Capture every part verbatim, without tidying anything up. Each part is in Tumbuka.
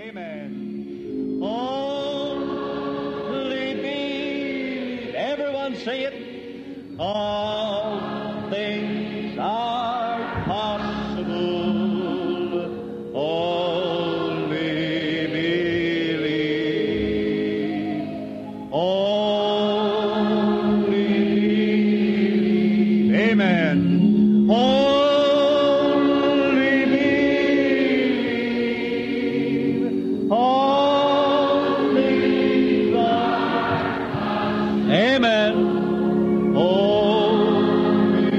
Amen. Only believe. Everyone say it. All things are possible. Only believe. Only believe. Amen. Only believe. All things are. Amen. Only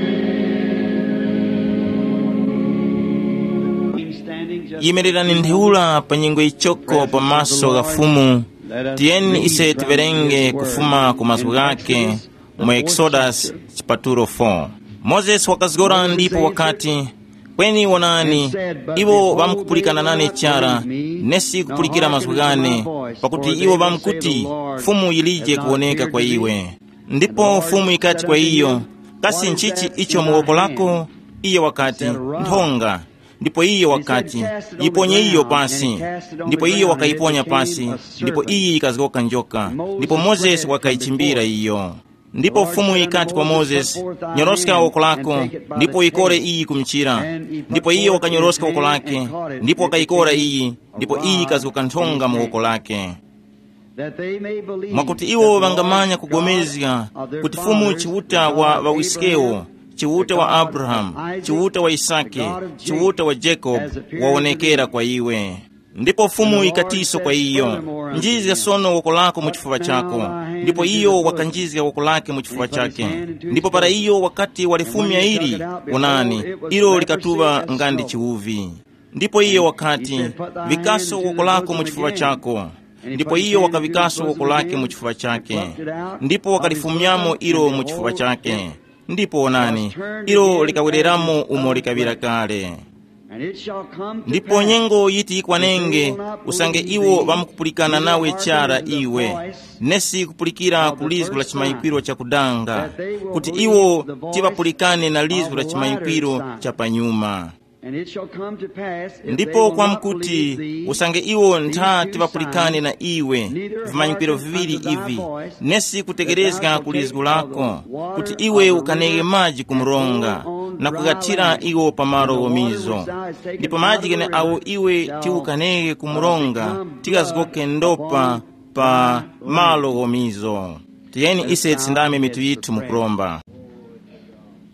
believe. Standing just Yimirira ni ntheura pa nyengo ichoko pamaso gha Fumu. Tiyeni ise tiwerenge kufuma ku mazgu ghake mu Exodus chipatulo four. Mozesi wakazgora ndipo wakati, kweni wonani, iwo ŵamkupulikana nane chara, nesi kupulikira mazgu ghane, pakuti iwo ŵamkuti, Fumu yilije kuwoneka kwa iwe. Ndipo Fumu yikati kwa iyo, kasi nchichi icho mu woko lako? Iyo wakati, nthonga. Ndipo iyo wakati, yiponye iyo pasi. Ndipo iyo wakayiponya pasi, ndipo iyi yikazgoka njoka. Ndipo Mozesi wakayichimbira iyo. Ndipo Fumu yikati kwa Mozesi, nyoroska woko lako, ndipo uyikore iyi ku mchira. Ndipo iyo wakanyoroska woko lake, ndipo wakayikora iyi, ndipo iyi yikazgoka nthonga mu woko lake. Mwakuti iwo ŵangamanya kugomezga kuti Fumu Chiuta wa ŵawiskewo, Chiuta wa Abrahamu, Chiuta wa Yisake, Chiuta wa Jacob, wawonekera kwa iwe. Ndipo Fumu yikatiso kwa iyo, njizga sono woko lako mu chifuŵa chako. Ndipo iyo wakanjizga woko lake mu chifuŵa chake. Ndipo para iyo wakati walifumya ili, wonani, ilo likatuŵa nga ndi chiwuvi. Ndipo iyo wakati, vikaso woko lako mu chifuŵa chako. Ndipo iyo wakavikaso woko lake mu chifuŵa chake, ndipo wakalifumyamo ilo mu chifuŵa chake. Ndipo wonani, ilo likawereramo umo likaŵira kale. Ndipo nyengo yiti yikwanenge, usange iwo ŵamkupulikana nawe chara iwe, nesi kupulikira ku lizgu la chimanyikwiro chakudanga, kuti iwo tiŵapulikane na lizgu la chimanyikwiro cha panyuma. Ndipo kwamkuti, usange iwo ntha tiŵapulikane na iwe vimanyikwiro viŵiri ivi, nesi kutekerezga ku lizgu lako, kuti iwe ukaneghe maji ku mronga, na kughathira iwo pa malo ghomizo. Ndipo maji gheneagho iwe tiukaneghe ku mronga, tigazgoke ndopa pa malo ghomizo. Tiyeni ise tisindame mitu yithu mukuromba.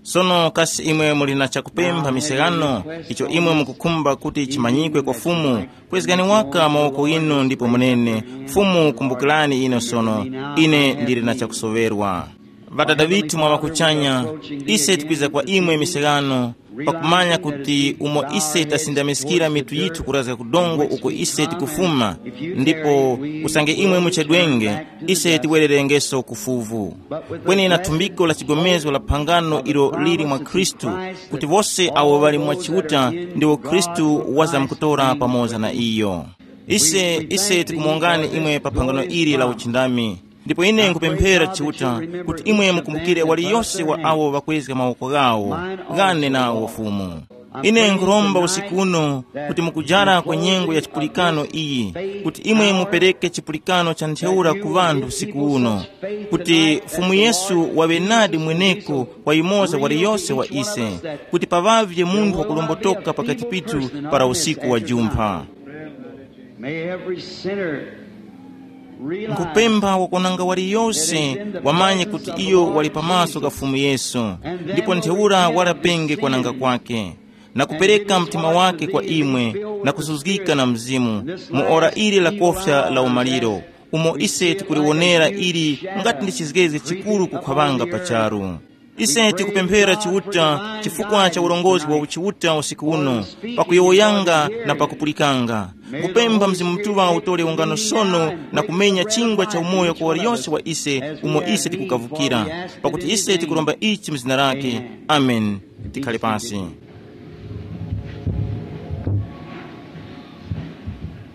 Sono kasi imwe muli na chakupempha misegano, icho imwe mukukhumba kuti chimanyikwe kwa Fumu, kwezgani waka mawoko ghinu ndipo munene, Fumu, kumbukirani ine sono, ine ndili na chakusoŵerwa. Ŵadada ŵithu mwa ŵakuchanya, ise tikwiza kwa imwe misegano, pakumanya kuti umo ise tasindamiskira mitu yithu kurazga ku dongo uko ise tikufuma, ndipo usange imwe muchedwenge, ise tiwererengeso ku fuvu. Kweni na thumbiko la chigomezgo la phangano ilo lili mwa Khristu, kuti wose awo ŵali mwa Chiuta ndiwo Khristu wazamkutora pamoza na iyo. Ise, ise tikumongani imwe pa phangano ili la uchindami. Ndipo ine nkupemphera Chiuta kuti imwe mukumbukire waliyose wa awo ŵakwezga mawoko ghawo, ghane nawo Fumu. Ine nkhuromba usiku uno kuti mukujara kwa nyengo ya chipulikano iyi, kuti imwe mupereke chipulikano cha ntheura ku ŵanthu usiku uno, kuti Fumu Yesu waŵe nadi mweneko kwa yumoza waliyose wa ise, kuti paŵavye munthu wakulombotoka pakati pithu para usiku wa jumpha. May every sinner realize nkupempha wakonanga waliyose wamanye kuti iyo wali pamaso ka Fumu Yesu, ndipo ntheura walapenge kwananga kwake, na kupereka mtima wake kwa imwe, na kusuzgika na Mzimu mu ora ili la kofya la umaliro, umo ise tikuliwonera ili ngati ndi chizgezge chikuru kukhwaŵanga pa charu. Ise tikupemphera Chiuta chifukwa cha ulongozi wa uchiuta usiku uno, pakuyowoyanga na pakupulikanga. Kupempha Mzimu Mutuŵa utole ungano sono na kumenya chingwa cha umoyo kwa waliyose wa ise umo ise tikukavukira, pakuti ise tikuromba ichi mu zina lake. Amen. Tikhale pasi.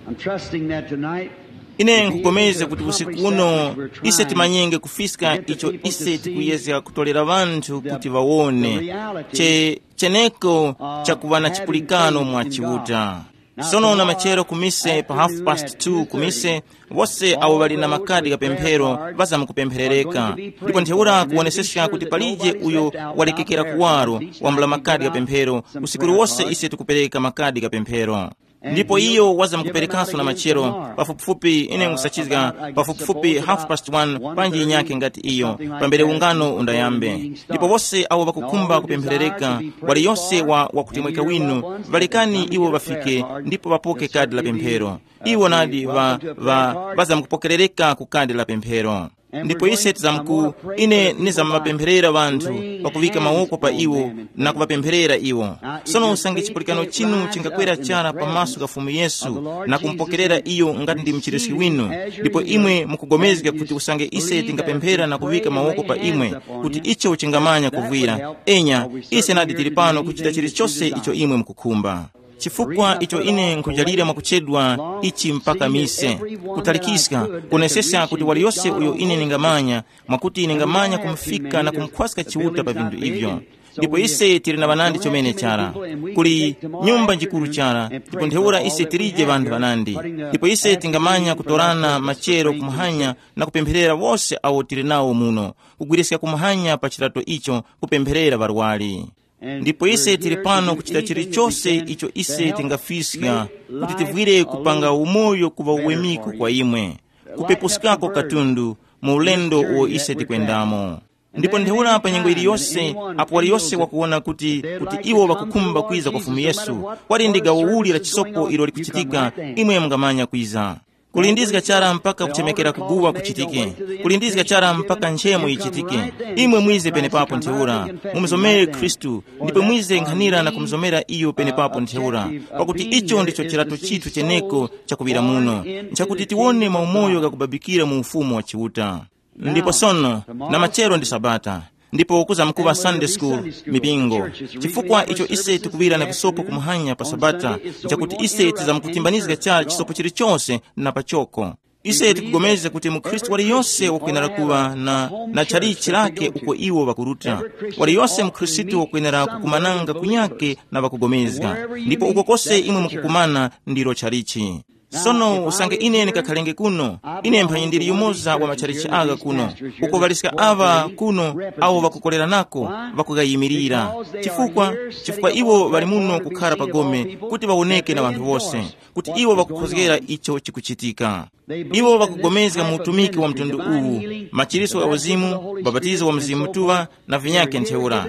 I'm trusting that tonight. Ine nkupulikana kuti usiku uno ise timanyenge kufiska icho ise tikuyezga kutolera ŵanthu kuti ŵawone che cheneko chakuŵa na chipulikano mwa Chiuta. Sono na machero kumise pa half past two kumise, wose awo ŵali na makadi kapemphero ŵazamkupempherereka. Ndipo ntheura kuwoneseska kuti palije uyo walekekera kuwaro wambula makadi kapemphero. Usiku uliwose ise tikupereka makadi kapemphero. Ndipo iyo wazamkuperekanso na machero pafupifupi ine nkusachizga pafupifupi half past one panji inyake ngati iyo, pambere ungano undayambe. Ndipo wose awo ŵakukhumba kupempherereka, waliyose wa wakutemweka winu, ŵalekani iwo ŵafike ndipo ŵapoke kadi la pemphero. Iwo nadi ŵa ŵa ŵazamkupokerereka ku kadi la pemphero. Ndipo ise tizamku ine nizamapempherera ŵanthu pakuŵika mawoko pa iwo na kuŵapempherera iwo. Sono usange chipulikano chinu chingakwera chara pamaso ka Fumu Yesu na kumupokerera iyo ngati ndi mchiriski winu, ndipo imwe mukugomezga kuti usange ise tingapemphera na kuŵika mawoko pa imwe, kuti icho chingamanya kuvwira, enya, ise nadi tili pano kuchita chilichose icho imwe mukukhumba. Chifukwa icho ine nkhujalira mwakuchedwa ichi mpaka mise, kutalikiska, kunesesa kuti waliyose uyo ine ningamanya, mwakuti ningamanya kumufika na kumukhwaska Chiuta pa vinthu ivyo. Ndipo ise tili na ŵanandi chomene chara, kuli nyumba njikuru chara, ndipo ntheura ise tilije ŵanthu ŵanandi. Ndipo ise tingamanya kutorana machero kumuhanya na kupempherera wose awo tili nawo muno, kugwiriska kumuhanya pa chirato icho, kupempherera ŵarwari. Ndipo ise tili pano kuchita chilichose icho ise tingafiska, kuti tivwire kupanga umoyo kuŵa uwemiko kwa imwe, kupepuskako katundu mu ulendo uwo ise tikwendamo. Ndipo ntheura pa nyengo iliyose, apo waliyose wakuwona kuti kuti iwo ŵakukhumba kwiza kwa Fumu Yesu, wali ndi gawo uli la chisopo ilo likuchitika, imwe mungamanya kwiza. Kulindizga chara mpaka kuchemekera kuguwa kuchitike. Kulindizga chara mpaka nchemo yichitike. Imwe mwize penepapo ntheura, mumuzomere Khristu, ndipo mwize nkhanira na kumuzomera iyo penepapo ntheura, pakuti icho ndicho chirato chithu cheneko chakuŵira muno, nchakuti tiwone maumoyo ghakubabikira mu ufumu wa Chiuta. Ndipo sono, na machero ndi Sabata, ndipo kuzamkuŵa Sunday school, mipingo. Chifukwa icho ise tikuŵira na visopo kumuhanya pa Sabata, nchakuti ise tizamkutimbanizga chara chisopo chilichose na pachoko. Ise tikupulikana kuti mukhristu waliyose wakwenera kuŵa na, na chalichi lake uko iwo ŵakuruta. Waliyose mukhristu wakwenera kukumananga kunyake na ŵakupulikana, ndipo uko kose imwe mukukumana ndilo chalichi. Sono usange ine ndikakhalenge kuno, ine mphanyi ndili yumoza wa matchalichi agha kuno, uko ŵaliska aŵa kuno awo ŵakukoleranako ŵakughayimilira. Chifukwa? Chifukwa iwo ŵali muno kukhara pa gome kuti ŵawoneke na ŵanthu wose, kuti iwo ŵakukhozgera icho chikuchitika. Iwo ŵakugomezga mu utumiki wa mtundu uwu, machiritso gha uzimu, ubapatizo wa Mzimu Mutuŵa, na vinyakhe ntheura.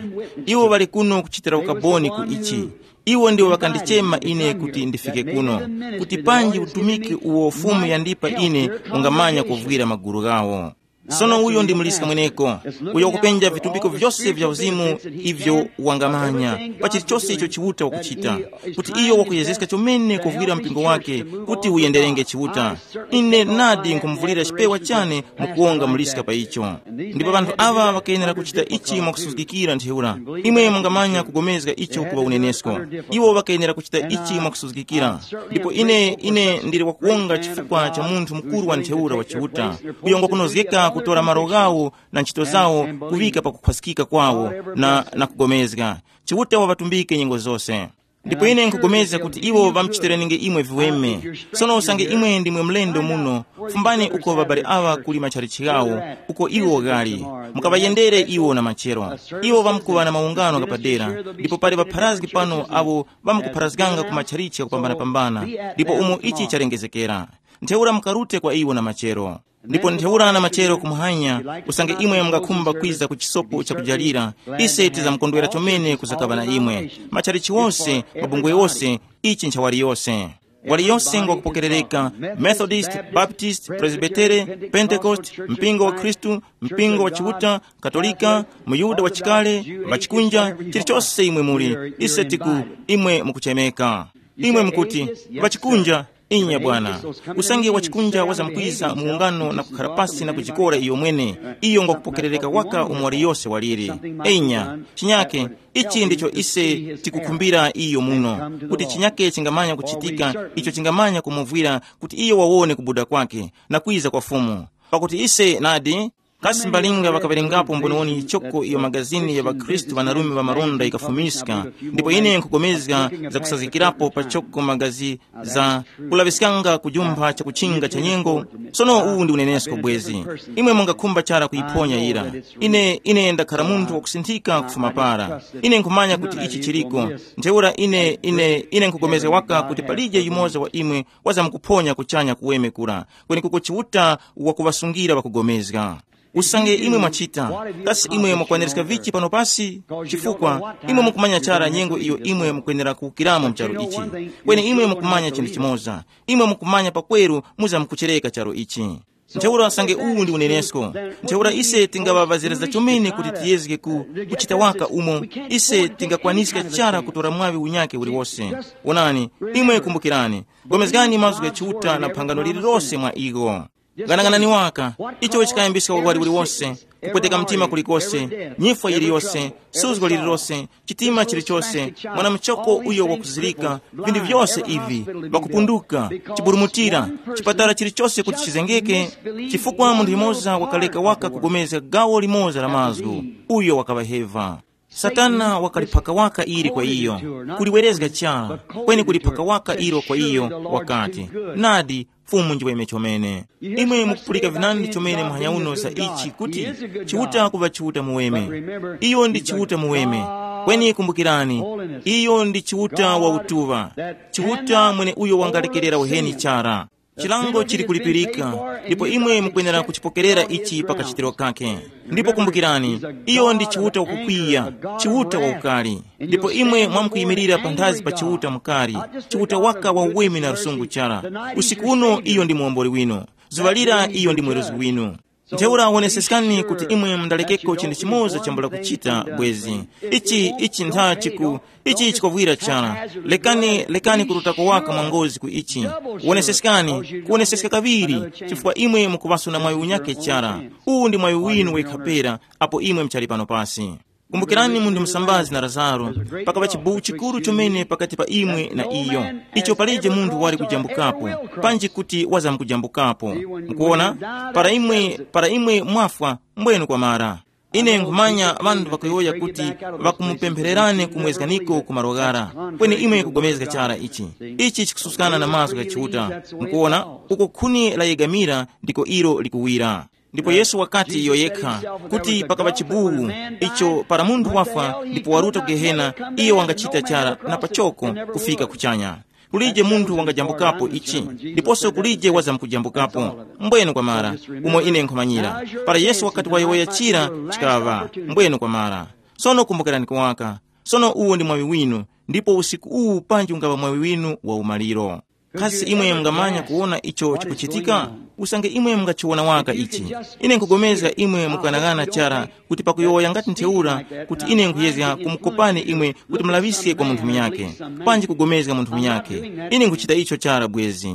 Iwo ŵali kuno kuchitira ukaboni ku ichi. Iwo ndiwo ŵakandichema ine kuti ndifike kuno, kuti panji utumiki uwo Fumu yandipa ine ungamanya kuvwira magulu ghawo. Sono uyo ndi muliska mweneko, uyo wakupenja vitumbiko vyose vya uzimu ivyo wangamanya, pa chilichose icho Chiuta wakuchita, kuti iyo wakuyezeska chomene kuvwira mpingo wake kuti uyenderenge Chiuta. Ine nadi nkumuvulira chipewa chane mukuwonga muliska pa icho. Ndipo ŵanthu aŵa ŵakayenera kuchita ichi mwakusuzgikira ntheura. Imwe mungamanya kugomezga icho kuŵa unenesko. Iwo ŵakayenera kuchita ichi mwakusuzgikira. Ndipo ine ine ndili wakuwonga chifukwa cha munthu mukuru wa ntheura wa Chiuta, uyo ngwakunozgeka kutora malo ghawo na ntchito zawo kuŵika pa kukhwasikika kwawo na, na kugomezga. Chiuta waŵatumbike nyengo zose. Ndipo ine nkupulikana kuti iwo ŵamuchitireninge imwe viweme. Sono usange imwe ndimwe mlendo muno, fumbani uko ŵabale aŵa kuli matchalichi ghawo, uko iwo ghali. Mukaŵayendere iwo na machero. Iwo ŵamkuŵa na maungano ghapadera, ndipo pali ŵapharazgi pano awo ŵamkupharazganga ku matchalichi ghakupambanapambana, ndipo umo ichi chalengezekera. Ntheura mukarute kwa iwo na machero. Ndipo ntheura na machero kumuhanya, usange imwe mungakhumba kwiza ku chisopo chakujalira, ise tizamkondwera chomene kuzakaŵa na imwe. Matchalichi wose, mabungwe wose, ichi ncha waliyose. Waliyose ngwakupokerereka, Methodist, Baptist, Presbytere, Pentecost, mpingo wa Khristu, mpingo wa Chiuta, Katolika, Muyuda wa chikale, ŵachikunja, chilichose imwe muli, ise tiku, imwe mukuchemeka. Imwe mukuti, ŵachikunja, inya bwana. Usange wachikunja wazamkwiza mu ungano na kukhara pasi na kujikora iyo mwene, iyo ngwakupokerereka waka umo waliyose waliri. Enya, chinyake, ichi ndicho ise tikukhumbira iyo muno, kuti chinyake chingamanya kuchitika icho chingamanya kumuvwira kuti iyo wawone kubuda kwake na kwiza kwa Fumu. Pakuti ise nadi Kasi mbalinga ŵakaŵerengapo mboniwoni choko iyo magazini ya ŵakhristu ŵanarume ŵa maronda yikafumiska, ndipo ine nkhupulikana zakusazgikirapo pachoko magazi za kulaŵiskanga kujumpha chakuchinga cha nyengo. Sono uwu ndi unenesko bwezi. Imwe mungakhumba chara kuyiphonya yira. Ine ine ndakhala munthu wakusinthika kufuma para. Ine nkhumanya kuti ichi chiliko. Ntheura ine ine ine nkhupulikana waka kuti palije yumoza wa imwe wazamkuphonya kuchanya kuweme kura, kwenekuko Chiuta wakuŵasungira ŵakupulikana. Usange imwe mwachita, kasi imwe mukwaniriska vichi pano pasi? Chifukwa imwe mukumanya chara nyengo iyo imwe mukwenera kuwukiramo mu charu ichi. Kweni imwe mukumanya chinthu chimoza, imwe mukumanya pakweru muzamkuchereka charu ichi. Ntheura usange uwu ndi unenesko, ntheura ise tingaŵaŵazireza chomene kuti tiyezge ku kuchita waka umo ise tingakwaniska chara kutora mwaŵi unyake uliwose. Wonani, imwe kumbukirani, gomezgani mazgu gha Chiuta na phangano lililose mwa iwo. Ghanaghanani waka, icho chikayambiska uwali uliwose, kupweteka mtima kulikose, nyifwa yiliyose, suzgo lililose, chitima chilichose, mwana muchoko uyo wakuzirika, vinthu vyose ivi, vakupunduka, chiburumutira, chipatala chilichose kuti chizengeke, chifukwa munthu yumoza wakaleka waka kugomezga gawo limoza la mazgu, uyo wakaŵaheva. Satana wakaliphaka waka ili kwa iyo, kuliwerezga chara, kweni kuliphaka waka ilo kwa iyo, wakati, nadi, Fumu njiweme chomene. Imwe mukupulika vinandi chomene muhanya uno za ichi kuti, Chiuta kuŵa Chiuta muweme. Iyo ndi Chiuta muweme. Kweni kumbukirani, iyo ndi Chiuta wa utuŵa. Chiuta mwene uyo wangalekerera uheni chara. Chilango chili kulipirika, ndipo imwe mukwenera kuchipokerera ichi pa kachitiro kake. Ndipo kumbukirani, iyo ndi Chiuta wakukwiya, Chiuta waukali. Ndipo imwe mwamkuyimirira panthazi pa Chiuta mukali, Chiuta waka wa uweme na lusungu chara. Usiku uno iyo ndi muomboli winu. Zuŵa lira iyo ndi mweruzi winu. Ntheura woneseskani kuti imwe mundalekeko chinthu chimoza chambula kuchita bwezi. Ichi ichi ntha chiku ichi chikuvwira chara. Lekani lekani kurutako waka mwa ngozi ku ichi. Woneseskani, kuwoneseska kaŵiri, chifukwa imwe mukuŵaso na mwayi unyake chara. Uwu ndi mwayi winu wekha pera, apo imwe muchali pano pasi. Kumbukirani munthu musambazi na Lazaro, pakaŵa chibuwu chikuru chomene pakati pa imwe na iyo, icho palije munthu wali kujambukapo, panji kuti wazamkujambukapo. Mukuona, para imwe para imwe mwafwa, mbwenu kwamara. Ine nkhumanya ŵanthu ŵakuyowoya kuti ŵakumupemphererani kumwezganiko ku malo ghara, kweni imwe kugomezga chara ichi. Ichi chikususkana na mazgu gha Chiuta. Mukuona, uko khuni layegamira ndiko ilo likuwira. Ndipo Yesu wakati iyo yekha, kuti pakaŵa chibuwu, icho para munthu wafwa ndipo waruta ku Gehena, iyo wangachita chara na pachoko kufika kuchanya. Kulije munthu wangajambukapo ichi, ndiponso kulije wazamkujambukapo. Mbwenu kwamara, umo ine nkhumanyira, para Yesu wakati wayowoya chira, chikaŵa. Mbwenu kwamara. Sono kumbukirani kuwaka. Sono uwo ndi mwawi winu, ndipo usiku uwu panji ungaŵa mwawi winu wa umaliro. Kasi imwe mungamanya kuwona icho chikuchitika? Usange imwe mungachiwona waka ichi. Ine nkugomezga imwe mukanaghana chara kuti pakuyowoya ngati ntheura, kuti ine nkhuyezga kumukopani imwe kuti mulaŵiske kwa munthu munyakhe, panji kugomezga munthu munyakhe. Ine nkhuchita icho chara bwezi.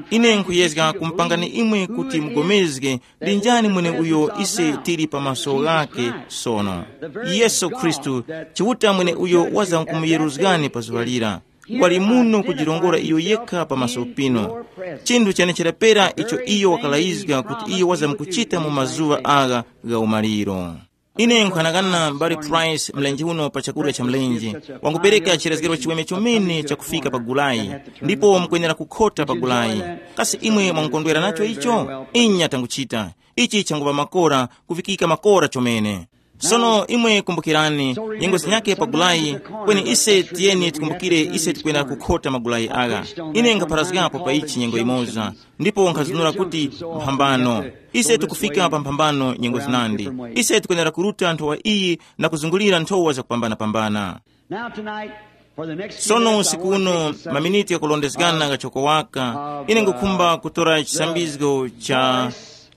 Ine nkhuyezga kumupangani imwe kuti mugomezge ndi njani mwene uyo ise tili pa maso ghake sono. Yesu Khristu, Chiuta mwene uyo waza nkumuyeruzgani pa zuŵa lira. Wali muno kujirongora iyo yekha pa maso pino. Chinthu chenechera pera icho iyo wakalayizga kuti iyo wazamkuchita mu mazuŵa agha gha umaliro. Ine nkhanakana m'bale Price mlenje uno pa chakurya cha mlenje, wangupereka chirezgero chiweme chomene chakufika pa gulayi, ndipo mukwenera kukhota pa gulayi. Kasi imwe mwangukondwera nacho icho? Inya tanguchita. Ichi changupa makora, kuvikika makora chomene. Sono imwe kumbukirani, nyengo zinyake pa gulayi, kweni ise tiyeni tikumbukire ise tikwenda kukhota magulayi agha. Ine nkapharazgapo pa ichi nyengo imoza, ndipo nkhazunura kuti mphambano. Ise tikufika pa mphambano nyengo zinandi. Ise tikwenera kuruta nthowa iyi na kuzungulira nthowa zakupambanapambana. Now tonight, for the next few sono minutes, I usiku want to uno make some, maminiti yakulondezgana uh, gachoko waka, ine ngukhumba kutora chisambizgo cha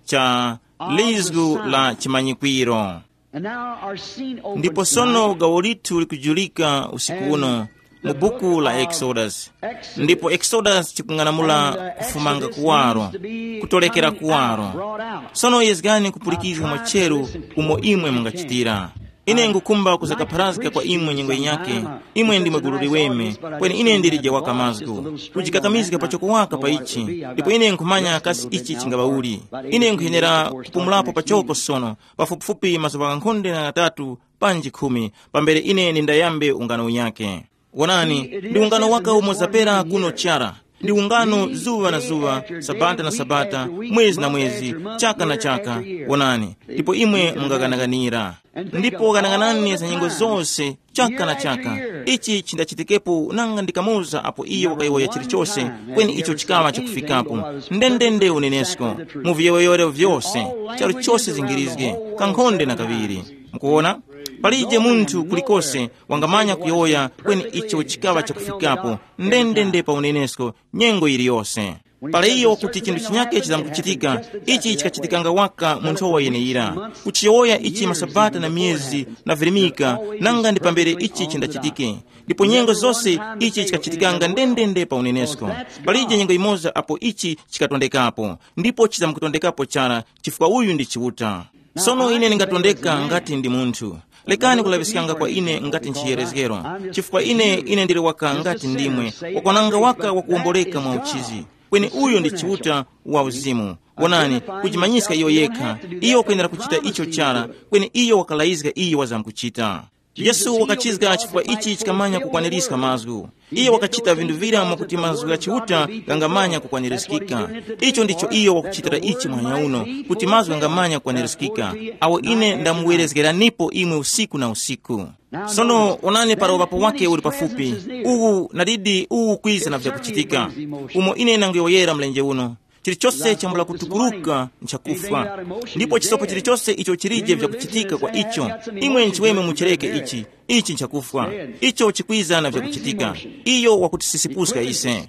cha lizgu la chimanyikwiro. And now our scene opens ndipo sono tonight. Gawo lithu likujulika usiku uno mu buku la Exodus. Ndipo Exodus chikung'anamula kufumanga kuwaro, kutolekera kuwaro. Sono yezgani kupulikizga mwacheru umo imwe mungachitira. Ine ngukhumba kuzakapharazga kwa imwe nyengo yinyakhe. Imwe ndimwe gulu liweme, kweni ine ndilije waka mazgu. Kujikakamizga pachoko waka pa ichi, ndipo ine nkhumanya kasi ichi chingaŵa uli. Ine nkhuyenera kupumulapo pachoko sono, pafupifupi mazuŵa ghankhonde na ghatatu panji khumi, pambere ine ndindayambe ungano unyakhe. Wonani, ndi ungano waka umo zapera kuno chara. Ndi ungano zuŵa na zuŵa, sabata na sabata, mwezi na mwezi, chaka na chaka. Wonani, ndipo imwe mungaganaganira. Ndipo ganaganani za nyengo zose, chaka na chaka. Ichi chindachitikepo nanga ndi kamoza apo iye wakayowoya chilichose, kweni icho chikaŵa chakufikapo. Ndendende unenesko, mu viyowoyero vyose, charu chose zingirizge, kankhonde na kaŵiri. Mukuwona? Palije munthu kulikose wangamanya kuyowoya kweni icho chikaŵa chakufikapo, ndendende pa unenesko, nyengo yiliyose. Para iyo kuti chinthu chinyake chizamkuchitika, ichi chikachitikanga waka mu nthowa yeneyira. Kuchiyowoya ichi masabata na myezi na virimika, nanga ndi pambere ichi chindachitike. Ndipo nyengo zose ichi chikachitikanga ndendende pa unenesko. Palije nyengo imoza apo ichi chikatondekapo, ndipo chizamkutondekapo chara, chifukwa uyu ndi Chiuta. Sono ine ndingatondeka ngati ndi munthu. Lekani kulaŵiskanga kwa ine ngati nchiyerezgero, chifukwa ine ine ndili waka ngati ndimwe, wakwananga waka wakuwomboleka mwa uchizi. Kweni uyo ndi Chiuta wa uzimu. Wonani, kujimanyiska iyo yekha. Iyo wakwenera kuchita icho chara, kweni iyo wakalayizga iyo wazamkuchita. Yesu wakachizga chifukwa ichi chikamanya kukwanirizga mazgu. Iyo wakachita vinthu vira mwakuti mazgu gha Chiuta ghangamanya kukwanirizgika. Icho ndicho iyo wakuchitira ichi muhanya uno, kuti mazgu ghangamanya kukwanirizgika, awo ine ndamuwerezgeranipo imwe usiku na usiku. Sono onani, para uŵapo wake uli pafupi. Uwu nadidi uwu kwiza na vyakuchitika. Umo ine nanguyowoyera mlenje uno, chilichose chambula kutukuruka nchakufwa. Ndipo chisopo chilichose icho chilije vyakuchitika kwa icho, imwe nchiweme muchireke ichi. Ichi nchakufwa. Icho chikwiza na vyakuchitika. Iyo wakutisisipuska ise.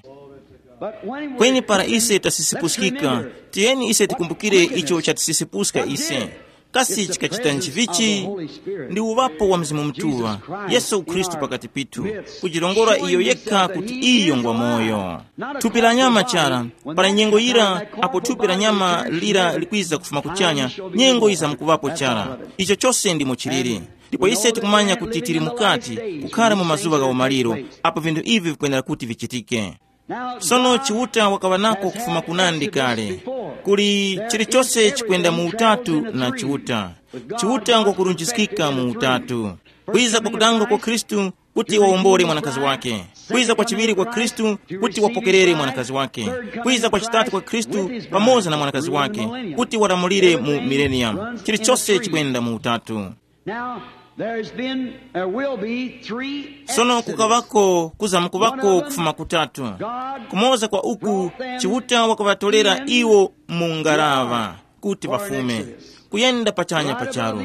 Kweni para ise tasisipuskika, tiyeni ise tikumbukire icho chatisisipuska ise. Kasi chikachita nchivichi? Ndi uŵapo wa Mzimu Mutuŵa, Yesu Khristu pakati pithu, kujirongora iyo yekha kuti iyo ngwa moyo. Thupi la nyama chara, para nyengo yira apo thupi la nyama lira likwiza kufuma kuchanya, nyengo yizamkuŵapo chara. Icho chose ndimo chiliri. Ndipo ise tikumanya kuti tili mukati, kukhara mu mazuŵa gha umaliro, apo vinthu ivi vikwenera kuti vichitike. Sono Chiuta wakaŵa nako kufuma kunandi kale. Kuli chilichose chikwenda mu utatu na Chiuta. Chiuta ngwakurunjiskika mu utatu. Kwiza kwakudanga kwa Khristu kuti wawombole mwanakazi wake. Kwiza kwa chiŵiri kwa Khristu kuti wapokerere mwanakazi wake. Kwiza kwa chitatu kwa Khristu pamoza na mwanakazi wake kuti walamulire mu millennium. Chilichose chikwenda mu utatu. Now, there's been, there will be three Sono Exodus. Kukavako kuzamkuvako kufuma kutatu. Kumoza kwa uku, Chiuta wakavatolera iwo mu ngaraŵa kuti vafume, kuyenda pachanya pa charu.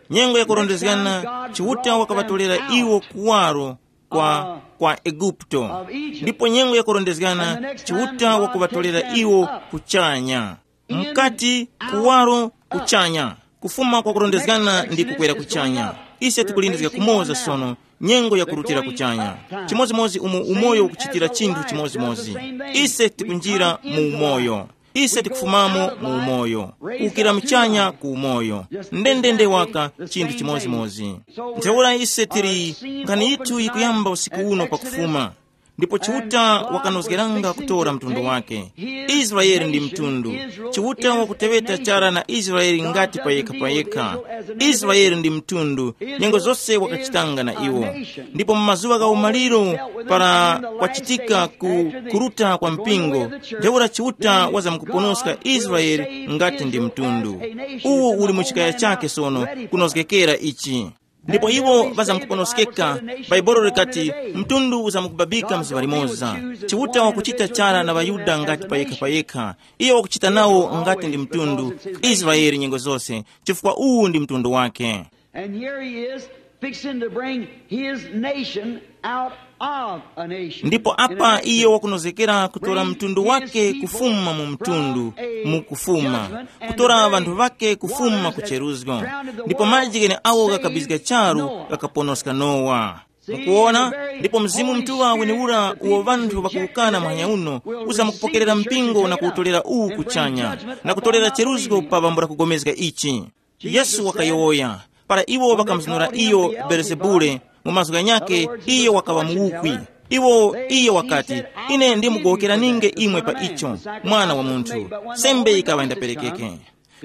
Nyengo yakurondezgana, Chiuta wakavatolera iwo kuwaro kwa, kwa Eguputo. Ndipo nyengo yakurondezgana, Chiuta wakuvatolera iwo kuchanya. Mkati, kuwaro, kuchanya. Kufuma kwa kurondezgana ndi kukwera kuchanya. Ise tikulindizga kumoza sono, nyengo yakurutira kuchanya. Chimodzimodzi umo umoyo ukuchitira chinthu chimodzimodzi. Ise tikunjira mu umoyo. Ise tikufumamo mu umoyo. Kukira mchanya ku umoyo. Ndendende waka chinthu chimodzimodzi. Ntheura ise tili, nkhani yithu yikuyamba usiku uno pakufuma. Ndipo Chiuta wakanozgeranga kutora mtundu wake. Israeli ndi mtundu. Chiuta wakuteŵeta chara na Israeli ngati payekha-payekha. Israeli ndi mtundu, nyengo zose wakachitanga na iwo. Ndipo mu mazuŵa gha umaliro, para kwachitika ku kuruta kwa mpingo, ntheura Chiuta wazamkuponoska Israeli ngati ndi mtundu. Uwo uli mu chikaya chake sono, kunozgekera ichi. Ndipo iwo ŵazamkuponoskeka. Bhaibuli likati, mtundu uzamkubabika mzuŵa limoza. Chiuta wakuchita chara na ŵaYuda ngati payekha-payekha. Iyo wakuchita nawo ngati ndi mtundu, Israeli nyengo zose, chifukwa uwu ndi mtundu wake. And here he is fixing to bring his nation out of a nation. Ndipo apa iyo wakunozekera kutora mtundu wake kufuma mu mtundu, mu kufuma, kutora ŵanthu ŵake kufuma ku cheruzgo. Ndipo maji gheneawo ghakabizga charu, ghakaponoska Nowa. Mukuona? Ndipo Mzimu Mutuŵa weniura uwo ŵanthu ŵakuwukana muhanya uno, uzamkupokerera mpingo na kuwutolera uwu kuchanya, na kutolera cheruzgo pa bambo lakugomezga ichi. Yesu wakayowoya, Para iwo ŵakamuzunura iyo Belezebule, mu mazgu ghanyakhe, iyo wakaŵa muwukwi. Iwo, iyo wakati, "Ine ndimugowokeraninge imwe pa icho, mwana wa munthu." Sembe yikaŵa yindaperekeke.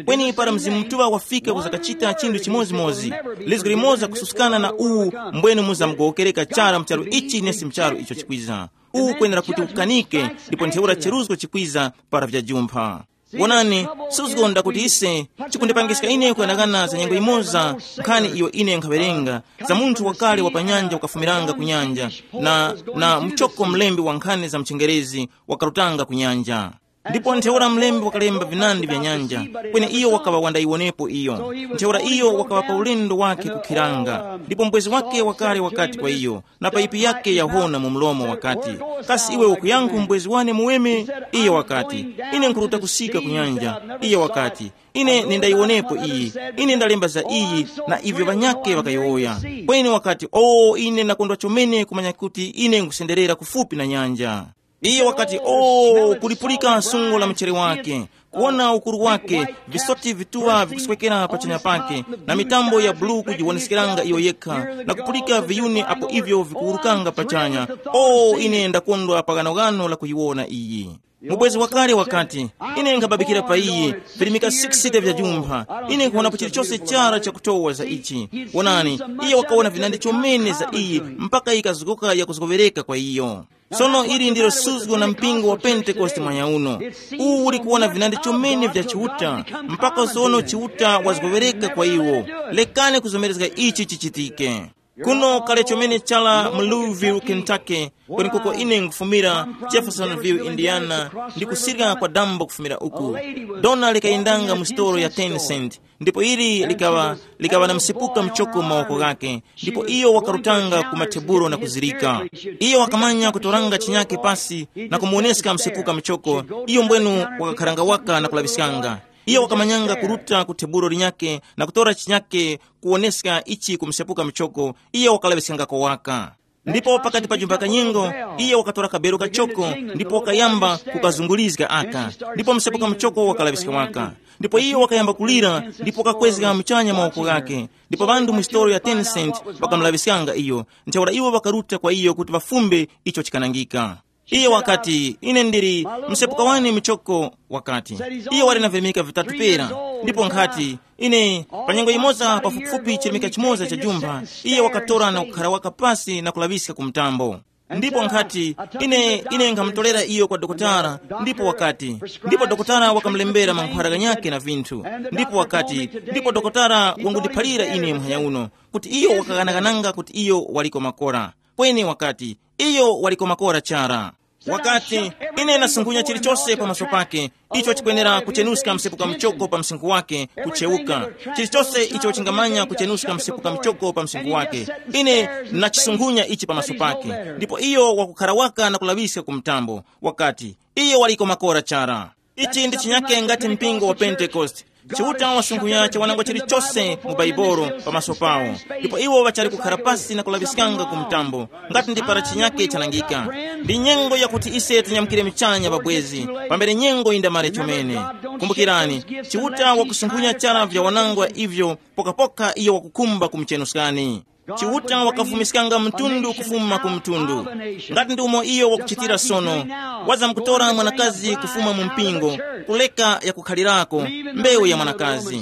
Kweni para Mzimu Mutuŵa wafika kuzakachita chinthu chimodzimodzi, lizgu limoza kususkana na uwu, mbwene muzamugowokereka chara mu charu ichi nesi mu charu icho chikwiza. Uwu kwenera kuti ukanike, ndipo ntheura cheruzgo chikwiza para vyajumpha. Wonani, suzgo ndakuti ise chikundipangiska ine kuyang'ana za nyengo imoza, nkhani iyo ine nkhawerenga, za munthu wakale wa pa nyanja wakafumiranga ku nyanja, na, na muchoko mlembi wa nkhani za mchengerezi wakarutanga ku nyanja. Ndipo ntheura mlembi wakalemba vinandi vya nyanja, kweni iyo wakaŵa wandayiwonepo iyo. Ntheura iyo wakaŵa pa ulendo wake kukhiranga, ndipo mbwezi wake wakale wakati kwa iyo, na payipi yake yahona mu mlomo wakati, "Kasi iwe ukuyankhu mbwezi wane muweme?" Iyo wakati, "Ine nkhuruta kusika ku nyanja." Iyo wakati, "Ine nindayiwonepo iyi, ine ndalemba za iyi na ivyo ŵanyakhe ŵakayowoya." Kweni wakati, "O, ine ndakondwa chomene kumanya kuti ine nkusenderera kufupi na nyanja." Iyo wakati, "O, kulipulika sungo la mchere wake, kuwona ukuru wake, visoti vituŵa vikuswekera pachanya pake, na mitambo ya bulu kujiwoneskeranga iyo yekha, na kupulika viyuni apo ivyo vikuwurukanga pachanya. O, ine ndakondwa pa ghanoghano la kuyiwona iyi." Mubwezi wakale wakati, "Ine nkhababikira pa iyi, virimika sixty vya jumpha, ine nkhuwonapo chilichose chara chakutowa za ichi." Wonani, iye wakawona vinandi chomene za iyi, mpaka yikazgoka yakuzgowereka kwa iyo. Sono ili ndilo suzgo na mpingo wa Pentekoste mwanya uno. Uwu uli kuwona vinandi chomene vya Chiuta, mpaka sono Chiuta wazgowereka kwa iwo. Lekani kuzomerezga ichi chichitike. Kuno kale chomene chala mu Louisville, Kentucky, kwenikoko ine nkufumira, Jeffersonville, Indiana, ndi kusirika kwa dambo kufumira uku. Dona likayendanga mu sitolo ya ten cent, ndipo ili likaŵa, likaŵa na msepuka mchoko mu mawoko ghake, ndipo iyo wakarutanga ku mathebulo na kuzirika. Iyo wakamanya kutoranga chinyake pasi na kumuwoneska msepuka mchoko. Iyo mbwenu wakakharanga waka na kulaŵiskanga. Iyo wakamanyanga kuruta ku thebulo linyake na kutora chinyake kuwoneska ichi ku msepuka mchoko. Iyo wakalaŵiskangako waka. Ndipo pakati pa jumba kanyengo, iye wakatora kabelo kachoko ndipo wakayamba kukazungulizga aka, ndipo msepuka muchoko wakalaŵiska waka. Ndipo iye wakayamba kulira ndipo wakakwezga muchanya mawoko ghake, ndipo ŵanthu mu sitolo ya ten cent ŵakamulaŵiskanga iyo. Ntheura iwo ŵakaruta kwa iyo kuti ŵafumbe icho chikanangika. Iye wakati, "Ine ndili msepuka wane muchoko," wakati. Iye wali na virimika vitatu pera, ndipo nkhati, ine, pa nyengo yimoza pafupifupi chirimika chimoza cha jumba, iye wakatora na kukhara waka pasi na kulaŵiska ku mtambo. Ndipo nkhati, ine, ine nkhamutolera iyo kwa dokotala, ndipo wakati, ndipo dokotala wakamulembera mankhwara ghanyakhe na vinthu, ndipo wakati, ndipo dokotala wangundiphalira ine muhanya uno, kuti iyo wakaghanaghananga kuti iyo waliko makora. Kweni wakati, iyo waliko makora chara. Wakati, "Ine ndasunghunya chilichose pamaso pake, icho chikwenera kuchenuska msepuka muchoko pa msinkhu wake, kucheuka. Chilichose icho chingamanya kuchenuska msepuka muchoko pa msinkhu wake, ine ndachisunghunya ichi pamaso pake." Ndipo iyo wakukhara waka na kulaŵiska ku mtambo, wakati, "Iyo waliko makora chara." Ichi ndi chinyake ngati mpingo wa Pentekoste. Chiuta wasunghunya chiwanangwa chilichose mu Baibolo pamaso pawo, ndipo iwo ŵachali kukhara pasi na kulaŵiskanga ku mtambo, ngati ndi para chinyake chanangika. Ndi nyengo yakuti ise tinyamukire michanya, ŵabwezi, pambere nyengo yindamare chomene. Kumbukirani, Chiuta wakusunghunya chara vya wanangwa ivyo pokapoka iyo wakukhumba kumuchenuskani. Chiuta wakafumiskanga mtundu kufuma ku mtundu. Ngati ndi umo iyo wakuchitira sono, wazamkutora mwanakazi kufuma mu mpingo, kuleka yakukhalirako, mbewu ya mwanakazi.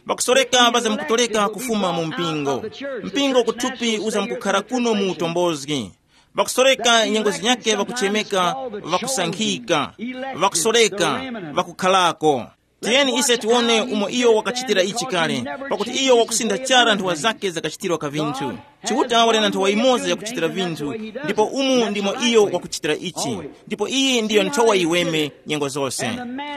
Ŵakusoreka ŵazamkutoleka kufuma mu mpingo. Mpingo kuthupi uzamkukhara kuno mu utombozgi. Ŵakusoreka nyengo zinyakhe ŵakuchemeka, ŵakusankhika, ŵakusoreka, ŵakukhalako. Tiyeni ise tiwone umo iyo wakachitira ichi kale, pakuti iyo wakusintha chara nthowa zake zakachitirwa ka vinthu. Chiuta wali na nthowa yimoza yakuchitira vinthu, ndipo umu ndimo iyo wakuchitira ichi. Ndipo iyi ndiyo nthowa yiweme nyengo zose.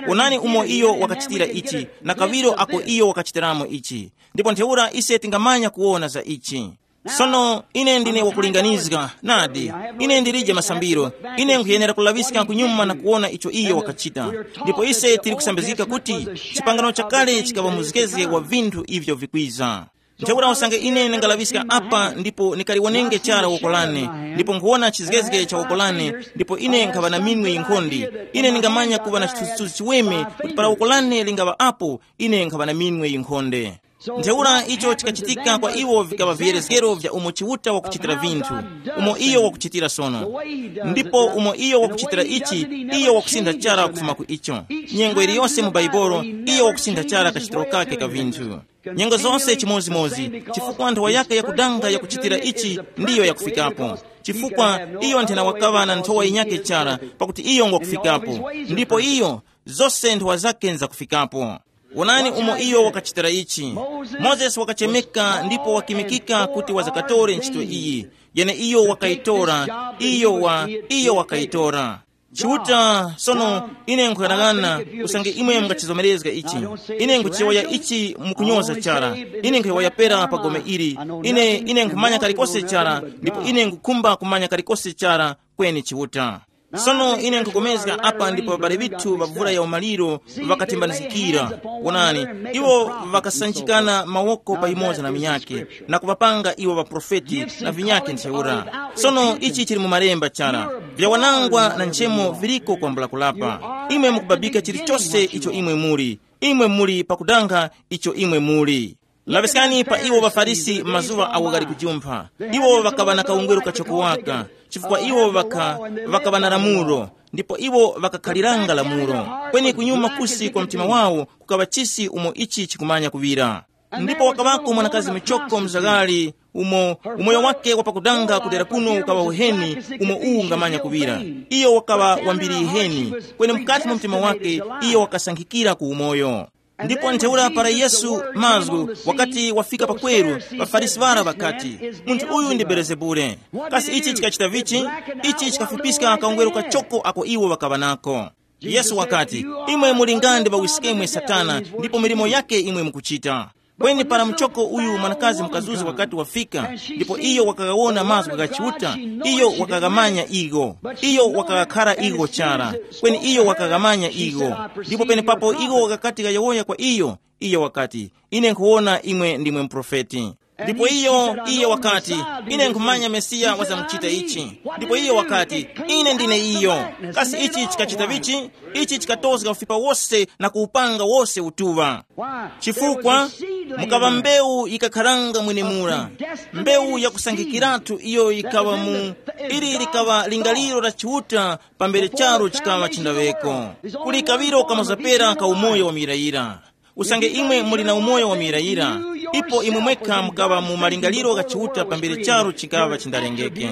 Wonani umo iyo wakachitira ichi, na kawiro ako iyo wakachitiramo ichi. Ndipo ntheura ise tingamanya kuwona za ichi. Sono ine ndine wakulinganizga, nadi, ine ndilije masambiro, ine nkhuyenera kulaŵiska kunyuma na kuwona icho iyo wakachita. Ndipo ise tili kusambizgika kuti chipangano chakale chikaŵa muzgezge wa vinthu ivyo vikwiza. Ntheura usange ine ndingalaŵiska apa ndipo ndikaliwonenge chara woko lane, ndipo nkhuwona chizgezge cha woko lane, ndipo ine nkhaŵa na minwe yinkhonde, ine ndingamanya kuŵa na chithunzithunzi chiweme kuti para woko lane lingaŵa apo, ine nkhaŵa na minwe yinkhonde. Ntheura icho chikachitika kwa iwo vikaŵa viyerezgero vya umo Chiuta wakuchitira vinthu, umo iyo wakuchitira sono. Ndipo umo iyo wakuchitira ichi, iyo wakusintha chara kufuma ku icho. Nyengo iliyonse mu Baibolo, iyo wakusintha chara kachitiro kake ka vinthu. Nyengo zonse chimozimozi, chifukwa nthowa yake yakudanga yakuchitira ichi ndiyo yakufikapo. Chifukwa iyo nthena wakaŵa na nthowa yinyake chara, pakuti iyo ngwakufikapo. Ndipo iyo, zose nthowa zake nzakufikapo. Wonani umo iyo wakachitira ichi. Mozesi wakachemeka ndipo wakimikika kuti wazakatore ntchito iyi. Yene iyo wakayitora, iyo wa iyo wakayitora. Chiuta, sono ine nkuyang'ana, usange imwe mungachizomerezga ichi. Ine nkuchiyowoya ichi mukunyoza chara. Ine nkuyowoya pera pa gome ili. Ine ine nkhumanya kalikose chara, ndipo ine nkukhumba kumanya kalikose chara. Kweni Chiuta. Sono ine nkukomezga apa ndipo ŵabale ŵithu ŵa vura ya umaliro ŵakatembanizikira. Wonani, iwo ŵakasanjikana mawoko payimoza na minyake, na kuŵapanga iwo ŵaprofeti na vinyake ntheura. Sono ichi chili mu malemba chara, vyawanangwa na nchemo viliko kwambula kulapa. Imwe mukubabika chilichose icho imwe muli. Imwe muli pakudanga icho imwe muli. Laŵiskani pa iwo ŵaFarisi mazuŵa awo ghali kujumpha. Iwo ŵakaŵa na kaungweru kachoko waka, chifukwa iwo ŵaka ŵakaŵa na lamulo, ndipo iwo ŵakakhaliranga lamulo. Kweni kunyuma kusi kwa mtima wawo kukaŵa chisi umo ichi chikumanya kuŵira. Ndipo wakaŵako mwanakazi michoko mzaghali, umo umoyo wake wapakudanga kudera kuno ukaŵa uheni, umo uwu ungamanya kuŵira. Iyo wakaŵa wambiri iheni, kweni mukati mwa mtima wake iyo wakasankhikira ku umoyo. Ndipo ntheura para Yesu mazgu wakati wafika pakweru, ŵaFarisi ŵara ŵakati, munthu uyu ndi Belezebule. Kasi ichi chikachita vichi? Ichi chikafupiska kaungweru kachoko ako iwo ŵakaŵa nako. Yesu wakati, imwe muli nga ndi ŵawiskemwe Satana, ndipo milimo yake imwe mukuchita. Kweni para muchoko uyu mwanakazi mukazuzi wakati wafika, ndipo iyo wakaghawona mazgu gha Chiuta, iyo wakaghamanya igho. Iyo wakaghakhara igho chara, kweni iyo wakaghamanya igho. Ndipo penepapo igho ghakati ghayowoya kwa iyo, iyo wakati, ine nkhuwona imwe ndimwe muprofeti. Ndipo iyo iyo wakati, ine nkhumanya Mesiya wazamuchita ichi. Ndipo iyo wakati, ine ndine iyo. Kasi ichi chikachita vichi? Ichi chikatozga ufipa wose na kuwupanga wose utuŵa. Chifukwa mukaŵa mbewu yikakharanga mwenemura, mbewu yakusankhikiratu iyo yikaŵa mu ili likaŵa lingaliro la Chiuta pambere charu chikaŵa chindaŵeko. Kuli kaŵiro kamazapera ka umoyo wa muyirayira. Usange imwe muli na umoyo wa muyirayira, ipo imwe mwekha mukaŵa mu malingaliro gha Chiuta pambere charu chikaŵa chindalengeke.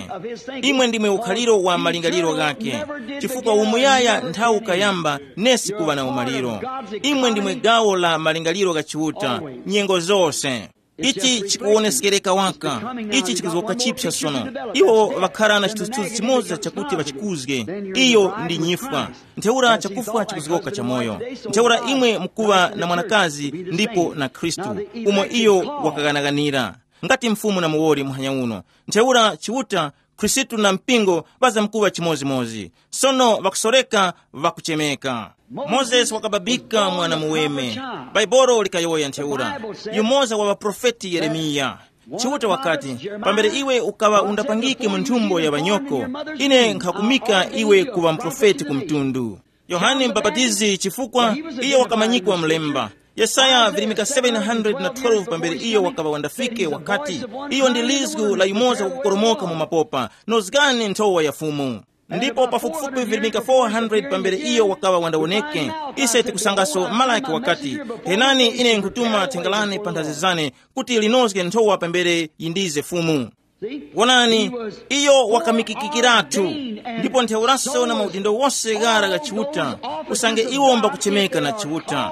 Imwe ndimwe ukhaliro wa malingaliro ghakhe, chifukwa umuyaya nthawi ukayamba nesi kuŵa na umaliro. Imwe ndimwe gawo la malingaliro gha Chiuta nyengo zose. Ichi chikuwoneskereka waka. Ichi chikuzoka chipsa sono. Iwo ŵakhara na chithunzithunzi chimoza chakuti ŵachikuzge. Iyo ndi nyifwa. Ntheura chakufwa chikuzoka chamoyo. Ntheura imwe mukuŵa na mwanakazi ndipo na Khristu, umo iyo wakaghanaghanira, ngati mfumu na muwoli muhanya uno. Ntheura Chiuta, Khristu na mpingo ŵazamkuŵa chimozimozi. Sono ŵakusoreka, ŵakuchemeka. Mozesi wakababika mwana muweme. Baibolo likayowoya ntheura. Yumoza wa ŵaprofeti Yeremiya. Chiuta wakati, pambere iwe ukaŵa undapangike mu nthumbo ya ŵanyoko, ine nkhakumika iwe kuŵa muprofeti ku mtundu. Yohane Mubapatizi, chifukwa iyo wakamanyikwa mlemba. Yesaya virimika seven hundred na twelve pambere iyo wakaŵa wandafike wakati, iyo ndi lizgu la yumoza wakukoromoka mu mapopa, nozgani nthowa ya Fumu. Ndipo pafupifupi virimika four hundred pambere iyo wakaŵa wandawoneke, ise tikusangaso Malaki wakati, henani ine nkutuma thenga lane pa nthazi zane kuti linozge nthowa pambere yindize Fumu. Wonani, iyo wakamikikikiratu, ndipo ntheuraso na maudindo wose ghara gha Chiuta, usange iwo mbakuchemeka na Chiuta.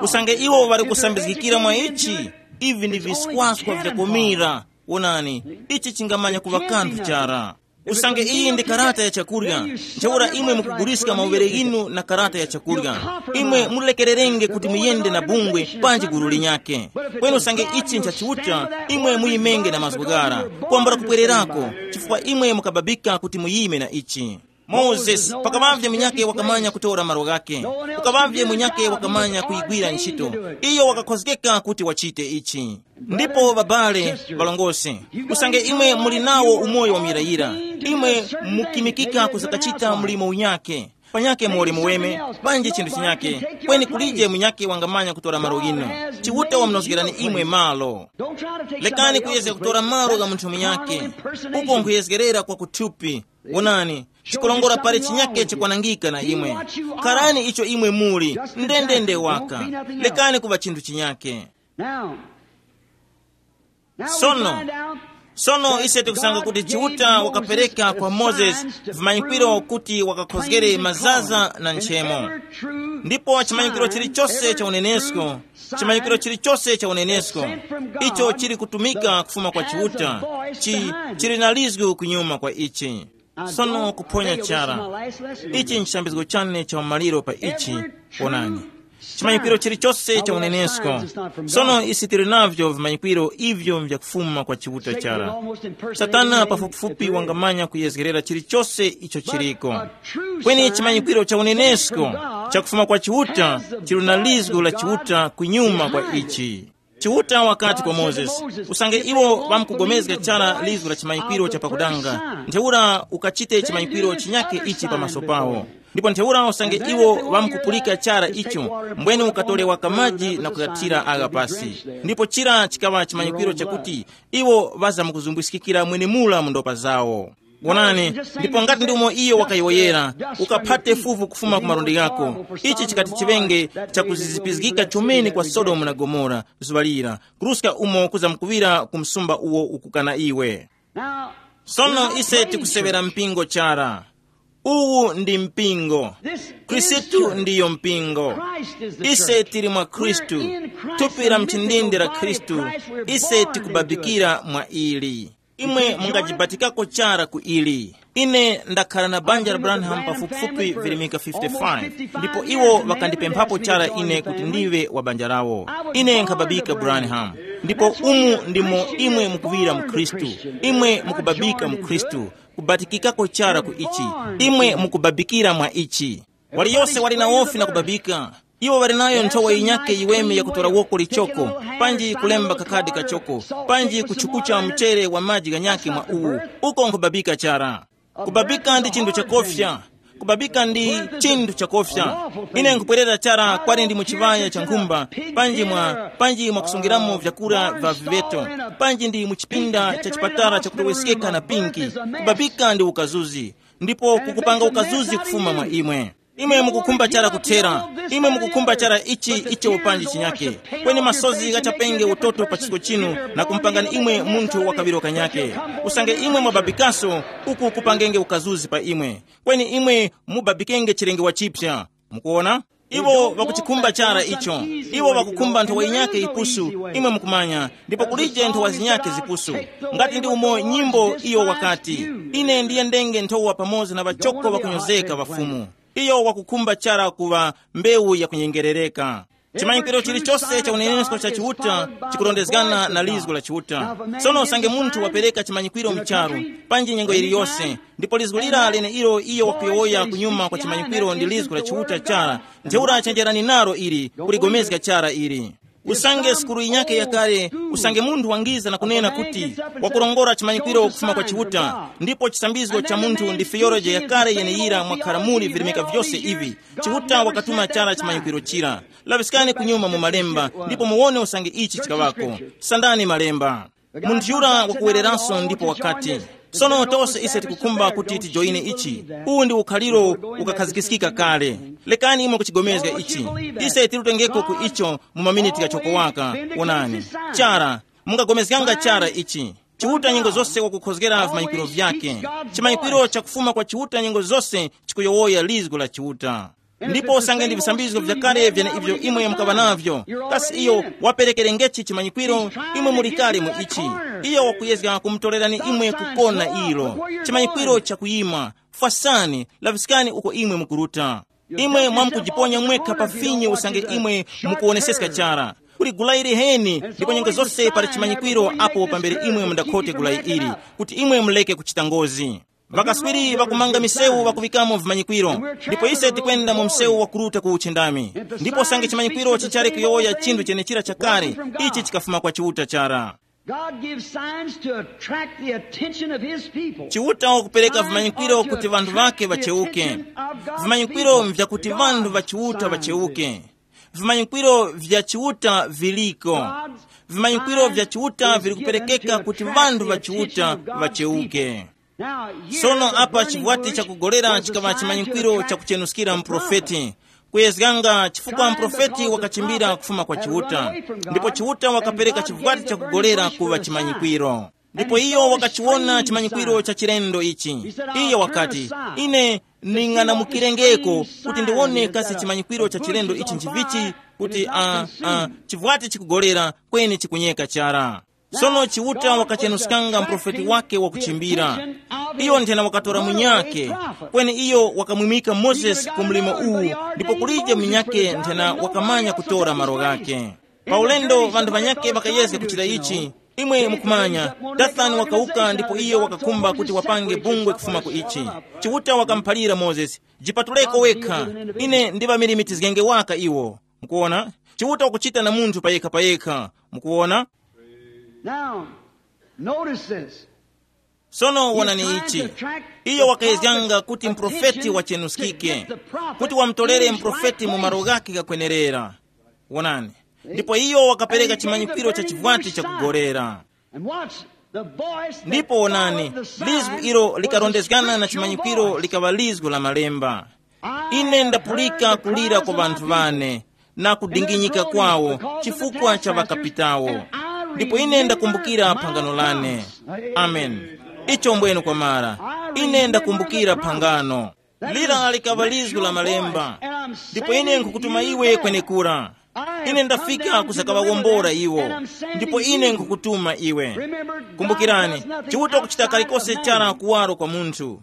Usange iwo ŵali kusambizgikira mwa ichi, ivi ndi viswaskwa vyakomira. Wonani, ichi chingamanya kuŵa kanthu chara. Usange iyi ndi karata ya chakurya, ntheura imwe mukuguliska mauŵere ghinu na karata ya chakurya. Imwe mulekererenge kuti muyende na bungwe panji gulu linyakhe. Kweni usange ichi ncha Chiuta, imwe muyimenge na mazgu ghara, kwambula kupwererako, chifukwa imwe mukababika kuti muyime na ichi. Mozesi, pakaŵavye munyakhe wakamanya kutora malo ghakhe, ukaŵavye munyakhe wakamanya kuyigwira ntchito, iyo wakakhozgeka kuti wachite ichi. Ndipo ŵabale, ŵalongose, usange imwe muli nawo umoyo wa muyirayira, imwe mukimikika kuzakachita mlimo unyakhe. Panyake muli muweme, panji chinthu chinyake, kweni kulije munyake wangamanya kutora malo ghinu. Chiuta wamunozgerani imwe malo. Lekani kuyezga kutora malo gha munthu munyake. Uko nkhuyezgerera kwa kuthupi. Wonani, chikulongora pali chinyake chikwanangika na imwe. Karani icho imwe muli, ndendende waka. Lekani kuŵa chinthu chinyake. Now, now we Sono, find out sono that ise tikusanga God kuti gave Chiuta Moses wakapereka kwa the Moses signs to vimanyikwiro prove kuti wakakhozgere mazaza na nchemo. Ndipo chimanyikwiro chilichonse cha unenesko, chimanyikwiro chilichonse cha unenesko, icho chili kutumika kufuma kwa Chiuta, chi, chili na lizgu kunyuma kwa ichi. Sono kuphonya chara. Ichi nchishambizgo chane cha umaliro pa ichi. Ponani, chimanyikwiro chilichonse cha unenesko. Sono isi tili navyo vimanyikwiro ivyo vyakufuma kwa Chiuta chara. Satana pafupifupi wangamanya kuyezgerera chilichonse icho chiliko. Kweni chimanyikwiro cha unenesko chakufuma kwa Chiuta chili na lizgu la Chiuta kunyuma kwa ichi. Chiuta wakati kwa Mozesi, usange iwo ŵamkugomezga chara lizgu la chimanyikwiro cha pakudanga, ntheura ukachite chimanyikwiro chinyakhe ichi pamaso pawo. Ndipo ntheura usange iwo ŵamkupulika chara icho, mbweni ukatolewa kamaji na kuyathira agha pasi. Ndipo chira chikaŵa chimanyikwiro chakuti iwo ŵazamkuzumbwiskikira mwenemura mu ndopa zawo. Wonani, ndipo ngati ndi umo iyo wakayowoyera, ukaphate fuvu kufuma ku malundi ghako. Ichi chikati chiŵenge chakuzizipizgika chomene kwa Sodomu na Gomora zuŵa lira, kuruska umo kuzamkuŵira ku msumba uwo ukukana iwe. Now, sono ise tikusewera mpingo chara. Uwu ndi mpingo. Khristu ndiyo mpingo. Ise tili mwa Khristu, thupi la mchindindi la Khristu. Ise tikubabikira mwa ili. Imwe mungajibatikako chara ku ili. Ine ndakhala na banja la Branham pafupifupi virimika fifty-five, ndipo iwo ŵakandipemphapo chara ine kuti ndiwe wa banja lawo. Ine nkhababika Branham. Ndipo umu ndimo imwe mukuŵira mu Khristu. Imwe mukubabika mu Khristu, kubatikikako chara ku ichi. Imwe mukubabikira mwa ichi. Waliyose wali na wofi na kubabika. Iwo ŵali nayo nthowa yinyakhe yiweme yakutora woko lichoko, panji kulemba kakhadi kachoko, panji kuchukucha mchere wa maji ghanyakhe mwa uwu. Uko nkubabika chara. Kubabika ndi chinthu chakofya. Kubabika ndi chinthu chakofya. Ine nkupwerera chara kwali ndi mu chiŵaya cha nkhumba, panji mwa, panji mwa kusungiramo vyakura vya viveto, panji ndi mu chipinda cha chipatala chakutoweskeka na pinki. Kubabika ndi ukazuzi. Ndipo kukupanga ukazuzi kufuma mwa imwe. Imwe mukukhumba chara kuthera. Imwe mukukhumba chara ichi icho panji chinyake. Kweni masozi ghachapenge utoto pa chisko chinu, na kumpangani imwe munthu wa kaŵiro kanyake. Usange imwe mwababikaso, uku kupangenge ukazuzi pa imwe. Kweni imwe mubabikenge chilenge wachipsa. Mukuona? Iwo ŵakuchikhumba chara icho. Iwo ŵakukhumba nthowa yinyake yipusu, imwe mukumanya, ndipo kulije nthowa zinyake zipusu. Ngati ndi umo nyimbo iyo wakati, ine ndiyendenge nthowa pamoza na ŵachoko ŵakunyozeka ŵafumu. Iyo wakukhumba chara kuŵa mbewu yakunyengerereka. Chimanyikwiro chilichose cha unenesko cha Chiuta chikurondezgana na lizgu la Chiuta. Sono usange munthu wapereka chimanyikwiro mu charu, panji nyengo yiliyose, ndipo lizgu lira leneilo iyo wakuyowoya kunyuma kwa chimanyikwiro ndi lizgu la Chiuta chara, ntheura chenjerani nalo ili, kuligomezga chara ili. Usange sukulu yinyakhe yakale, usange munthu wangiza na kunena kuti wakurongora chimanyikwiro kufuma kwa Chiuta, ndipo chisambizgo cha munthu ndi theology yakale yeneyira mwakhara muli virimika vyose ivi, Chiuta wakatuma chara chimanyikwiro chira. Laŵiskani kunyuma mu malemba, ndipo muwone usange ichi chikaŵako. Sandani malemba. Munthu yura wakuwereranso ndipo wakati, sono tose ise tikukhumba kuti tijoyine ichi. Uwu ndi ukhaliro ukakhazikiskika kale. Lekani imwe kuchigomezga ichi. Ise tilutengeko ku icho mu maminiti ghachoko waka. Wonani. Chara, mungagomezganga chara ichi. Chiuta nyengo zose wakukhozgera vimanyikwiro vyake. Chimanyikwiro chakufuma kwa Chiuta nyengo zose chikuyowoya lizgu la Chiuta. Ndipo usange ndi visambizgo vyakale vyeneivyo imwe mukaŵa navyo, kasi iyo waperekerengechi chimanyikwiro? Imwe muli kale mu ichi. Iyo wakuyezga kumutorerani imwe kukona ilo. Chimanyikwiro chakuyima. Fwasani, laŵiskani uko imwe mukuruta. Imwe mwamkujiponya mwekha pa vinyo usange imwe mukuwoneseska chara. Kuli gulayi liheni, ndipo nyengo zose pali chimanyikwiro apo pambere imwe mundakhote gulayi ili, kuti imwe muleke kuchita ngozi. Ŵakaswiri ŵakumanga misewu ŵakuŵikamo vimanyikwiro, ndipo ise tikwenda mu msewu wakuruta ku uchindami. Ndipo usange chimanyikwiro chichali kuyowoya chinthu chenechira chakale, ichi chikafuma kwa Chiuta chara. God gives signs to attract the attention of his people. Chiuta wakupereka vimanyikwiro kuti vanthu vake vacheuke. Vimanyikwiro mvyakuti vanthu vachiuta vacheuke. Vimanyikwiro vya Chiuta viliko. Vimanyikwiro vya Chiuta vili kuperekeka kuti vanthu va Chiuta vacheuke. Sono apa chivwati chakugolera chikaŵa chimanyikwiro chakuchenuskira mprofeti, kuyezganga chifukwa mprofeti wakachimbira kufuma kwa Chiuta, ndipo Chiuta wakapereka chivwati chakugolera kuŵa chimanyikwiro. Ndipo iyo wakachiwona chimanyikwiro cha chilendo ichi. Iyo wakati, ine ning'anamukirengeko kuti ndiwone kasi chimanyikwiro cha chilendo ichi nchivichi, kuti uh, uh, chivwati chikugolera kweni chikunyeka chara. Sono Chiuta wakachenuskanga mprofeti wake wakuchimbira. Iyo nthena wakatora munyake, kweni iyo wakamwimika Mozesi ku mlimo uwu, ndipo kulije munyake nthena wakamanya kutora malo ghake. Pa ulendo vanthu vanyake ŵakayezga kuchita ichi. Imwe mukumanya, Dathani wakawuka ndipo iyo wakakhumba kuti wapange bungwe kufuma ku ichi. Chiuta wakamuphalira Mozesi, jipatuleko wekha, ine ndiŵamirimitizgenge waka iwo. Mukuona? Chiuta wakuchita na munthu payekha payekha. Mukuona? Now, notice this. Sono wonani ichi. Iyo wakayezganga kuti mprofeti wachenuskike, kuti wamutolere mprofeti mu malo ghake ghakwenerera. Wonani. Ndipo iyo wakapereka chimanyikwiro cha chivwati chakugolera. And watch, the voice that ndipo wonani, followed the sign lizgu ilo was the likarondezgana na scripture chimanyikwiro voice. Likaŵa lizgu la malemba. Ine ndapulika kulira kwa vanthu vane na kudinginyika kwawo chifukwa cha ŵakapitawo. Ndipo ine ndakumbukira phangano lane. Amen. Icho mbwenu kwamara. Ine ndakumbukira phangano. Lira likaŵa lizgu la malemba. Ndipo ine nkukutuma iwe kwenekura. Ine ndafika kusakaŵawombora iwo. Ndipo ine nkukutuma iwe. Kumbukirani, Chiuta kuchita kalikose chara kuwaro kwa munthu.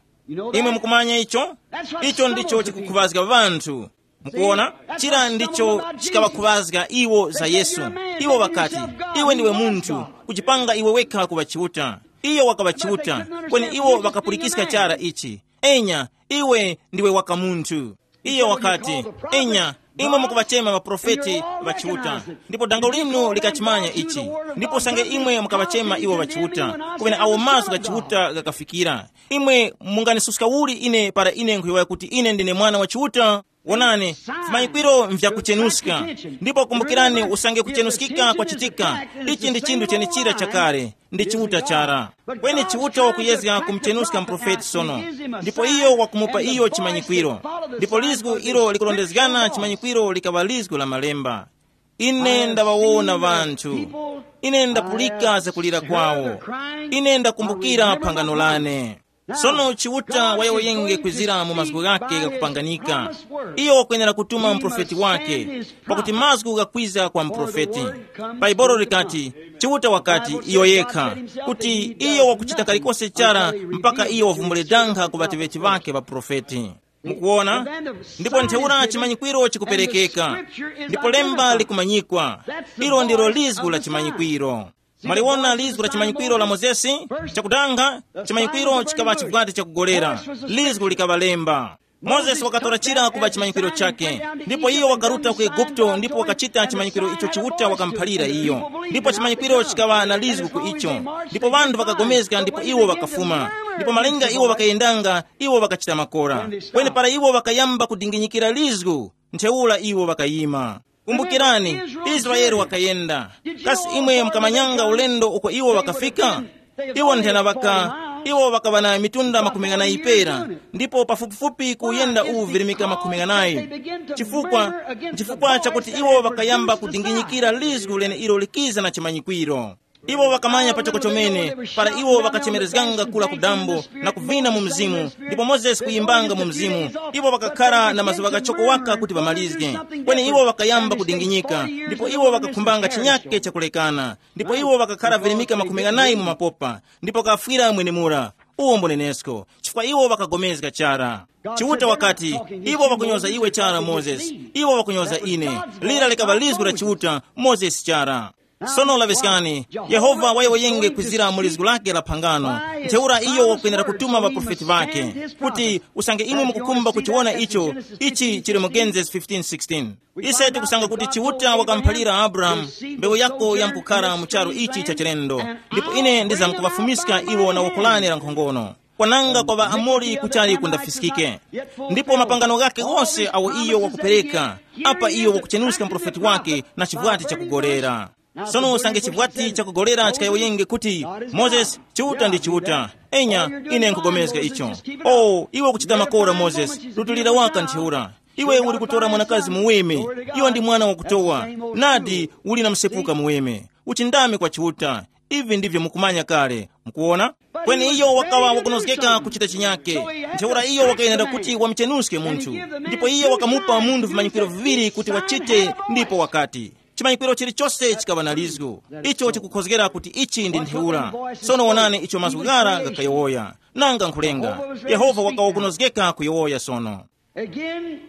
Imwe mukumanya icho? Icho ndicho chikukhuŵazga ŵanthu. Mukuona? Chira ndicho chikaŵakhuŵazga iwo za Yesu. Iwo ŵakati, iwe ndiwe munthu, kujipanga iwe wekha kuŵa Chiuta. Iyo wakaŵa Chiuta, kweni iwo ŵakapulikiska chara ichi. Enya, iwe ndiwe waka munthu. Iyo wakati, enya, imwe mukuŵachema ŵaprofeti ŵa Chiuta, ndipo dango linu likachimanya ichi. Ndipo usange imwe mukaŵachema iwo ŵa Chiuta, kumene awo mazgu gha Chiuta ghakafikira, imwe munganisuska uli ine para ine nkhuyowoya kuti ine ndine mwana wa Chiuta? Wonani, vimanyikwiro nvyakuchenuska. Ndipo kumbukirani, usange kuchenuskika kwachitika, ichi ndi chinthu chenichira chakale, ndi Chiuta chara. Kweni Chiuta wakuyezga kumuchenuska mprofeti sono. Ndipo iyo wakumupa iyo chimanyikwiro. Ndipo lizgu ilo likulondezgana chimanyikwiro likaŵa lizgu la malemba. Ine ndaŵawona ŵanthu. Ine ndapulika zakulira kwawo. Ine ndakumbukira phangano lane. Sono Chiuta wayowoyenge kwizira mu mazgu ghake ghakupanganika. Iyo wakwenera kutuma muprofeti wake, pakuti mazgu ghakwiza kwa muprofeti. Bhaibuli likati, Chiuta wakati iyo yekha, kuti iyo wakuchita kalikose chara mpaka iyo wavumbule danga ku ŵateŵeti ŵake ŵaprofeti. Mukuona? Ndipo ntheura chimanyikwiro chikuperekeka, ndipo lemba likumanyikwa. Ilo ndilo lizgu la chimanyikwiro. Mwaliwona lizgu la chimanyikwiro la Mozesi? Chakudanga, chimanyikwiro chikaŵa chivwati chakugolera. Lizgu likaŵa lemba. Mozesi wakatora chira kuŵa chimanyikwiro chake, ndipo iyo wakaruta ku Eguputo ndipo wakachita chimanyikwiro icho Chiuta wakamuphalira iyo. Ndipo chimanyikwiro chikaŵa na lizgu ku icho. Ndipo ŵanthu ŵakagomezga ndipo iwo ŵakafuma. Ndipo malinga iwo ŵakayendanga, iwo ŵakachita makora. Kweni para iwo ŵakayamba kudinginyikira lizgu, ntheura iwo ŵakayima. Kumbukirani, Israele wakayenda. Kasi imwe mukamanyanga ulendo uko iwo ŵakafika? Iwo nthena ŵaka, iwo ŵakaŵa na mitunda makumi ghanayi pera, ndipo pafupifupi kuyenda uwu virimika makumi ghanayi. Chifukwa, chifukwa chakuti iwo ŵakayamba kudinginyikira lizgu lene ilo likiza na chimanyikwiro. Iwo ŵakamanya pachoko chomene, para iwo ŵakachemerezganga kura ku dambo na kuvina mu mzimu, ndipo Mozesi kuyimbanga mu mzimu. Iwo ŵakakhara na mazuŵa ghachoko waka kuti ŵamalizge. Kweni iwo ŵakayamba kudinginyika, ndipo iwo ŵakakhumbanga chinyake chakulekana, ndipo iwo ŵakakhara virimika makumi ghanayi mu mapopa, ndipo kafwira mwenemura. Uwo mbunenesko, chifukwa iwo ŵakagomezga chara. Chiuta wakati, iwo ŵakunyoza iwe chara Mozesi, iwo ŵakunyoza ine. Lira likaŵa lizgu la Chiuta, Mozesi chara. Sono laŵiskani, Yehova wayowoyenge kwizira mu lizgu lake la phangano. Ntheura iyo wakwenera kutuma ŵaprofeti ŵake, kuti usange imwe mukukhumba kuchiwona icho, ichi chili mu Genesis fifteen sixteen. Ise tikusanga kuti Chiuta wakamuphalira Abrahamu, mbewu yako yamkukhara mu charu ichi cha chilendo, ndipo ine ndizamkuŵafumiska iwo na wakulane la nkhongono. Kwananga kwa ŵaAmori kuchali kundafiskike. Ndipo mapangano ghake ghose awo iyo wakupereka, apa iyo wakuchenuska muprofeti wake na chivwati chakugolera. Sono usange chivwati chakugolera chikayowoyenge kuti, Mozesi, Chiuta ndi Chiuta. Enya, ine nkugomezga icho. O iwe ukuchita makora, Mozesi, rutulira waka ntheura. Iwe uli kutora mwanakazi muweme. Iwe ndi mwana wakutowa. Nadi, uli na msepuka muweme. Uchindame kwa Chiuta. Ivi ndivyo mukumanya kale. Mukuona? Kweni iyo wakawa wakunozgeka kuchita chinyake. Ntheura iyo wakayenera kuti wamuchenuske munthu. Ndipo iyo wakamupa munthu vimanyikiro viŵiri kuti wachite, ndipo wakati, chimanyikiro chilichose chikaŵa na lizgu. Icho chikukhozgera kuti ichi ndi ntheura. Sono wonani icho mazgu ghara ghakayowoya. Nanga nkhulenga, Yehova wakawa wakunozgeka kuyowoya sono. Again,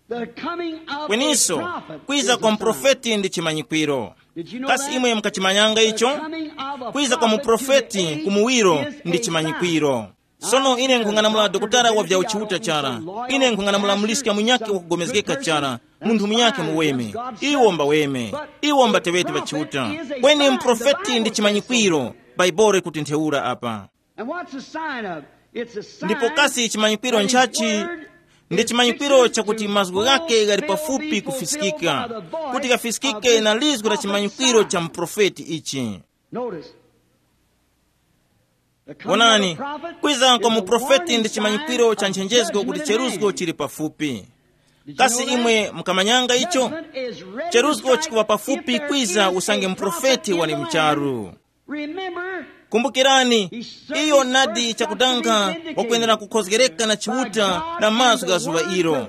the coming of a kweninso, prophet kwiza is kwa a sign. Muprofeti ndi chimanyikwiro. Did you know kasi that? Imwe mukachimanyanga icho? The coming of a kwiza kwa prophet muprofeti today kumuwiro is ndi a sign. Chimanyikwiro. Sono ine nkhung'anamula dokotala wa vya uchiuta chara. Ine nkhung'anamula muliska munyake wakugomezgeka chara. Munthu munyake muweme. Iwo mbaweme. Iwo mbatewete ŵachiuta. Kweni muprofeti ndi chimanyikwiro. Baibolo kuti ntheura apa. And what's the sign of? It's a sign. Ndipo kasi chimanyikwiro nchachi? Ndi chimanyikwiro chakuti mazgu ghake ghali pafupi kufiskika, kuti ghafiskike na lizgu la chimanyikwiro cha muprofeti ichi. Notice. Wonani, kwiza kwa muprofeti ndi chimanyikwiro cha nchenjezgo kuti cheruzgo chili pafupi. Kasi imwe mukamanyanga icho? Cheruzgo chikuŵa pafupi kwiza usange muprofeti wali mcharu. Kumbukirani, iyo nadi chakudanga wakwenera kukhozgereka na Chiuta na mazgu gha zuŵa ilo.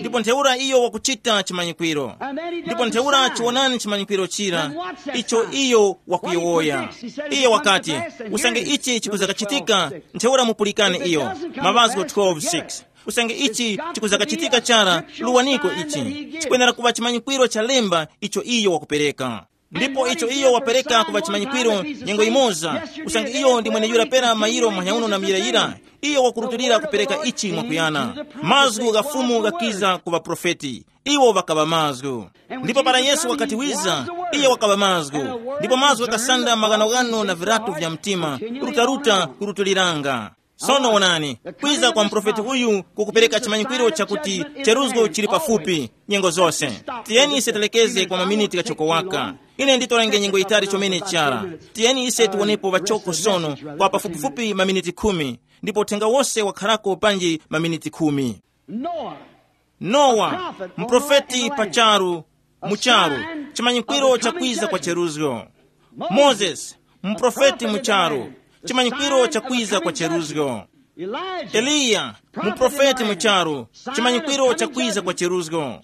Ndipo ntheura iyo wakuchita chimanyikwiro. Ndipo ntheura chiwonani chimanyikwiro chira icho iyo wakuyowoya. Iyo wakati, usange ichi chikuzakachitika, ntheura mupulikane iyo. Mavazgo twelve six. Usange ichi chikuzakachitika chara, luwaniko ichi. Chikwenera kuŵa chimanyikwiro cha lemba icho iyo wakupereka. Ndipo icho iyo wapereka kuŵa chimanyikwiro nyengo imoza, usange iyo ndi mweneyura pera mayiro manyauno na miyirayira, iyo wakurutulira kupereka ichi mwakuyana. Mazgu gha Fumu ghakiza ku ŵaprofeti, iwo ŵakaŵa mazgu. Ndipo para Yesu wakati wiza, iye wakaŵa mazgu. Ndipo mazgu ghakasanda maghanoghano na viratu vya mtima, rutaruta kurutuliranga. Sono wonani, kwiza kwa muprofeti uyu kukupereka chimanyikwiro chakuti cheruzgo chili pafupi nyengo zose. Tiyeni ise telekeze kwa maminiti ghachoko waka. Ine nditorenge nyengo yitali chomene chara. Tiyeni ise tiwonepo ŵachoko sono kwa pafupifupi maminiti khumi, ndipo uthenga wose wakharako panji maminiti khumi. Noah. Nowa, muprofeti pa charu, mu charu, chimanyikwiro cha kwiza kwa cheruzgo. Mozesi, muprofeti mu charu, chimanyikwiro cha kwiza kwa cheruzgo. Eliya, muprofeti mu charu, chimanyikwiro cha kwiza kwa cheruzgo.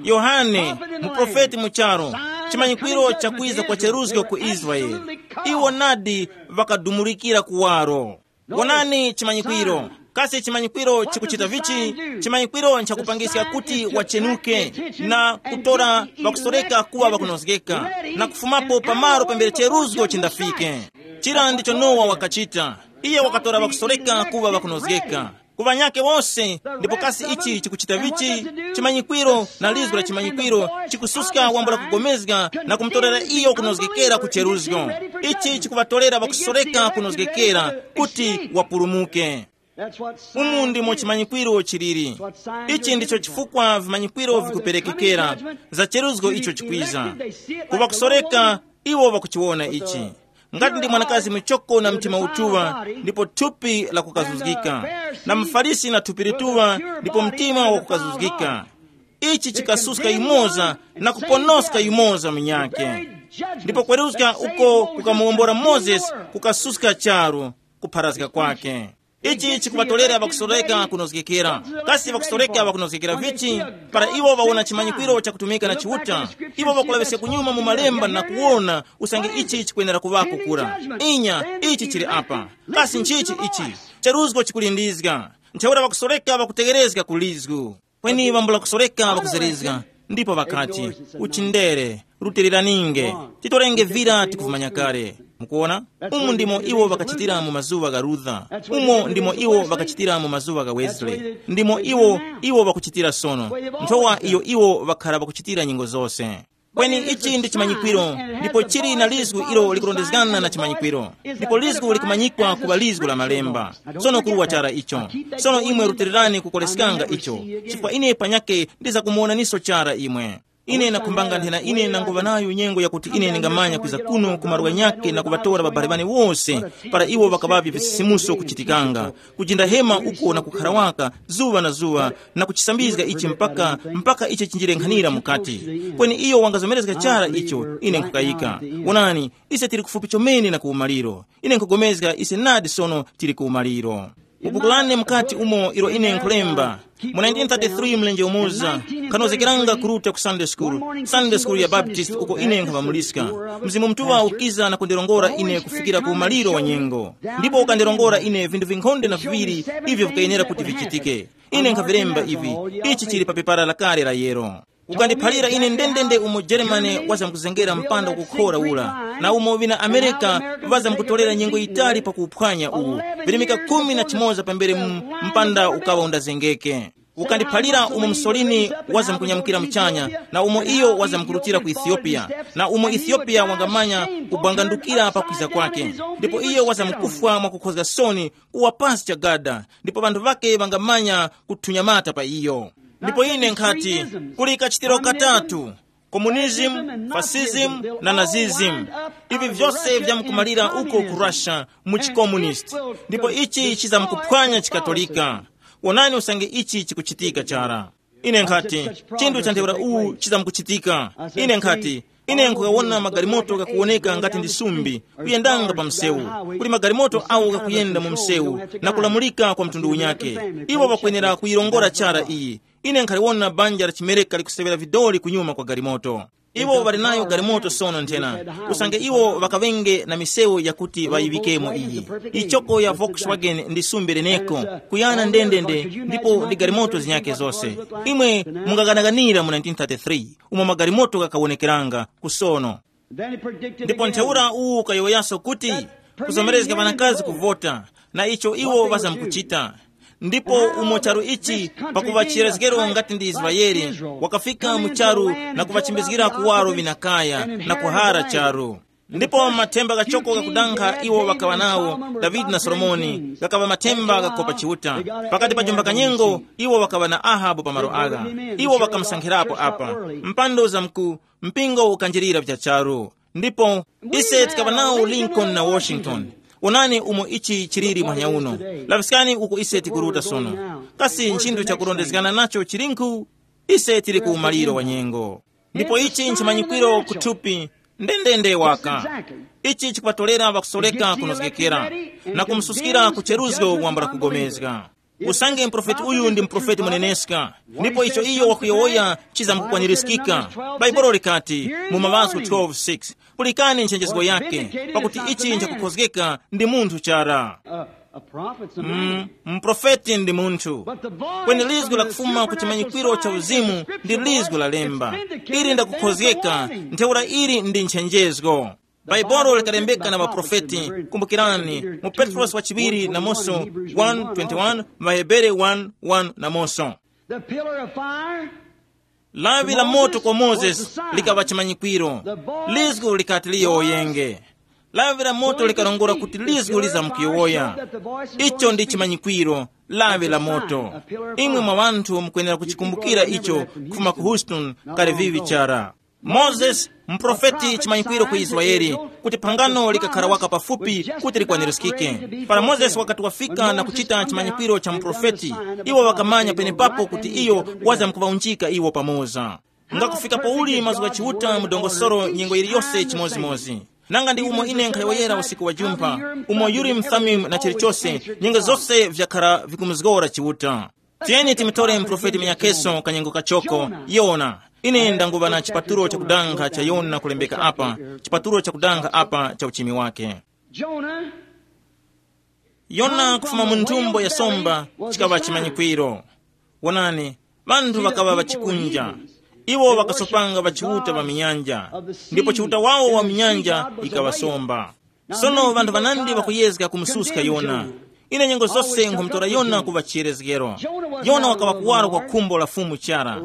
Yohane, muprofeti mu charu, chimanyikwiro cha kwiza kwa cheruzgo ku Israeli. Iwo nadi ŵakadumurikira kuwaro. Wonani chimanyikwiro. Kasi chimanyikwiro chikuchita vichi? Chimanyikwiro nchakupangiska kuti wachenuke na kutora ŵakusoreka kuŵa ŵakunozgeka, na kufumapo pamalo pambere cheruzgo chindafike. Chira ndicho Nowa wakachita. Iye wakatora ŵakusoreka kuŵa ŵakunozgeka ku ŵanyakhe wose. Ndipo kasi ichi chikuchita vichi? Chimanyikwiro na lizgu la chimanyikwiro chikususka wambula kugomezga na kumutorera iyo kunozgekera ku cheruzgo. Ichi chikuŵatorera ŵakusoreka kunozgekera kuti wapulumuke. Umu ndimo chimanyikwiro chiliri. Ichi ndicho chifukwa vimanyikwiro vikuperekekera za cheruzgo icho chikwiza. Ku ŵakusoreka, iwo ŵakuchiwona ichi. Ngati ndi mwanakazi muchoko na mtima utuŵa, ndipo thupi lakukazuzgika, na mufarisi na thupi lituŵa, ndipo mtima wakukazuzgika. Ichi chikasuska yumoza na kuponoska yumoza munyakhe. Ndipo kweruzga uko kukamuwombora Mozesi kukasuska charu kupharazga kwake. Ichi chikuŵatolera ŵakusoreka kunozgekera. Kasi ŵakusoreka ŵakunozgekera vichi? Para iwo ŵawona chimanyikwiro chakutumika na Chiuta, iwo ŵakulaŵiska kunyuma mu malemba na kuwona usange ichi chikwenera kuŵako kura. Inya, ichi chili apa. Kasi nchichi ichi? Cheruzgo chikulindizga. Ntheura ŵakusoreka ŵakutegherezga ku lizgu. Kweni ŵambula kusoreka ŵakuzerezga. Ndipo ŵakati, uchindere, rutiliraninge, titorenge vira tikuvumanya kale. Mukuona? Umu ndimo iwo ŵakachitira mu mazuŵa gha Luther. Umo ndimo iwo ŵakachitira mu mazuŵa gha Wesley. Ndimo iwo iwo ŵakuchitira sono. Nthowa iyo iwo ŵakhara ŵakuchitira nyengo zose. Kweni ichi ndi chimanyikwiro, ndipo chili na lizgu ilo likurondezgana na chimanyikwiro. Ndipo lizgu likumanyikwa kuŵa lizgu la malemba. Sono kuruwa chara icho. Sono imwe rutilirani kukoleskanga icho, chifukwa ine panyake ndizakumuwonaniso chara imwe. Ine nakhumbanga nthena ine nanguŵa nayo nyengo yakuti ine ndingamanya kwiza kuno ku malo ghanyakhe na kuŵatora ŵabale ŵane wose, para iwo ŵakaŵavye visisimuso kuchitikanga, kujinda hema uko na kukhara waka zuŵa na zuŵa, na kuchisambizga ichi mpaka mpaka ichi chinjirenkhanira mukati. Kweni iyo wangazomerezga chara icho ine nkhukayika. Wonani, ise tili kufupi chomene na kuwumaliro. Ine nkhugomezga ise nadi sono tili kuwumaliro. Upukulane mukati umo ilo ine nkhulemba. Mu nineteen thirty-three mlenje umoza, nkhanozekeranga kuruta ku Sunday school, Sunday school ya Baptist uko ine nkhaŵamuliska. Mzimu Mutuŵa ukiza na kundirongora ine kufikira ku umaliro wa nyengo. Ndipo ukandilongora ine vinthu vinkhonde na viŵiri ivyo vikayenera kuti vichitike. Ine nkhavilemba ivi, ichi chili pa pepara lakale la yero. Ukandiphalira ine ndendende umo Jeremane wazamkuzengera mpanda ukukhora ula, na umo ŵina Amerika ŵazamkutolera nyengo yitali pakuuphwanya uwu, virimika khumi na chimoza pambere mu mpanda ukaŵa undazengeke. Ukandiphalira umo Musolini wazamkunyamukira muchanya, na umo iyo wazamkurutira ku Ethiopia, na umo Ethiopia wangamanya kubwangandukira pakwiza kwake. Ndipo iyo wazamkufwa mwakukhozga soni kuwa pasi chagada, ndipo ŵanthu ŵake ŵangamanya kuthunyamata pa iyo. Ndipo ine nkhati, kuli kachitiro katatu: communism, fascism, na nazism. Ivi vyose vyamkumalira uko ku Russia, mu chikomunisti. Ndipo ichi chizamkuphwanya chikatolika. Wonani usange ichi chikuchitika chara. Ine nkhati, chinthu cha ntheura uwu chizamkuchitika. Ine nkhati, ine nkukawona magalimoto ghakuwoneka ngati ndi sumbi, kuyendanga pa msewu. Kuli magalimoto awo ghakuyenda mu msewu, na kulamulika kwa mtundu unyake. Iwo ŵakwenera kuyirongora chara iyi. Ine nkhaliwona banja la chimereka likusewera vidoli kunyuma kwa galimoto. Iwo ŵali nayo galimoto sono nthena, usange iwo ŵakaŵenge na misewu yakuti ŵayiŵikemo iyi. Ichoko ya Volkswagen ndi sumbi leneko, kuyana ndendende, ndipo ndi galimoto zinyake zose. Imwe mungaganaganira mu nineteen thirty-three, umo magalimoto ghakawonekeranga kusono. Ndipo ntheura uwu ukayowoyaso kuti, kuzomerezga ŵanakazi kuvota, na icho iwo ŵazamkuchita. Ndipo umo charu ichi, pakuŵa chiyerezgero ngati ndi Israele, wakafika mu charu na kuŵachimbizgira kuwaro vinakaya na kuhara charu. Ndipo mathemba ghachoko ghakudankha iwo ŵakaŵa nawo, Davide na Solomoni, ghakaŵa mathemba ghakopa Chiuta. Pakati pa jumba kanyengo, iwo ŵakaŵa na Ahabu pa malo agha. Iwo ŵakamusankhirapo apa. Mpando zamku, mpingo ukanjirira vichacharu. Ndipo ise tikaŵa nawo Lincoln na Washington. Onani umo ichi chiliri mwanya uno. Laŵiskani uko ise tikuruta sono. Kasi nchinthu chakurondezgana nacho chilinkhu? Ise tili ku umaliro wa nyengo. Ndipo ichi nchimanyikwiro kuthupi, ndendende waka. Ichi chikupatolera ŵakusoreka kunozgekera, na kumususkira ku cheruzgo wambula kugomezga. Usange muprofeti uyu ndi muprofeti muneneska, ndipo icho iyo wakuyowoya chizamkukwanirizgika. Baibulo likati mu Maŵazgu twelve six, pulikani nchenjezgo yake, pakuti ichi nchakukhozgeka ndi munthu chara. Mm, muprofeti ndi munthu. Kweni lizgu lakufuma ku chimanyikwiro cha uzimu ndi lizgu la lemba. Ili ndakukhozgeka, ntheura ili ndi nchenjezgo. Bhaibuli likalembeka na ŵaprofeti. Kumbukirani, mu Petrosi wachiŵiri namonso one twenty-one, Ŵahebere one one namonso. The pillar of fire. Lawi la moto kwa Mozesi likaŵa chimanyikwiro. Lizgu likati liyowoyenge. Lawi la moto likalongola kuti lizgu lizamkuyowoya. Icho ndi chimanyikwiro, lawi la moto. Imwe mwa ŵanthu mukwenera kuchikumbukira icho kufuma ku Houston, kale vivi chara. Mozesi, muprofeti chimanyikwiro ku Israeli, kuti phangano likakhara waka pafupi kuti likwanirizgike. Para Mozesi wakati wafika na kuchita chimanyikwiro cha muprofeti, iwo ŵakamanya penepapo kuti iyo wazamkuŵaunjika iwo pamoza. Ngakufika pouli mazgu gha Chiuta mu dongosolo nyengo yiliyose chimozimozi. Nanga ndi umo ine nkhayowoyera usiku wa jumpha, umo Urim Thummim na chilichose, nyengo zose vyakhara vikumuzgora Chiuta. Tiyeni timutore muprofeti munyakeso kanyengo kachoko, Yona. Ine ndanguŵa na chipatulo chakudanga cha Yona kulembeka apa, chipatulo chakudanga apa cha uchimi wake. Jonah, Yona kufuma mu nthumbo ya somba chikaŵa chimanyikwiro. Wonani, ŵanthu ŵakaŵa ŵachikunja. Iwo ŵakasopanga ŵa Chiuta ŵa minyanja, ndipo Chiuta wawo wa minyanja yikaŵasomba. Sono ŵanthu ŵanandi ŵakuyezga kumususka Yona. Ine nyengo zose nkhumutora Yona kuŵa chiyerezgero. Yona wakaŵa kuwaro kwa khumbo la Fumu chara.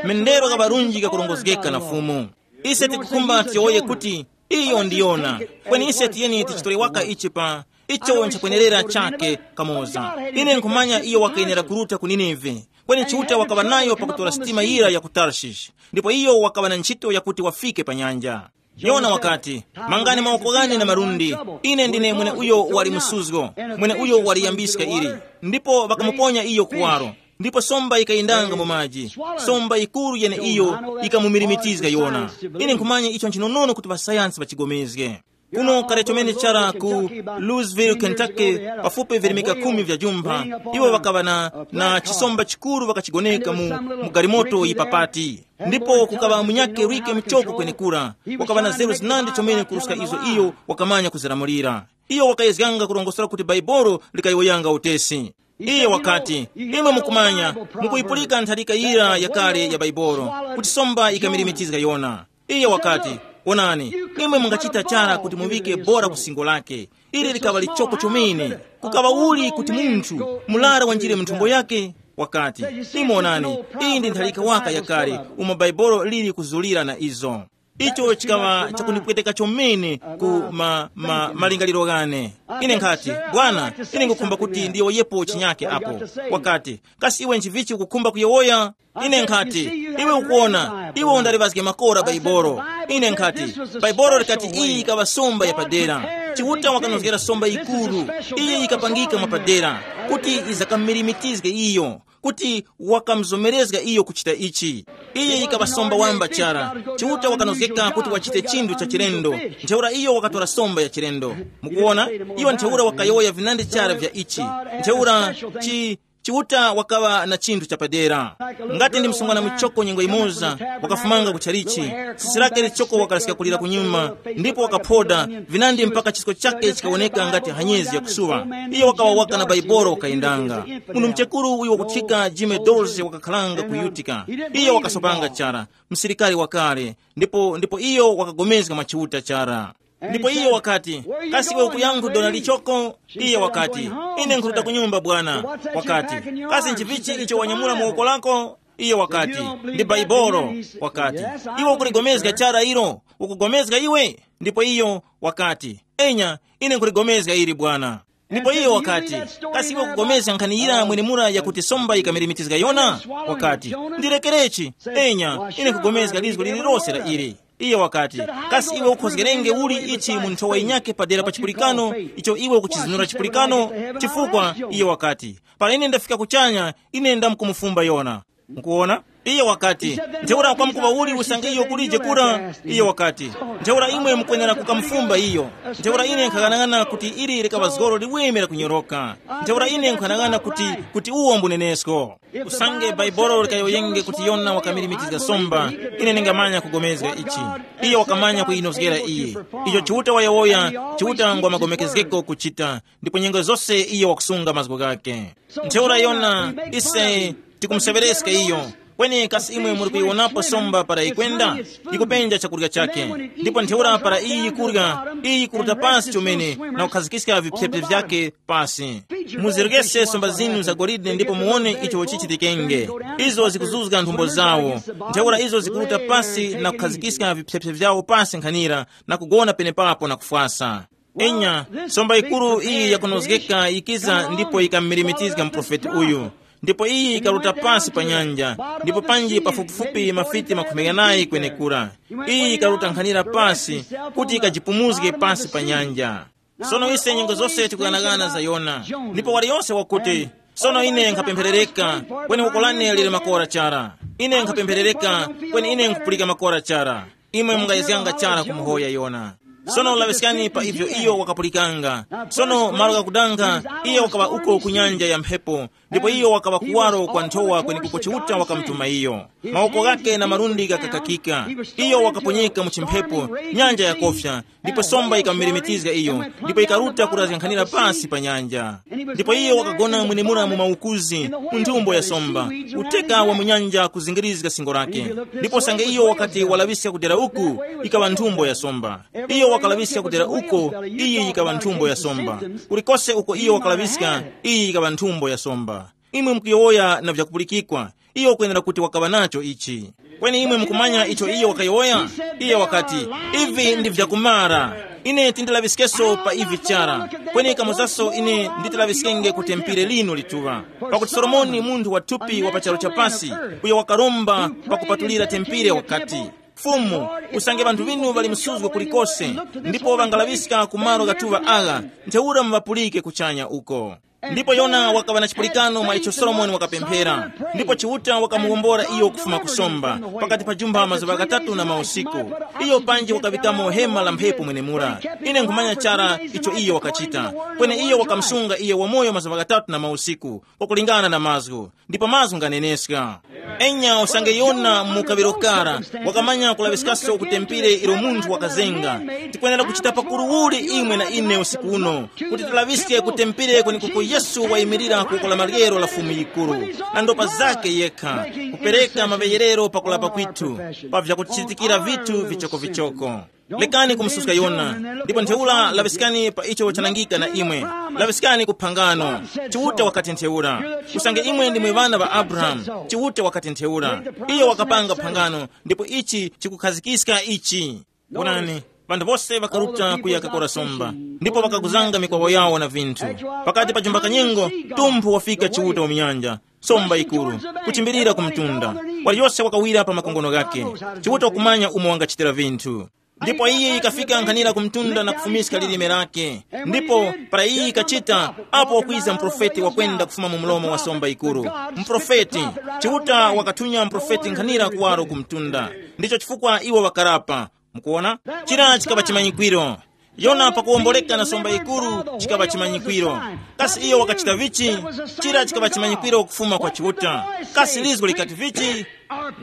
Mendero kaŵa lunji kakurongozgeka na Fumu. Ise tikukhumba tiyowoye kuti iyo ndi Yona. Kweni ise tiyeni tichitore waka ichi pa icho nchakwenerera chake kamoza. Ine nkhumanya iyo wakayenera kuruta ku Nineve. Kweni Chiuta wakaŵa nayo pakutora sitima yira ya ku Tarshish, ndipo iyo wakaŵa na ntchito yakuti wafike pa nyanja. Yona wakati, mangani mawoko ghane na malundi. Ine ndine mwene uyo wali msuzgo, mwene uyo waliyambiska ili. Ndipo ŵakamuponya iyo kuwaro. Ndipo somba yikayendanga mu maji. Somba yikuru yeneiyo yikamumirimitizga Yona. Ine nkhumanya icho nchinonono kuti ŵasayansi ŵachigomezge. Kuno kale chomene chara ku Louisville, Kentucky, pafupi virimika khumi vya jumpha, iwo ŵakaŵa na, na chisomba chikuru ŵakachigoneka mu, mu galimoto yipapati. Ndipo kukaŵa munyakhe Rike Mchoko kwenekura, wakaŵa na zeru zinandi chomene kuruska izo iyo wakamanya kuzilamulira. Iyo wakayezganga kurongosora kuti Baibolo likayowoyanga utesi. Iye wakati, imwe mukumanya, mukuyipulika ntharika yira yakale ya Baibolo, kuti somba ikamirimitizga Yona. Iye wakati, onani, imwe mungachita chara kuti muŵike bora ku singo lake. Ili likaŵa lichoko chomene. Kukaŵa uli kuti munthu mulara wanjire mu nthumbo yake? Wakati, imwe onani, iyi ndi ntharika waka yakale umo Baibolo lili kuzulira na izo. Icho chikaŵa chakundipweteka chomene ku ma, ma, malingaliro ghane. Ine nkhati, bwana, ine ngukhumba kuti ndiyowoyepo chinyake apo. Wakati, kasi iwe nchivichi ukukhumba kuyowoya? Ine nkhati, iwe ukuona, iwe undaliŵazge makora Baibolo. Ine nkhati, Baibolo likati iyi ikaŵa somba yapadera. Chiuta wakanozgera somba yikuru, iyi yikapangika mwapadera, kuti izakammirimitizge iyo, kuti wakamuzomerezga iyo kuchita ichi. Iyi yikaŵa somba wamba chara. Chiuta wakanozgeka kuti wachite chinthu cha chilendo. Ntheura iyo wakatora somba ya chilendo. Mukuona, iyo ntheura wakayowoya vinandi chara vya ichi. Ntheura chi Chiuta wakaŵa na chinthu chapadera. Ngati ndi msungwana muchoko nyengo imoza, wakafumanga ku chalichi, sisi lake lichoko wakalaska kulira kunyuma, ndipo wakaphoda vinandi mpaka chisko chake chikawoneka ngati hanyezi yakusuŵa. Iyo wakawa waka na Baibolo wakayendanga. Munthu muchekuru uyo wakuthika Jime Dorse wakakhalanga ku Utica. Iyo wakasopanga chara, msilikari wakale, ndipo ndipo iyo wakagomezga mwa Chiuta chara. Ndipo iyo wakati, kasi iwe ukuyankhu dona lichoko? Iye wakati, ine nkhuruta ku nyumba bwana. Wakati, kasi nchivichi icho wanyamula mu woko lako? Iye wakati, ndi Baibolo. Wakati, iwe ukuligomezga chara ilo? Ukugomezga iwe? Ndipo iyo wakati, enya, ine nkhuligomezga ili bwana. Ndipo iyo wakati, kasi iwe ukugomezga nkhani yira mwenemura yakuti somba yikamirimikizga Yona? Wakati, ndirekerechi. Enya, ine nkugomezga lizgo lililose la ili. Iye wakati, kasi iwe ukhozgerenge uli ichi mu nthowa yinyakhe padera pa chipulikano, icho iwe ukuchizinura chipulikano? Chifukwa iye wakati, para ine ndafika kuchanya, ine ndamkumufumba Yona. Mukuona? Iye wakati, ntheura kwamkuŵa uli usange iyo kulije kura? Iye wakati, ntheura imwe mukwenera kukamufumba iyo. Ntheura ine nkhaghanag'ana kuti ili likaŵa zgoro liweme la kunyoroka. Ntheura ine nkhaghanag'ana kuti kuti uwo mbunenesko. Usange Baibolo likayowoyenge kuti Yona wakamirimikizga somba, ine ningamanya kugomezga ichi. Iyo wakamanya kuyinozgera iye. Icho Chiuta wayowoya, Chiuta ngwa magomekezgeko kuchita, ndipo nyengo zose iyo wakusunga mazgu ghake. Ntheura Yona, ise tikumuseŵereska iyo. Kweni kasi imwe muri kuyiwonapo somba para yikwenda? Yikupenja chakurya chake. Ndipo ntheura para iyi yikurya, iyi yikuruta pasi chomene na kukhazikiska viphyepye vyake pasi. Muzirukese somba zinu za golide ndipo muwone icho chichitikenge. Izo zikuzuzga nthumbo zawo. Ntheura izo zikuruta pasi na kukhazikiska viphyepye vyawo pasi nkhanira na kugona penepapo na kufwasa. Enya, somba yikuru iyi yakunozgeka yikiza ndipo yikamumirimitizga muprofeti uyu. Ndipo iyi yikaruta pasi pa nyanja, ndipo panji pafupifupi mafiti makhumi ghanayi kwenekura. Iyi yikaruta nkhanira pasi kuti yikajipumuzge pasi pa nyanja. Sono ise nyengo zose tikughanagana za Yona. Ndipo waliyonse wakuti, sono ine nkhapempherereka, kweni woko lane lili makora chara. Ine nkhapempherereka, kweni ine nkhupulika makora chara. Imwe mungayezganga chara kumuhoya Yona. Sono laŵiskani pa ivyo iyo wakapulikanga. Sono malo ghakudankha, iyo wakaŵa uko ku nyanja ya mphepo, ndipo iyo wakaŵa kuwaro kwa nthowa kwenekuko Chiuta wakamutuma iyo. Mawoko ghakhe na malundi ghakakakika. Iyo wakaponyeka mu chimphepo, nyanja yakofya, ndipo somba yikamumeremetizga iyo, ndipo yikaruta kurazgankhanira pasi pa nyanja. Ndipo iyo wakagona mwenemura mu maukuzi, mu nthumbo ya somba, uteka wa mu nyanja kuzingirizga singo lake. Ndipo sange iyo wakati walaŵiska kudera uku, ikaŵa nthumbo ya somba. Iyo wakalaŵiska kudera uko, iyi yikaŵa nthumbo ya somba. Kulikose uko iyo wakalaŵiska, iyi yikaŵa nthumbo ya somba. Imwe mukuyowoya na vyakupulikikwa, iyo ukwenera kuti wakaŵa nacho ichi. Kweni imwe mukumanya icho iyo wakayowoya? Iye wakati, ivi ndi vyakumara. Ine tindilaŵiskeso pa ivi chara. Kweni kamozaso ine nditilaŵiskenge ku tempire linu lituŵa. Pakuti Solomoni munthu wa thupi wa pa charu chapasi, uyo wakaromba pakupatulira tempire wakati, Fumu, usange ŵanthu ŵinu ŵali msuzgo kulikose, ndipo ŵangalaŵiska ku malo ghatuŵa agha, ntheura muŵapulike kuchanya uko. Ndipo Yona wakaŵa na chipulikano mwa icho Solomoni wakapemphera, ndipo Chiuta wakamuwombora iyo kufuma kusomba, pakati pa jumba mazuŵa ghatatu na mausiku. Iyo panji wakaŵikamo hema la mphepo mwenemura. Ine nkhumanya chara icho iyo wakachita. Kweni iyo wakamusunga iye wamoyo mazuŵa ghatatu na mausiku, kwakulingana na mazgu. Ndipo mazgu nganeneska. Enya usange Yona mu kaŵiro kara wakamanya kulaŵiskaso ku tempire ilo munthu wakazenga, tikwenera kuchita pakuru uli imwe na ine usiku uno, kuti tilaŵiske ku tempire kwenekuko Yesu wayimirira ku woko la maryero la Fumu yikuru, na ndopa zake yekha, kupereka maŵeyerero pakulapa kwithu, pa vyakuchitikira vithu vichokovichoko. Lekani kumususka Yona, ndipo ntheura laŵiskani pa icho chanangika na imwe. Laŵiskani ku phangano. Chiuta wakati ntheura, usange imwe ndimwe ŵana ŵa Abrahamu. Chiuta wakati ntheura, iyo wakapanga phangano, ndipo ichi chikukhazikiska ichi. Wonani, ŵanthu bose ŵakaruta kuya kakora somba, ndipo ŵakaguzanga mikwawo yawo na vinthu. Pakati pa jumba kanyengo, tumphu wafika Chiuta wa munyanja, somba yikuru, kuchimbilira ku mtunda. Waliyose wakawira pa makongono ghake. Chiuta wakumanya umo wangachitira vinthu. Ndipo iye yikafika nkhanira ku mtunda na kufumiska lilime lake. Ndipo para iye yikachita, apo wakwiza muprofeti wakwenda kufuma mu mlomo wa somba yikuru. Muprofeti, Chiuta wakathunya muprofeti nkhanira kuwaro ku mtunda. Ndicho chifukwa iwo ŵakarapa. Mukuona? Chira chikaŵa chimanyikwiro. Yona pakuwomboleka na somba yikuru, chikaŵa chimanyikwiro. Kasi iyo wakachita vichi? Chira chikaŵa chimanyikwiro kufuma kwa Chiuta. Kasi lizgo likati vichi?